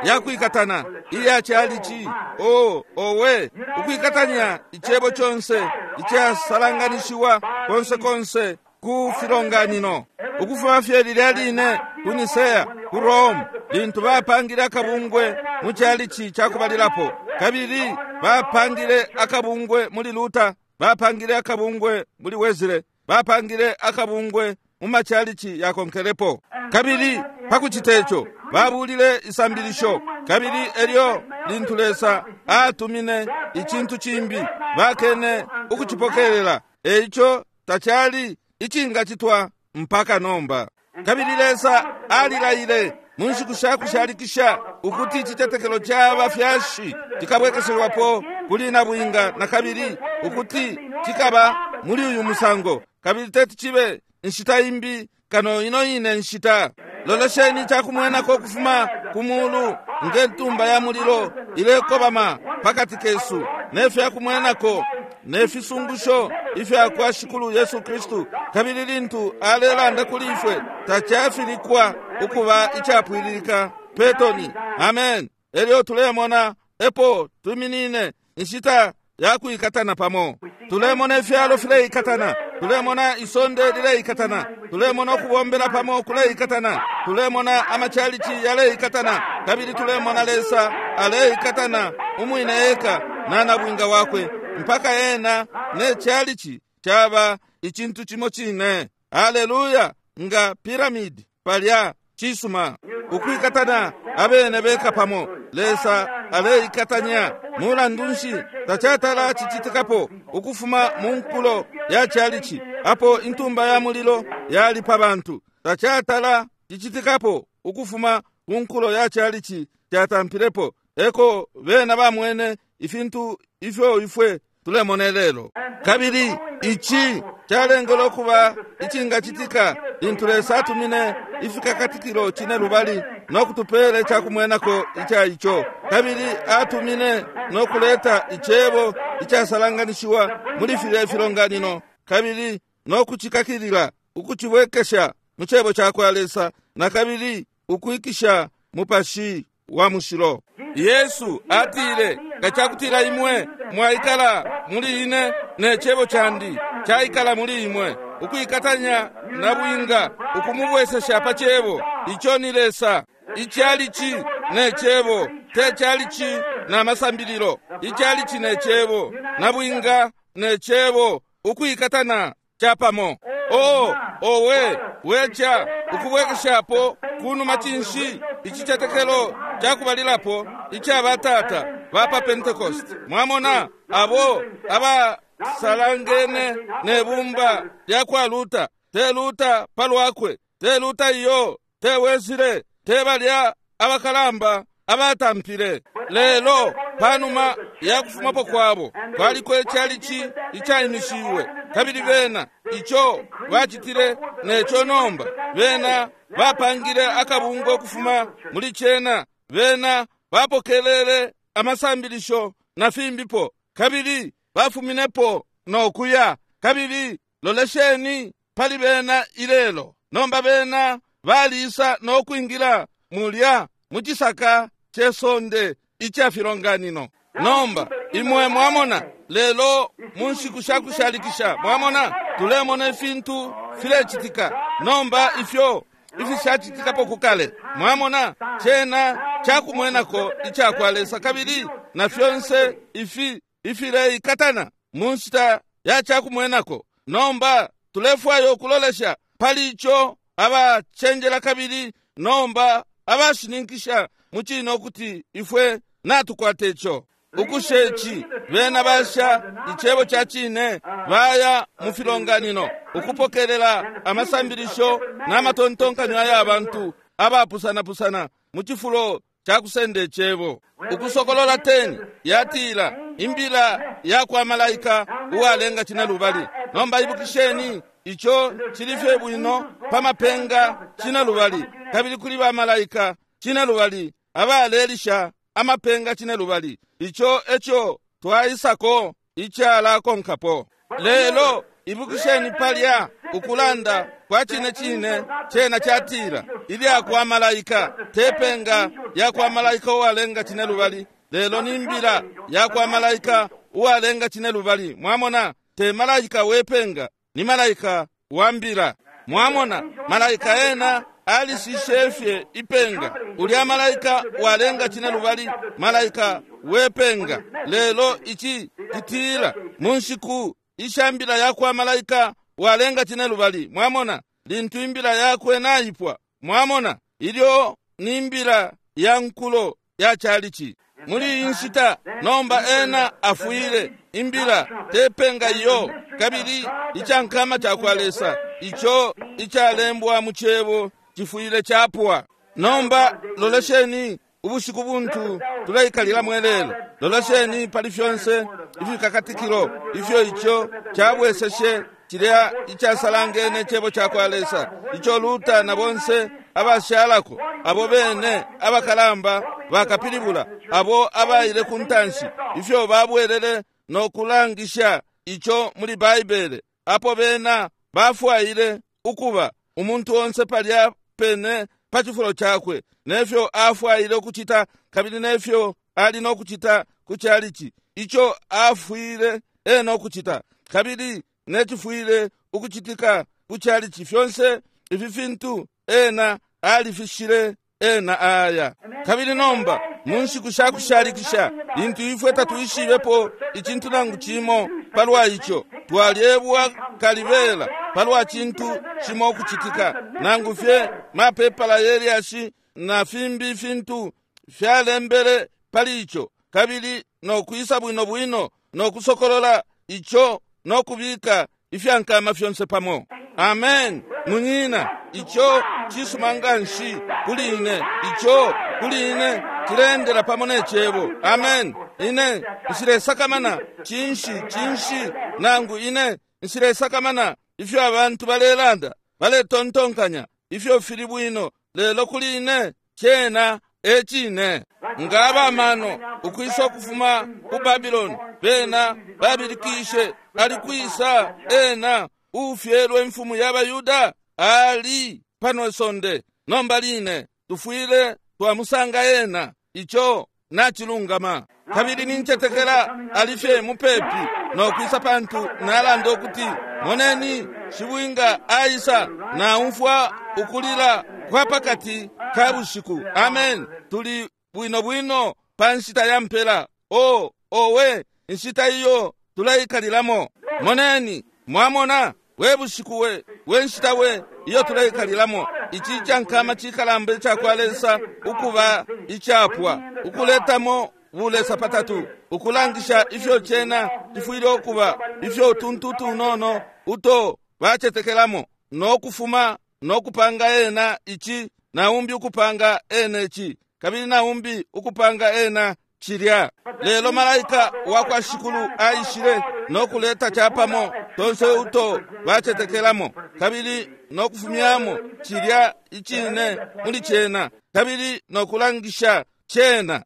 yakwikatana iya chalichi, oh, owe, ukwikatanya icebo conse icasalanganishiwa konse konse ku filonganino, ukufuma fye lilya line ku Nisea ku Rome, lintu bapangile akabungwe mu chalichi cakubalilapo, kabili bapangile akabungwe muli Luther, bapangile akabungwe muli Wesley, bapangile akabungwe mu machalichi yakonkelepo. Kabili pakucita ico babulile isambilisho, kabili elyo lintu Lesa atumine icintu cimbi bakene ukucipokelela. Eico tacali icingacitwa mpaka nomba. Kabili Lesa alilaile mu nshiku shakushalikisha ukuti icitetekelo ca bafyashi cikabwekeshelwapo kuli nabwinga na kabili, ukuti cikaba muli uyu musango, kabili teti cibe inshita imbi kano ino ine nshita. Lolesheni icakumwenako ukufuma ku mulu nge ntumba ya mulilo ilekobama pakati kesu, ne fyakumwenako ne fisungusho ifya kwa Shikulu Yesu Kristu. Kabili lintu alelanda kuli ifwe, tacafilikwa ukuba icapwililika petoni. Amen. Elyo tulemona epo tuminine inshita yakwikatana pamo. Tulemona ifyalo fileikatana, tulemona isonde lileikatana, tulemona ukubombela pamo kuleikatana, tulemona amachalichi yaleikatana, kabili tulemona Lesa aleikatana umwine eka na nabwinga wakwe, mpaka ena ne chalichi chaba icintu cimo cine. Haleluya! Nga piramidi palya cisuma ukwikatana abene beka pamo. Lesa aleikatanya. Mulandu nshi tacatala cicitikapo ukufuma mu nkulo ya chalichi apo intumba ya mulilo yali pa bantu? Tacatala cicitikapo ukufuma ku nkulo ya chalichi catampilepo. Eko bena bamwene ifintu ifyo ifwe tulemona lelo. Kabili ici calengele ukuba icingacitika lintu Lesa atumine ifikakatikilo cine lubali no kutupele cakumwenako ica ico. Kabili atumine no kuleta icebo icasalanganishiwa muli filya ifilonganino, kabili no kucikakilila ukucibwekesha mu cebo ca kwa Lesa, na kabili ukwikisha Mupashi wa Mushilo. Yesu atile, nga cakutila imwe mwaikala muli ine ne cebo candi caikala muli imwe, ukwikatanya na bwinga ukumubwesesha pa cebo. Ico ni Lesa. Ichalichi ne cebo, te chalichi na masambililo. Ichalichi ne cebo, na bwinga ne Cebo ukwikatana capamo. Oh, owe, wecha ukubwekeshapo kunuma cinshi icicetekelo cakubalilapo ica batata ba pa Pentecost. Mwamona abo abasalangene ne bumba lya kwa Luther, te Luther palwakwe, te Luther iyo, te Wesley, te balya abakalamba abatampile. Lelo panuma ya kufumapo kwabo kwaliko icalici icaimishiwe, kabili bena ico bacitile neco nomba bena bapangile akabungwe ukufuma muli cena, bena bapokelele amasambilisho na fimbipo, kabili bafuminepo nokuya. Kabili lolesheni pali bena ilelo nomba, bena balisa nokwingila mulya mucisaka cesonde ica filonganino. Nomba imwe mwamona lelo mu nshiku shakushalikisha, mwamona tulemona ifintu filecitika nomba ifyo ifishacitikapo kukale. Mwamona cena cakumwenako ica kwa Lesa, kabili na fyonse ifi ifileikatana mu nshita ya cakumwenako. Nomba tulefwaya ukulolesha pali ico abacenjela kabili nomba abashininkisha mucine ukuti ifwe natukwata ico. Ukushe ici bena basha icebo ca cine, baya mu filonganino ukupokelela amasambilisho n'amatontonkanyo aya bantu abapusanapusana mu cifulo ca kusenda icebo. Ukusokolola ten yatila imbila ya kwa malaika uwalenga cine lubali. Nomba ibukisheni, ico cili fye bwino pa mapenga cine lubali, kabili kuli ba malaika cine lubali abalelisha amapenga cine lubali. Ico eco twaisako icalakonkapo. Lelo ibukisheni palya ukulanda kwa cine cine cena catila ilya kwa malaika, te penga ya kwa malaika uwalenga cine lubali, lelo ni mbila ya kwa malaika uwalenga cine lubali. Mwamona, te malaika wepenga, ni malaika wa mbila. Mwamona, malaika ena alishishe ipenga, ulya malaika walenga cine lubali, malaika wepenga. Lelo ici citila mu nshiku ishambila ya kwa malaika walenga cine lubali. Mwamona, lintu imbila yakwe naipwa, mwamona, ilyo ni mbila ya nkulo ya chalichi muli iyi nshita. Nomba ena afwile imbila tepenga iyo, kabili icankama ca kwa Lesa ico icalembwa mu cebo cifwile capwa. Nomba lolesheni ubushiku buntu tuleikalila mwelelo. Lolesheni pali fyonse ifikakatikilo ifyo ico cabweseshe cilya icasalangene cebo ca kwa Lesa, ico Luther na bonse abashalako abo bene abakalamba bakapilibula abo abaile ku ntanshi, ifyo babwelele no kulangisha ico muli Baibele, apo bena bafwaile ukuba umuntu onse palya pene pa cifulo cakwe, nefyo afwaile ukucita kabili nefyo ali no kucita ku chalichi, ico afwile ena ukucita kabili necifwile ukucitika ku chalichi. Fyonse ifi fintu ena alifishile ena aya. Kabili nomba mu nshiku shakushalikisha, lintu ifwe tatwishibepo icintu nangu cimo palwa ico, twalyebwa kalibela palwa cintu cimo ukucitika, nangu fye mapepala yelyashi na fimbi fintu fyalembele pali ico, kabili nokwisa bwino bwino nokusokolola ico nokubika ifyankama fyonse pamo. Amen, munyina, ico cisuma nganshi kuli ine, ico kuli ine cilendela pamo ne cebo. Amen. Ine nshilesakamana cinshi cinshi nangu ine nshilesakamana ifyo abantu balelanda baletontonkanya ifyo fili bwino, lelo kuli ine cena e cine. Nga abamano ukwisa ukufuma ku Babiloni, bena babilikishe, ali kwisa ena ufyelwe imfumu ya Bayuda? Ali pano isonde nomba line, tufwile twamusanga ena. Ico nacilungama. Kabili nincetekela alifye mupepi nokwisa, pantu nalanda ukuti moneni shibwinga aisa, naumfwa ukulila kwa pakati ka bushiku. Amen. Tuli bwino bwino pa nshita ya mpela. O owe, inshita iyo tuleikalilamo. Moneni, mwamona, we bushiku we, we nshita we iyo tuleikalilamo. Ici cankama cikalamba icakwa Lesa ukuba icapwa, ukuletamo bulesa patatu, ukulangisha ifyo cena cifwile ukuba, ifyo utuntu tunono uto bacetekelamo, no kufuma no kupanga ena ici, na umbi ukupanga ena ici, kabili na umbi ukupanga ena cilya. Lelo malaika wakwa Shikulu aishile no kuleta capamo tonse uto bacetekelamo, kabili no kufumyamo cilya icine muli cena, kabili no kulangisha cena,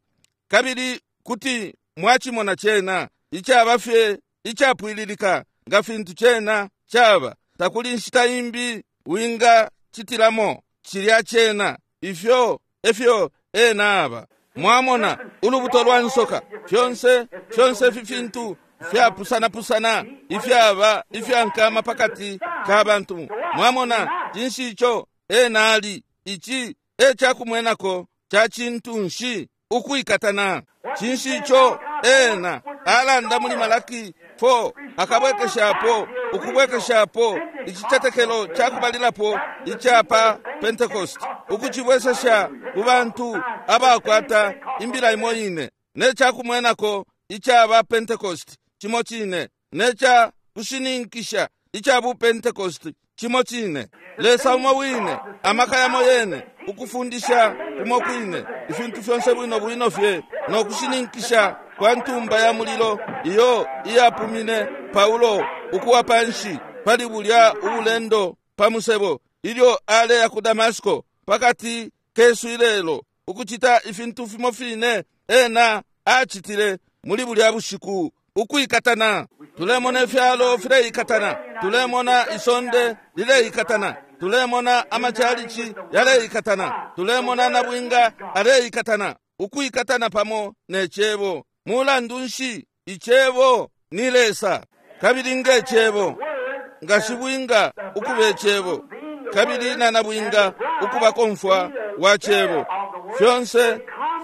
kabili kuti mwachimona cena icaba fye icapwililika nga fintu cena caba. Takuli nshita imbi winga citilamo cilya cena. Ifyo efyo ena aba. Mwamona ulubuto lwa nsoka, fyonse fyonse ifi fintu fyapusana-pusana ifyaba ifyankama pakati ka bantu. Mwamona cinshi ico ena ali? Ici e cakumwenako ca cintu nshi ukwikatana. Cinshi ico ena alanda muli Malaki four, akabwekeshapo ukubwekeshapo icicetekelo cakubalilapo icapa Pentecost, ukucibwesesha ku bantu abakwata imbila imo ine, ne cakumwenako icaba Pentecost cimo cine, ne ca kushininkisha ica bu Pentecost cimo cine. Lesa umo wine, amaka yamo yene, ukufundisha kumo kwine, ifintu fyonse bwino bwino fye, no kushininkisha kwa ntumba ya mulilo iyo iyapumine Paulo ukuwa panshi pali bulya ubulendo pa musebo ilyo aleya ku Damasco pakati kesu ilelo, ukucita ifintu fimo fine ena acitile muli bulya bushiku, ukwikatana. Tulemona ifyalo fileikatana, tulemona isonde lileikatana, tulemona amachalichi yaleikatana, tulemona nabwinga aleikatana, ukwikatana pamo ne cebo. Mulandu nshi? Icebo ni Lesa, kabili nge cebo nga shibwinga ukuba icebo, kabili na nabwinga ukuba komfwa wa cebo, fyonse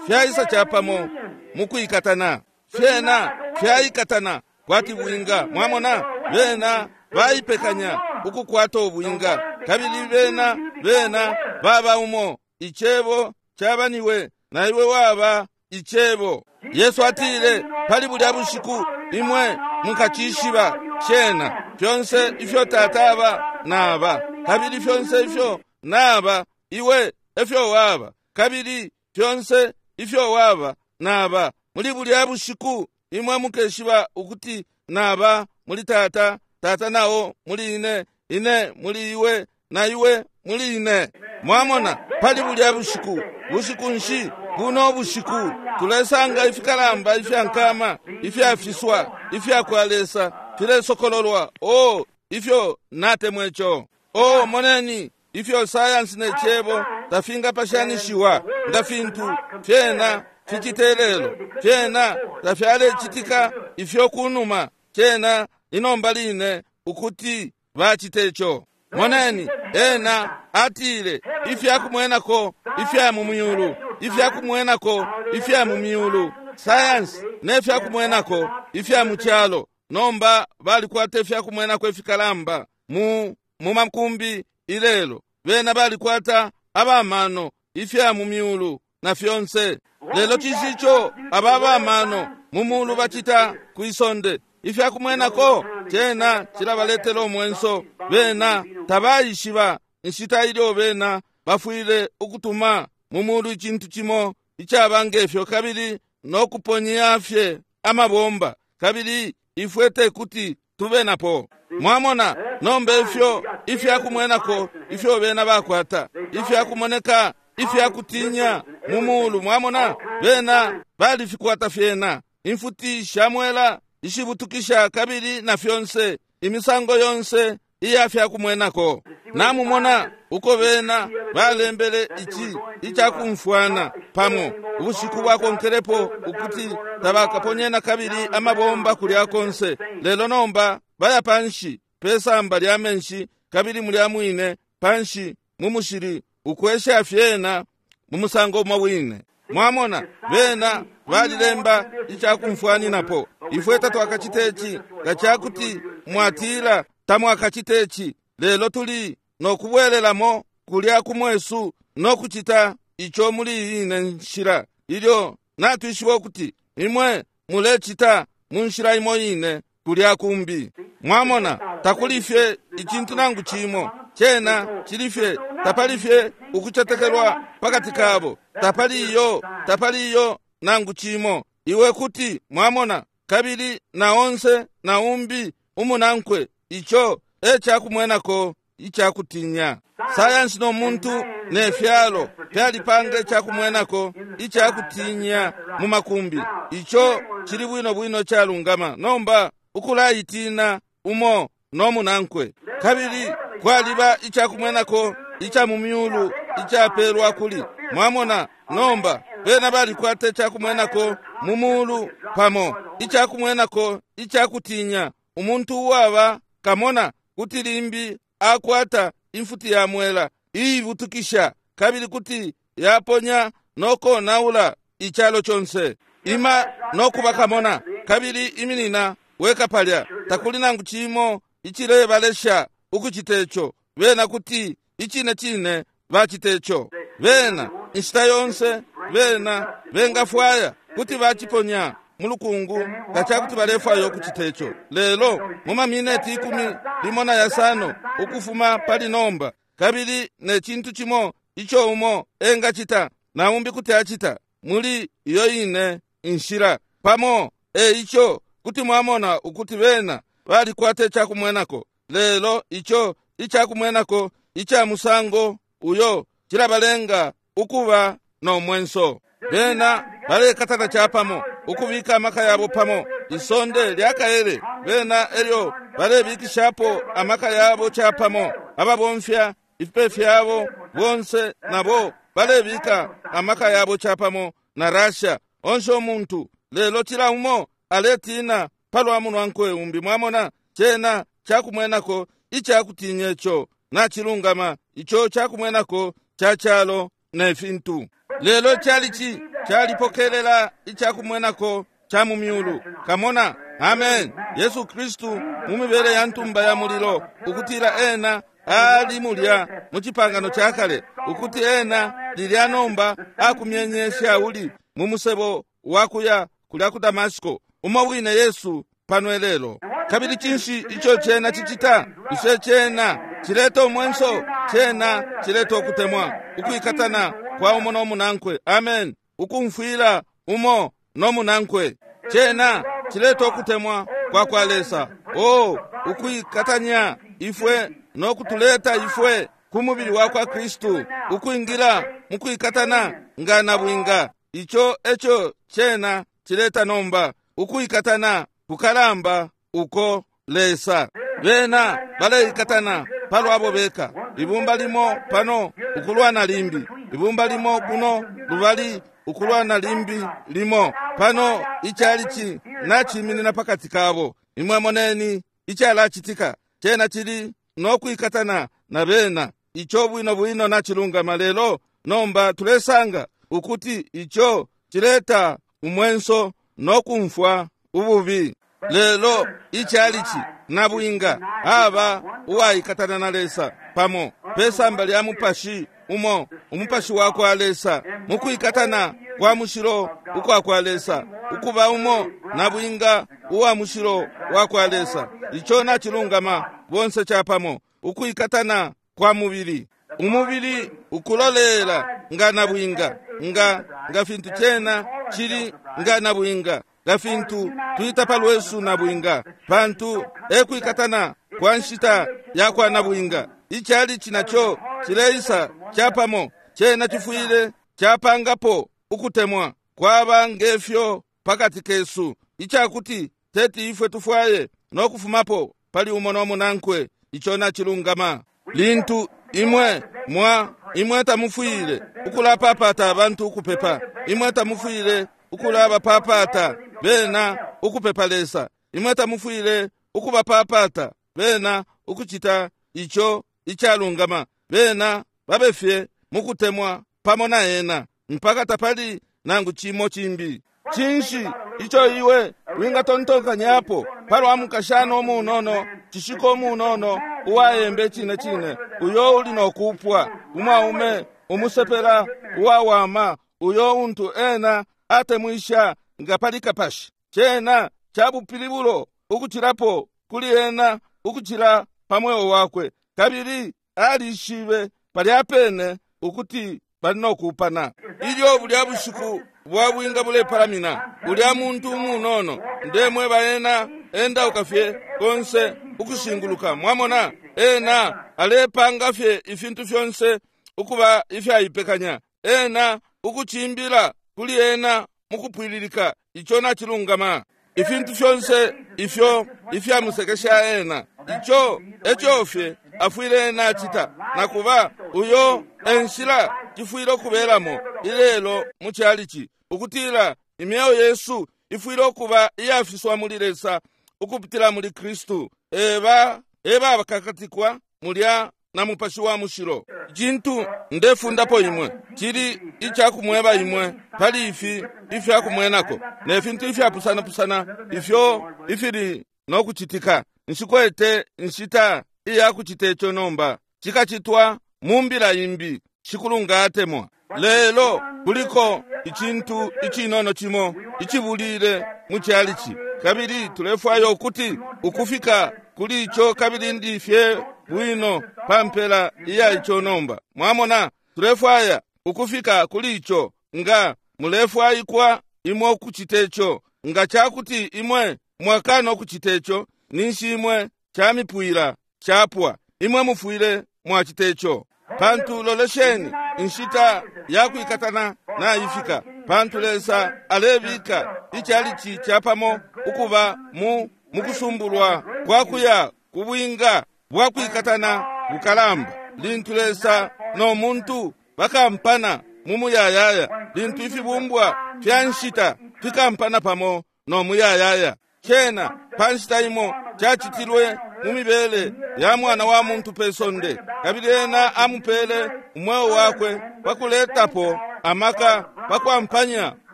fyaisa capamo mukwikatana. Fyena fyaikatana kwati bwinga. Mwamona, bena baipekanya ukukwata ubwinga, kabili bena bena baba umo. Icebo cabaniwe na iwe waba icebo. Yesu atile pali bulya bushiku, imwe mukacishiba cena, fyonse ifyo Tata aba naba, kabili fyonse ifyo naba iwe efyo waba, kabili fyonse ifyo waba naba. Muli bulya bushiku imwe mukeshiba ukuti naba muli Tata, Tata nao muli ine, ine muli iwe, na iwe muli ine. Mwamona, pali bulya bushiku, bushiku nshi buno bushiku tulesanga ifikalamba ifyankama ifyafiswa ifyakwa Lesa filesokololwa. Oh, ifyo natemwecho. Oh, moneni ifyo science ne cebo tafingapashanishiwa nga fintu fyena ficitelelo, fyena tafyalecitika ifyo kunuma cena inomba line ukuti bacitecho. Moneni, ena atile ifyakumwenako ifya mu myulu, ifyakumwenako ifya mu myulu, science ne fyakumwenako ifya mu calo. Nomba balikwata ifyakumwenako ifikalamba mu mu makumbi ilelo, bena balikwata abamano ifya mu myulu na fyonse. Lelo cisicho ababamano mu mulu bacita kwisonde ifyakumwenako cena cilabaletela omwenso. Bena tabaishiba inshita ilyo bena bafwile ukutuma mu mulu icintu cimo icaba ngefyo, kabili nokuponya fye amabomba, kabili ifwe tekuti tube napo. Mwamona, nomba ifyo ifyakumwenako ifyo bena bakwata ifyakumoneka ifyakutinya mu mulu. Mwamona, bena balifikwata fyena, imfuti shamwela ishibutukisha kabili na fyonse imisango yonse iya fyakumwenako. Namumona uko bena balembele ici icakumfwana pamo ubushiku bwakonkelepo ukuti tabakaponyena kabili amabomba kulya konse. Lelo nomba baya panshi pesamba lya menshi, kabili mulya mwine panshi mu mushili ukwesha fyena mu musango umwe wine. Mwamona, bena balilemba icakumfwaninapo Ifwe tatwakacite ici nga cakuti mwatila tamwakacite ici, lelo tuli nokubwelelamo kulya kumwesu nokucita ico muli iyi ine nshila, ilyo natwishiba ukuti imwe mulecita mu nshila imo ine kulya kumbi. Mwamona, takuli fye icintu nangu cimo, cena cili fye tapali fye ukucetekelwa pakati kabo, tapali iyo, tapali iyo nangu cimo. Iwe kuti mwamona, kabili na onse na umbi umunankwe, ico e cakumwenako icakutinya. Sayansi no muntu ne fyalo fyalipanga icakumwenako icakutinya mu makumbi. Ico cili bwino bwino calungama. Nomba ukulaitina umo no munankwe, kabili kwaliba icakumwenako ica mu myulu icapelwa kuli. Mwamona, nomba bena balikwata icakumwenako mu mulu pamo, icakumwenako icakutinya. Umuntu uwaba kamona kuti limbi akwata imfuti ya mwela iibutukisha, kabili kuti yaponya nokonaula icalo conse. Ima nokuba kamona, kabili iminina weka palya. Takuli nangu cimo icilebalesha ukucita ico. Bena kuti icine cine bacita ico. Bena inshita yonse bena bengafwaya kuti baciponya mu lukungu nga cakuti balefwaya ukucita ico. Lelo mu mamineti ikumi limo na yasano ukufuma pali nomba, kabili ne cintu cimo ico umo engacita na umbi kuti acita muli iyo ine inshila pamo. E ico kuti mwamona ukuti bena balikwata icakumwenako, lelo ico icakumwenako ica musango uyo cilabalenga ukuba no mwenso. Bena balekatana capamo, ukubika amaka yabo pamo. Isonde lyakaele bena elyo balebikishapo amaka yabo capamo. Ababomfya ifipe fyabo bonse nabo balebika amaka yabo capamo na Russia onse umuntu. Lelo cila umo aletina palwa munwankwe umbi. Mwamona, cena cakumwenako icakutinya ico nacilungama, ico cakumwenako ca calo ne fintu. Lelo calici calipokelela icakumwenako ca mu myulu. Kamona, amen. Yesu Kristu mu mibele ya ntumba ya mulilo, ukutila ena ali mulya mu cipangano ca kale, ukuti ena lilya nomba akumyenye Shauli mu musebo wakuya kulya ku Damasiko, umo wine Yesu pano elelo. Kabili cinshi ico cena cicita? Ico cena cileta umwenso, cena cileta ukutemwa, ukwikatana kwa umo no munankwe. Amen. Ukumfwila umo no munankwe, cena cileta ukutemwa kwa kwa Lesa. Oh, ukwikatanya ifwe no kutuleta ifwe ku mubili wa kwa Kristu, ukwingila mu kwikatana nga na bwinga. Ico eco cena cileta nomba, ukwikatana kukalamba uko Lesa. Bena baleikatana palwabo beka, ibumba limo pano ukulwana limbi, ibumba limo kuno lubali ukulwana limbi limo pano. Icalici naciminina pakati kabo. Imwe moneni icalacitika, cena cili nokwikatana na bena. Ico bwino bwino nacilungama. Lelo nomba tulesanga ukuti ico cileta umwenso nokumfwa ububi. Lelo icalici na bwinga aba uwaikatana na Lesa pamo pesamba lya mupashi umo, umupashi wa kwa Lesa, mukwikatana kwa mushilo ukwa kwa Lesa, ukuba umo na bwinga uwa mushilo wa kwa Lesa. Ico nacilungama, bonse capamo, ukwikatana kwa mubili. Umubili ukulolela nga na bwinga, nga nga fintu cena cili nga na bwinga, nga fintu twita palwesu na bwinga, pantu ekwikatana kwa nshita ya kwa na bwinga. Icalici naco cileisa capamo, cena cifwile capangapo ukutemwa kwaba ngefyo pakati kesu, icakuti teti ifwe tufwaye nokufumapo pali umo no munankwe. Ico nacilungama. Lintu imwe mwa imwe tamufwile ukulapapata abantu ukupepa, imwe tamufwile ukulabapapata bena ukupepa Lesa, imwe tamufwile ukubapapata bena ukucita ico icalungama. Bena babefye mukutemwa pamo na ena mpaka tapali nangu cimo cimbi. Cinshi ico iwe wingatontonkanyapo palwa mukashana umunono, cishiko umunono uwayembe cine cine, uyo uli nokupwa umwaume umusepela uwawama uyo untu ena atemwisha nga pali kapashi? Cena cabupilibulo ukucilapo kuli ena ukucila pa mweo wakwe, kabili alishibe palya pene ukuti bali nokupana. Ilyo bulya bushiku bwa bwinga bulepalamina, ulya muntu umunono, ndemweba ena endauka fye konse ukushinguluka. Mwamona, ena alepanga fye ifintu fyonse ukuba ifyaipekanya, ena ukuchimbila kuli ena mukupwililika. Ico nacilungama. Ifintu fyonse ifyo ifyamusekesha ena, ico eco fye afwile ena acita. Nakuba uyo enshila cifwile ukubelamo ilelo mu chalichi, ukutila imyeo yesu ifwile ukuba iyafiswa muli Lesa ukupitila muli Kristu. Eba eba bakakatikwa mulya na Mupashi wa Mushilo. Cintu ndefundapo imwe cili icakumweba imwe pali ifi ifyakumwenako ne fintu ifyapusanapusana ifyo ifili nokucitika. Nshikwete nshita iyakucita ico nomba, cikacitwa mu mbila imbi, Shikulu nga atemwa. Lelo kuliko icintu icinono cimo icibulile mu chalichi, kabili tulefwaya ukuti ukufika kuli ico, kabili ndi fye bwino pa mpela iya ico nomba. Mwamona, tulefwaya ukufika kuli ico. Nga mulefwaikwa imwe ukucita ico, nga cakuti imwe mwakana ukucita ico, ninshi imwe camipwila capwa. Imwe mufwile mwacita ico. Pantu lolesheni, inshita yakwikatana naifika, pantu Lesa alebika ichalichi chapamo ukuba mu mukusumbulwa kwakuya kubwinga bwakwikatana bukalamba. Lintu Lesa no muntu bakampana mu muyayaya, lintu ifibumbwa fya nshita fikampana pamo no muyayaya. Cena pa nshita imo cacitilwe mu mibele ya mwana wa muntu pe sonde, kabili ena amupele umweo wakwe pakuletapo amaka pakwampanya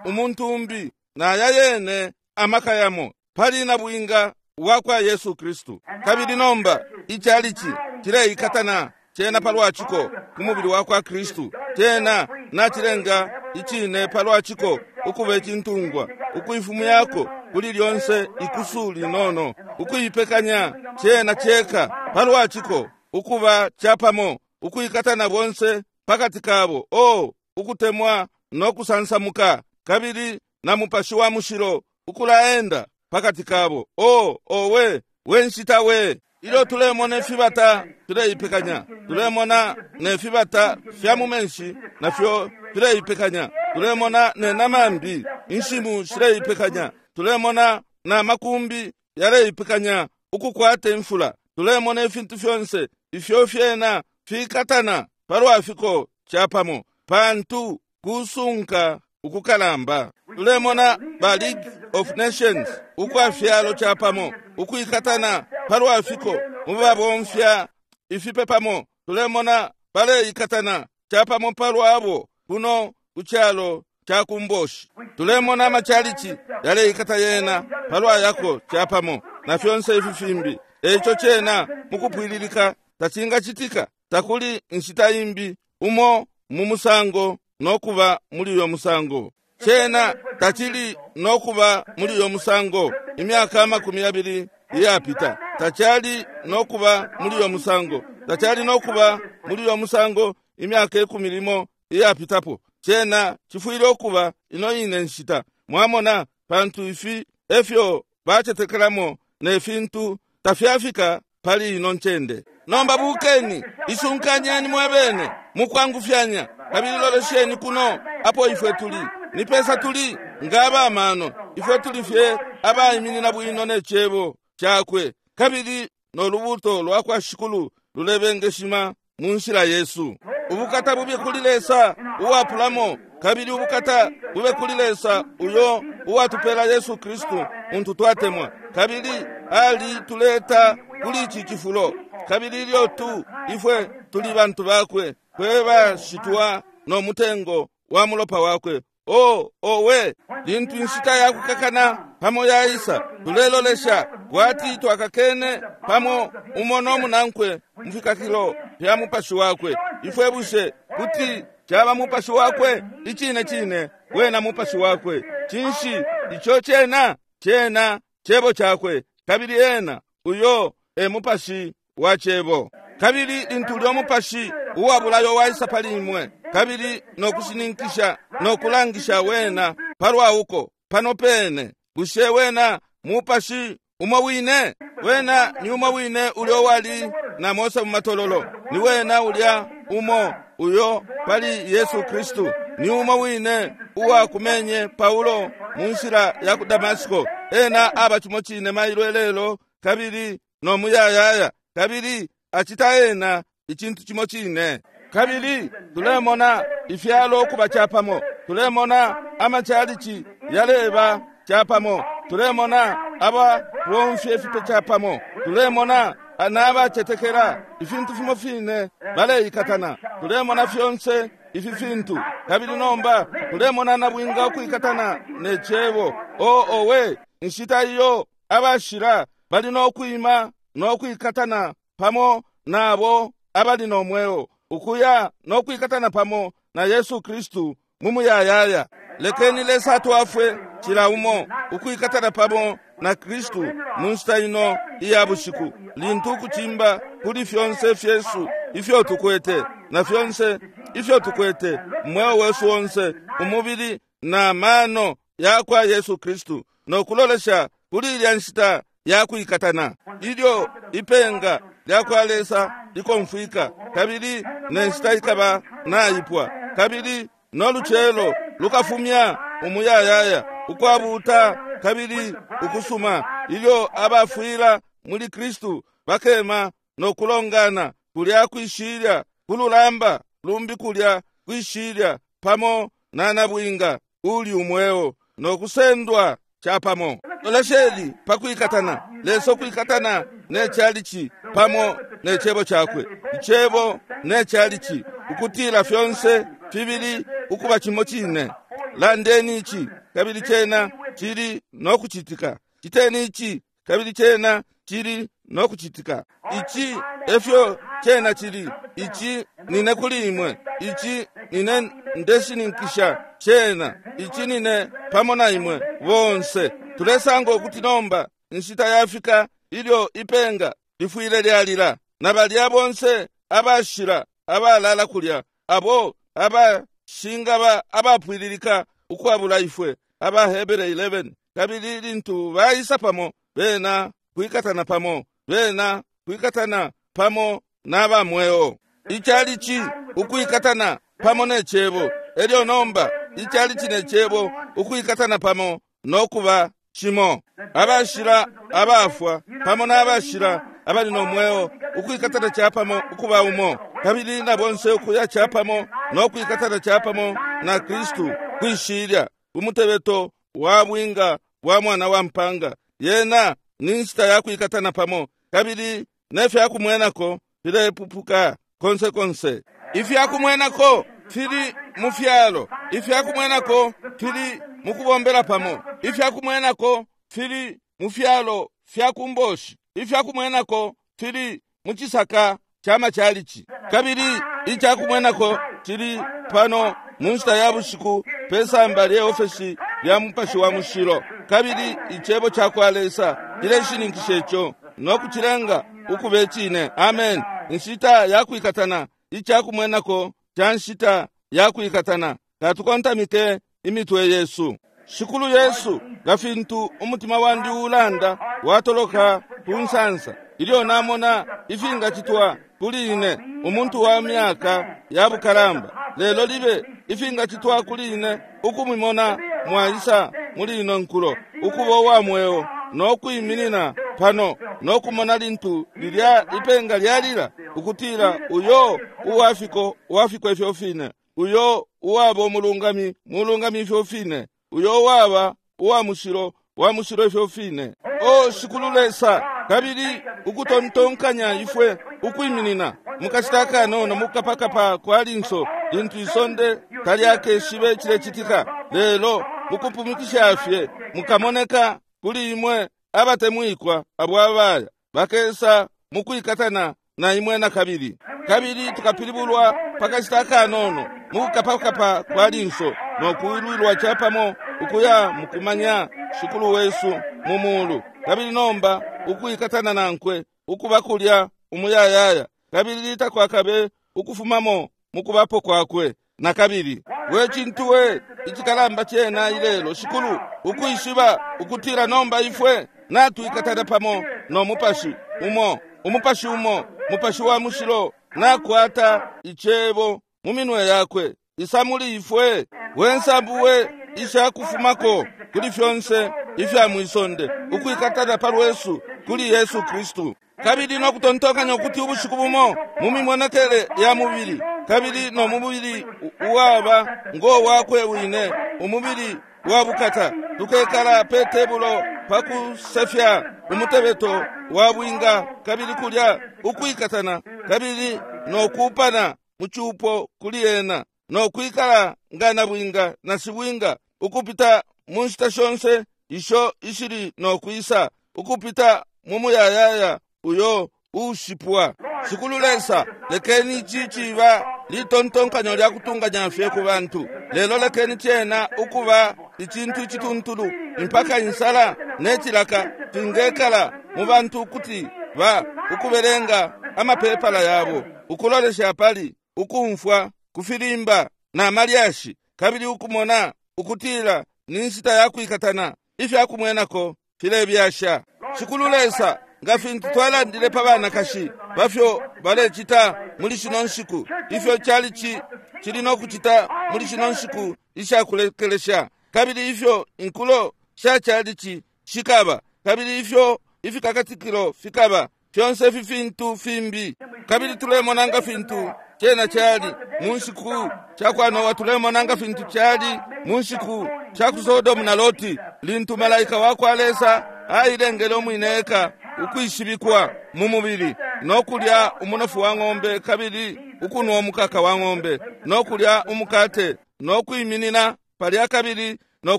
umuntu umbi naya yene amaka yamo pali na bwinga wakwa Yesu Kristu. Kabili nomba ichalichi cileikatana cena palwaciko ku mubili wakwa Kristu. Cena nacilenga icine palwaciko ukuba icintungwa, ukuifumu yako kuli lyonse ikusu linono, ukuipekanya cena ceka palwaciko ukuba capamo, ukuikatana bonse pakati kabo. O ukutemwa no kusansamuka, kabili na Mupashi wa Mushilo ukulaenda pakati kabo. O owe wenshita we! Ilyo tulemona ifibata tuleipekanya, tulemona ne fibata fya mu menshi nafyo tuleipekanya, tulemona ne namambi inshimu shileipekanya, tulemona na makumbi yaleipekanya ukukwata imfula, tulemona ifintu fyonse ifyo fyena fikatana palwafiko chapamo, pantu kusunka ukukalamba. Tulemona ba League of Nations ukwafyalo chapamo ukuikatana palwafiko mubabomfya ifipe pamo, tulemona baleikatana chapamo palwabo kuno kuchalo chakumboshi. Tulemona amachalichi yaleikata yena palwa yako chapamo na fyonse ifi fimbi. Eco cena mukupwililika tacingacitika, takuli nshita imbi umo mu musango nokuba muli uyo musango. Cena tacili nokuba muli uyo musango imyaka amakumi yabili iyapita, tacali nokuba muli uyo musango, tacali nokuba muli uyo musango imyaka ikumi limo iyapitapo. Cena cifwile ukuba ino ine nshita. Mwamona, pantu ifi efyo bacetekelamo ne fintu tafyafika pali ino ncende. Nomba bukeni, isunkanyeni mwebene mukwangufyanya, kabili lolesheni kuno apo ifwe tuli. Ni pesa tuli nga abamano, ifwe tuli fye abaiminina bwino ne cebo cakwe, kabili no lubuto lwakwa Shikulu lulebengeshima mu nshila Yesu. Ubukata bube kuli Lesa uwapulamo, kabili ubukata bube kuli Lesa uyo uwatupela Yesu Kristu muntu twatemwa, kabili ali tuleta kuli ici cifulo. Kabili ilyo tu ifwe tuli bantu bakwe, fwe bashitwa no mutengo wa mulopa wakwe O owe, lintu inshita yakukakana pamo yaisa, tulelolesha kwati twakakene pamo umo no munankwe mufikakilo fya mupashi wakwe. Ifwe bushe kuti chaba mupashi wakwe? Icine cine wena mupashi wakwe. Cinshi icho chena? Chena chebo chakwe, kabili ena uyo e mupashi wa chebo. Kabili lintu ulyo mupashi uwabulayo waisa pali imwe, kabili nokushininkisha nokulangisha wena palwa uko pano pene, bushe wena mupashi umo wine? Wena ni umo wine ulyo wali na Mose mu matololo, ni wena ulya umo uyo pali Yesu Kristu, ni umo wine uwakumenye Paulo mu nshila ya ku Damasiko. Ena aba chimo chine mailo elelo kabili no muyayaya, kabili acita ena icintu chimo chine. Kabili tulemona ifyalo okuba chapamo, tulemona amachalichi yaleba chapamo, tulemona aba bomfye ifipe chapamo, tulemona n'abacetekela ifintu fimo fine baleikatana, tulemona fyonse ifi fintu. Kabili nomba tulemona nabwinga okuikatana ne chebo. O owe, inshita iyo abashila bali nokwima nokwikatana pamo nabo abali nomweo, ukuya nokwikatana pamo na Yesu Kristu mu muyayaya. Lekeni Lesa atwafwe cila umo ukwikatana pamo na Kristu mu nshita ino iya bushiku, lintu ukucimba kuli fyonse fyesu ifyo tukwete na fyonse ifyo tukwete mweo wesu onse, umubili na mano ya kwa Yesu Kristu, nokulolesha kuli ilya nshita ya kwikatana, ilyo ipenga lya kwa Lesa likomfwika, kabili ne nshita ikaba naipwa, kabili noluchelo lukafumya umuyayaya ukwabuta kabili ukusuma, ilyo abafwila muli Kristu bakema nokulongana kulya kwishilya kululamba lumbi kulya kwishilya pamo na nabwinga uli umweo nokusendwa chapamo. Lolesheni pakwikatana, Lesa kwikatana ne chalichi pamo ne chebo chakwe, ichebo ne chalichi, ukutila fyonse fibili ukuba chimo chine. Landeni ichi kabili chena chili nokuchitika, chiteni ichi kabili chena chili nokuchitika. Ichi efyo chena chili, ichi nine kuli imwe, ichi nine ndeshininkisha chena, ichi nine pamo na imwe bonse. Tulesanga ukuti nomba inshita yafika ilyo ipenga lifwile lyalila, na balya bonse abashila abalala kulya, abo abashingaba abapwililika ukwabula ifwe, Abahebere eleven. Kabili lintu baisa pamo bena kwikatana pamo, bena kwikatana pamo n'abamweo. Ichalichi ukwikatana pamo ne chebo, elyo nomba ichalichi ne chebo ukwikatana pamo nokuba chimo. Abashila abafwa pamo n'abashila abali nomweo ukwikatana chapamo ukuba umo, kabili na bonse ukuya chapamo nokwikatana chapamo na Kristu kwishilya umutebeto wa bwinga wa mwana wa mpanga. Yena ni nshita ya kwikatana pamo, kabili nefyakumwenako filepupuka konse konse. Ifyakumwenako fili mu fyalo, ifyakumwenako fili mu kubombela pamo, ifyakumwenako fili mu fyalo fya kumboshi, ifyakumwenako fili mu chisaka cha machalichi, kabili ichakumwenako chili pano mu nshita ya bushiku pesamba lye ofesi lya mupashi wa mushilo. Kabili ichebo cha kwa Lesa chileshininkisha icho nokuchilenga ukube chine. Amen. Inshita ya kwikatana, ichakumwenako cha nshita ya kwikatana. Katukontamike imitwe yesu. Shikulu Yesu, nga fintu umutima wandi ulanda watoloka ku nsansa ilyo namona ifingachitwa kuli ine umuntu wa myaka ya bukalamba, lelo libe ifingachitwa kuli ine ukumimona mwaisa muli ino nkulo ukuba wa mweo nokwiminina pano nokumona lintu lilya ipenga lyalila, ukutila uyo uwafiko wafiko ifyo fine, uyo uwaba umulungami mulungami ifyo fine, uyo uwaba uwa mushilo wa mushilo ifyo fine. O Shikulu Lesa, kabili ukutontonkanya ifwe ukwiminina mukashita kanono mukapakapa kwa linso lintu isonde talyakeshibe chilecitika, Lelo mukupumikisha fye mukamoneka kuli imwe abatemwikwa abo abaya bakesa mukwikatana na imwe na kabili. Kabili tukapilibulwa pakashita kanono mukukapakapa kwa linso no kuwilwilwa chapamo ukuya mukumanya Shikulu wesu mu mulu. Kabili nomba ukwikatana nankwe ukuba kulya umuyayaya, kabili takwakabe ukufumamo mukubapo kwakwe na kabili. We cintu we ichikalamba chena ilelo Shikulu, ukwishiba ukutira nomba ifwe natwikatana pamo no mupashi umo, umupashi umo, mupashi wa mushilo nakwata icebo mu minwe yakwe. Isa muli ifwe wensambuwe ishakufumako kuli fyonse ifya mwisonde, ukwikatana palwesu kuli Yesu Kristu. Kabili no kutontokanya ukuti ubushiku bumo mu mimonekele ya mubili, kabili no mubili uwaba ngo wakwe wine, umubili wa bukata, tukekala pe tebulo pakusefya umutebeto wa bwinga, kabili kulya ukwikatana kabili no kupana muchupo kuli ena, no kwikala ngana bwinga na sibwinga, ukupita mu nshita shonse isho ishili no kwisa, ukupita mu muyayaya uyo ushipwa. Shikulu Lesa, lekeni ichi chiba litontonkanyo lya kutunganya fye ku bantu, lelo lekeni chena ukuba ichintu ichituntulu mpaka insala nechilaka tingekala mu bantu kuti ba ukubelenga amapepala yabo, ukulolesha pali, ukumfwa kufilimba na malyashi, kabili ukumona ukutila ni nshita ya kwikatana ifya kumwenako filebyasha. Shikulu Lesa, nga fintu twalandile pa banakashi bafyo balechita muli shino nshiku, ifyo chalichi chili no kuchita muli shino nshiku ishakulekelesha, kabili ifyo inkulo sha chalichi shikaba, kabili ifyo ifikakatikilo fikaba, fyonse ifi fintu fimbi. Kabili tulemona nga fintu chena chali mu nshiku cha kwa Noa, tulemona nga fintu chali mu nshiku cha ku Sodomu na Loti, lintu malaika wa kwa Lesa ailengele umwineka ukwishibikwa mu mubili, no kulya umunofu wa ng'ombe, kabili ukunwa umukaka wa ng'ombe, no kulya umukate, no kwiminina palya kabili no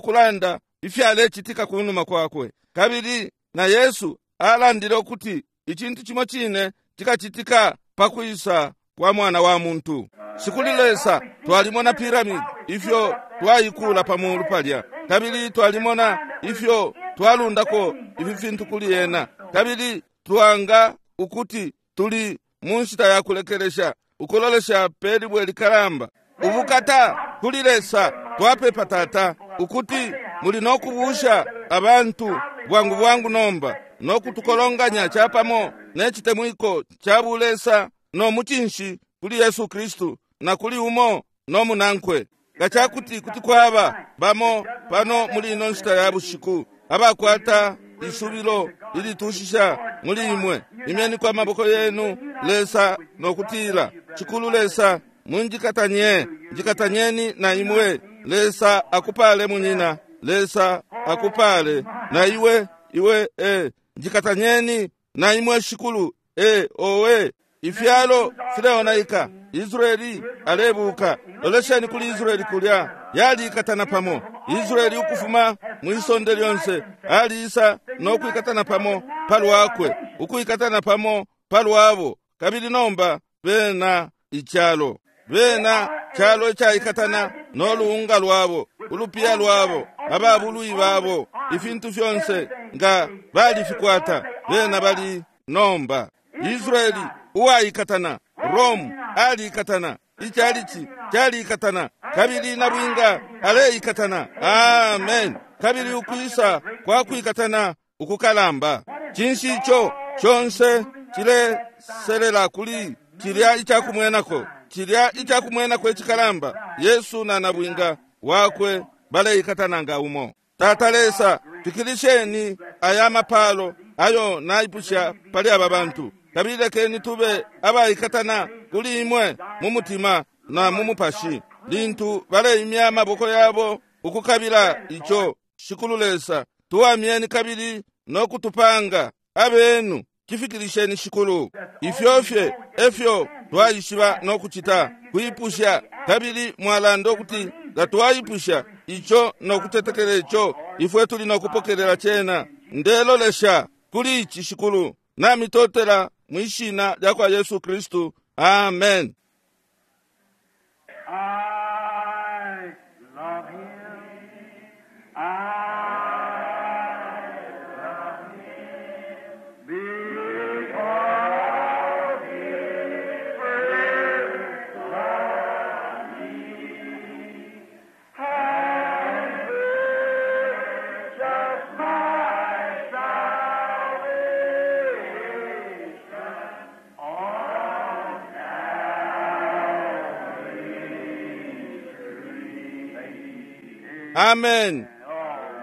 kulanda ifyalechitika kunuma kwakwe. Kabili na Yesu alandile ukuti ichintu chimo chine chikachitika pakwisa kwa mwana wa muntu. Shikulu Lesa, twalimona pyramid ifyo twayikula pamulu palya, kabili twalimona ifyo twalundako ifi fintu kuli ena, kabili twanga ukuti tuli mu nshita ya kulekelesha, ukulolesha pelibwe likalamba. Ubukata kuli Lesa, twapepa Tata ukuti muli no kubusha abantu bwangu bwangu nomba, no kutukolonganya chapamo nechitemwiko cha bulesa no muchinshi kuli Yesu Kristu na kuli umo no munankwe. Ngachakuti kuti kwaba bamo pano muli ino nshita ya bushiku abakwata isubilo ilitushisha muli imwe, imyeni kwa maboko yenu Lesa no kutila, Shikulu Lesa, munjikatanye, njikatanyeni na imwe. Lesa akupale munyina, Lesa akupale na iwe, iwe eh, njikatanyeni na imwe Shikulu eh, owe. Ifyalo fileonaika, Israeli alebuka. Lolesheni kuli Israeli kulya yalikatana pamo. Israeli ukufuma mwisonde lyonse aliisa no kwikatana pamo palwakwe, ukwikatana pamo palwabo, kabili nomba bena ichalo, bena chalo chaikatana no luunga lwabo, ulupiya lwabo, ababului babo, ifintu fyonse nga balifikwata bena bali nomba. Israeli uwaikatana, Rome alikatana, ichalichi chalikatana, kabili na bwinga aleikatana. Amen. Kabili ukwisa kwa kwikatana ukukalamba, chinshi icho chonse chileselela kuli chilya ichakumwenako, chilya ichakumwenako ichikalamba, Yesu na nabwinga wakwe baleikatana nga umo. Tata Lesa, fikilisheni aya mapalo ayo naipusha pali aba bantu, kabili lekeni tube abaikatana kuli imwe mu mutima na mu mupashi, lintu baleimya amaboko yabo ukukabila icho. Shikulu Lesa, tuwamyeni kabili no kutupanga abenu, kifikilisheni Shikulu. Ifyofye efyo twaishiba no kuchita kuipusha, kabili mwalanda ukuti nga twaipusha ico nokutetekela ico, ifwe tuli nokupokelela cena. Ndelolesha kuli ici, Shikulu. Namitotela mwishina lya kwa Yesu Kristu. Amen. I love him. I love him because he first loved me and purchased my salvation on Amen.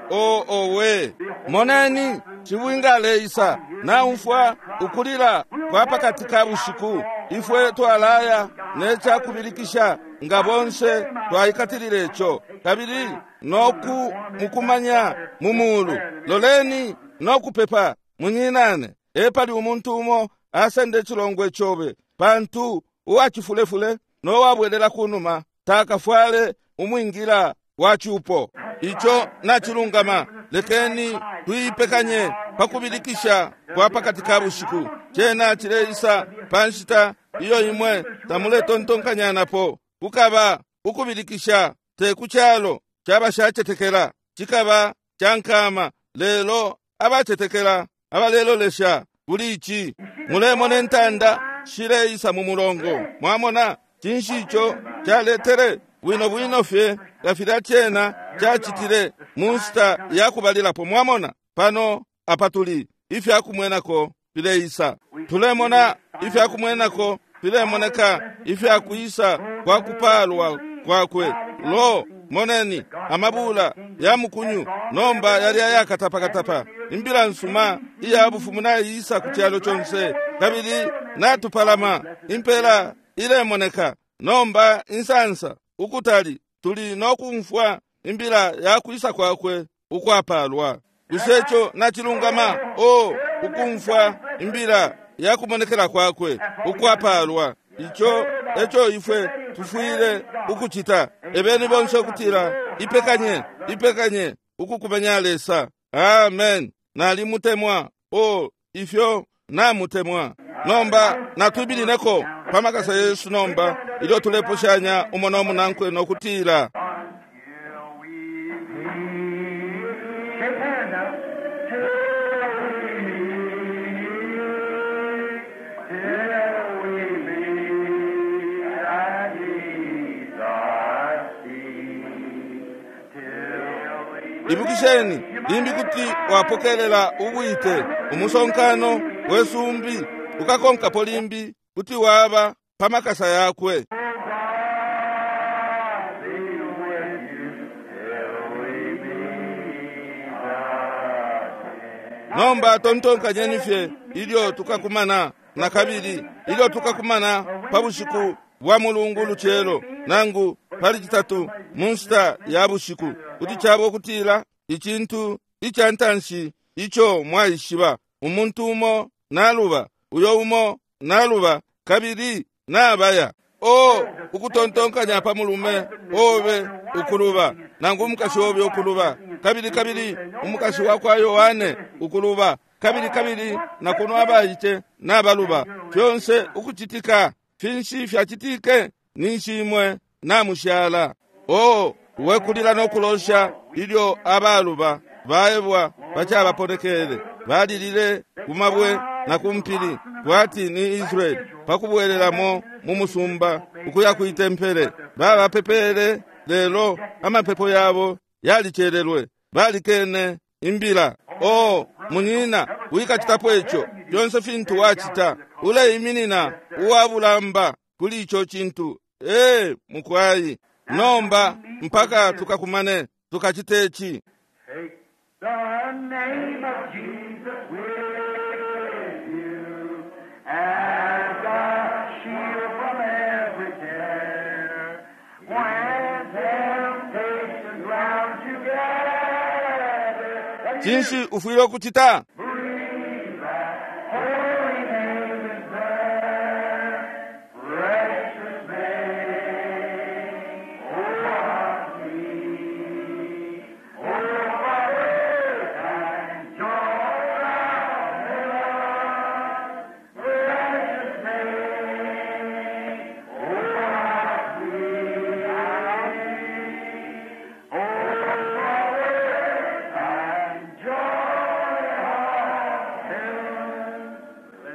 O owe moneni cibwingaleisa naumfwa ukulila kwa pakati ka bushiku. Ifwe twalaya necakubilikisha nga bonse twaikatilile ico, kabili noku mukumanya mu mulu. Loleni nokupepa munyinane, epali umuntu umo asende icilongwe cobe, pantu uwacifulefule nowabwelela kunuma takafwale umwingila wa cupo. Ico nacilungama. Lekeni tuipekanye pakubilikisha kwa pakati ka bushiku. Cena cileisa pa nshita iyo imwe tamuletontonkanyanapo. Kukaba ukubilikisha te ku calo c'abashacetekela, cikaba ca nkama, lelo abacetekela abalelolesha kuli ici. Mulemona intanda shileisa mu mulongo. Mwamona cinshi ico caletere bwino bwino fye nga filya cena cacitile mu nshita ya kubalilapo. Mwamona pano apatuli ifyakumwenako fileisa. Tulemona ifyakumwenako filemoneka ifyakuisa kwa kupalwa kwakwe. Lo, moneni amabula ya mukunyu nomba yali ayakatapakatapa. Imbila nsuma iya bufumu naiisa ku kyalo conse, kabili natupalama. Impela ilemoneka nomba insansa ukutali tuli nokumfwa imbila ya kwisa kwakwe ukwapalwa. Bushe ico nacilungama? O ukumfwa imbila ya kumonekela kwakwe ukwapalwa. Ico eco ifwe tufwile ukucita. Ebeni bonse ukutila ipekanye, ipekanye ukukumanya Lesa. Amen. Nalimutemwa. O ifyo namutemwa. Nomba natwibilineko pamakasa Yesu nomba ilyo tuleposhanya umo nomunankwe nokutila Until we meet. Shake hands now. Till we meet, till we meet at Jesus' feet. Till we Ibukisheni limbi kuti wapokelela ubwite umusonkano wesumbi ukakonkapo limbi kuti waba pamakasa yakwe. God be with you till we meet again. Nomba tontonkanyeni fye ilyo tukakumana na kabili, ilyo tukakumana pa bushiku bwa mulungu lucelo nangu pali citatu mu nshita ya bushiku, kuti caba ukutila icintu ica ntanshi ico mwaishiba, umuntu umo naluba, uyo umo naluba, kabili nabaya. O ukutontonkanya pa mulume obe ukuluba, nangu umukashi obe ukuluba, kabili kabili umukashi wa kwa Yohane ukuluba, kabili kabili na kuno abaice nabaluba. Fyonse ukucitika finshi fyacitike ninshi imwe namushala. O wekulila nokulosha ilyo abaluba baebwa bacabaponekele, balilile ku mabwe na ku mpili kwati ni Israeli pakubwelelamo mu musumba ukuya kwitempele. Babapepele, lelo amapepo yabo yalicelelwe, balikene imbila. O munyina, wikacitapo ico. Fyonse fintu wacita uleiminina uwabulamba kuli ico cintu. Ee mukwayi, nomba mpaka tukakumane tukacite ici. Take the name of Jesus with you as a shield from every terror. When temptations round you gather, Cinshi ufwile ukucita? breathe that holy name in prayer. Precious name, oh, how sweet.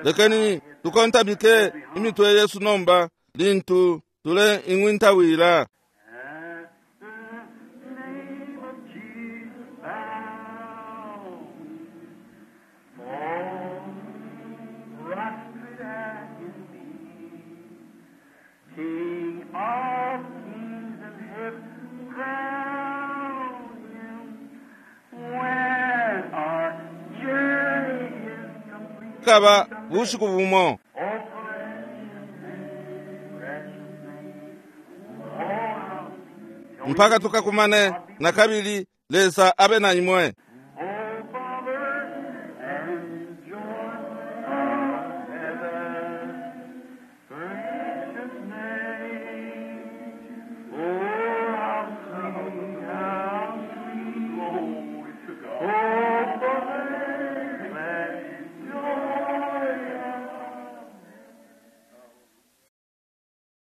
Lekeni tukontamike imitwe yesu nomba lintu tule ing'wintawila. At the name of Jesus bow, fall prostrate at his feet. King of kings and heaven crown him. When our journey is complete. Kaba bushiku bumo. Oh, precious name, precious name. Oh, how Mpaka tukakumane na kabili, Lesa abe na imwe.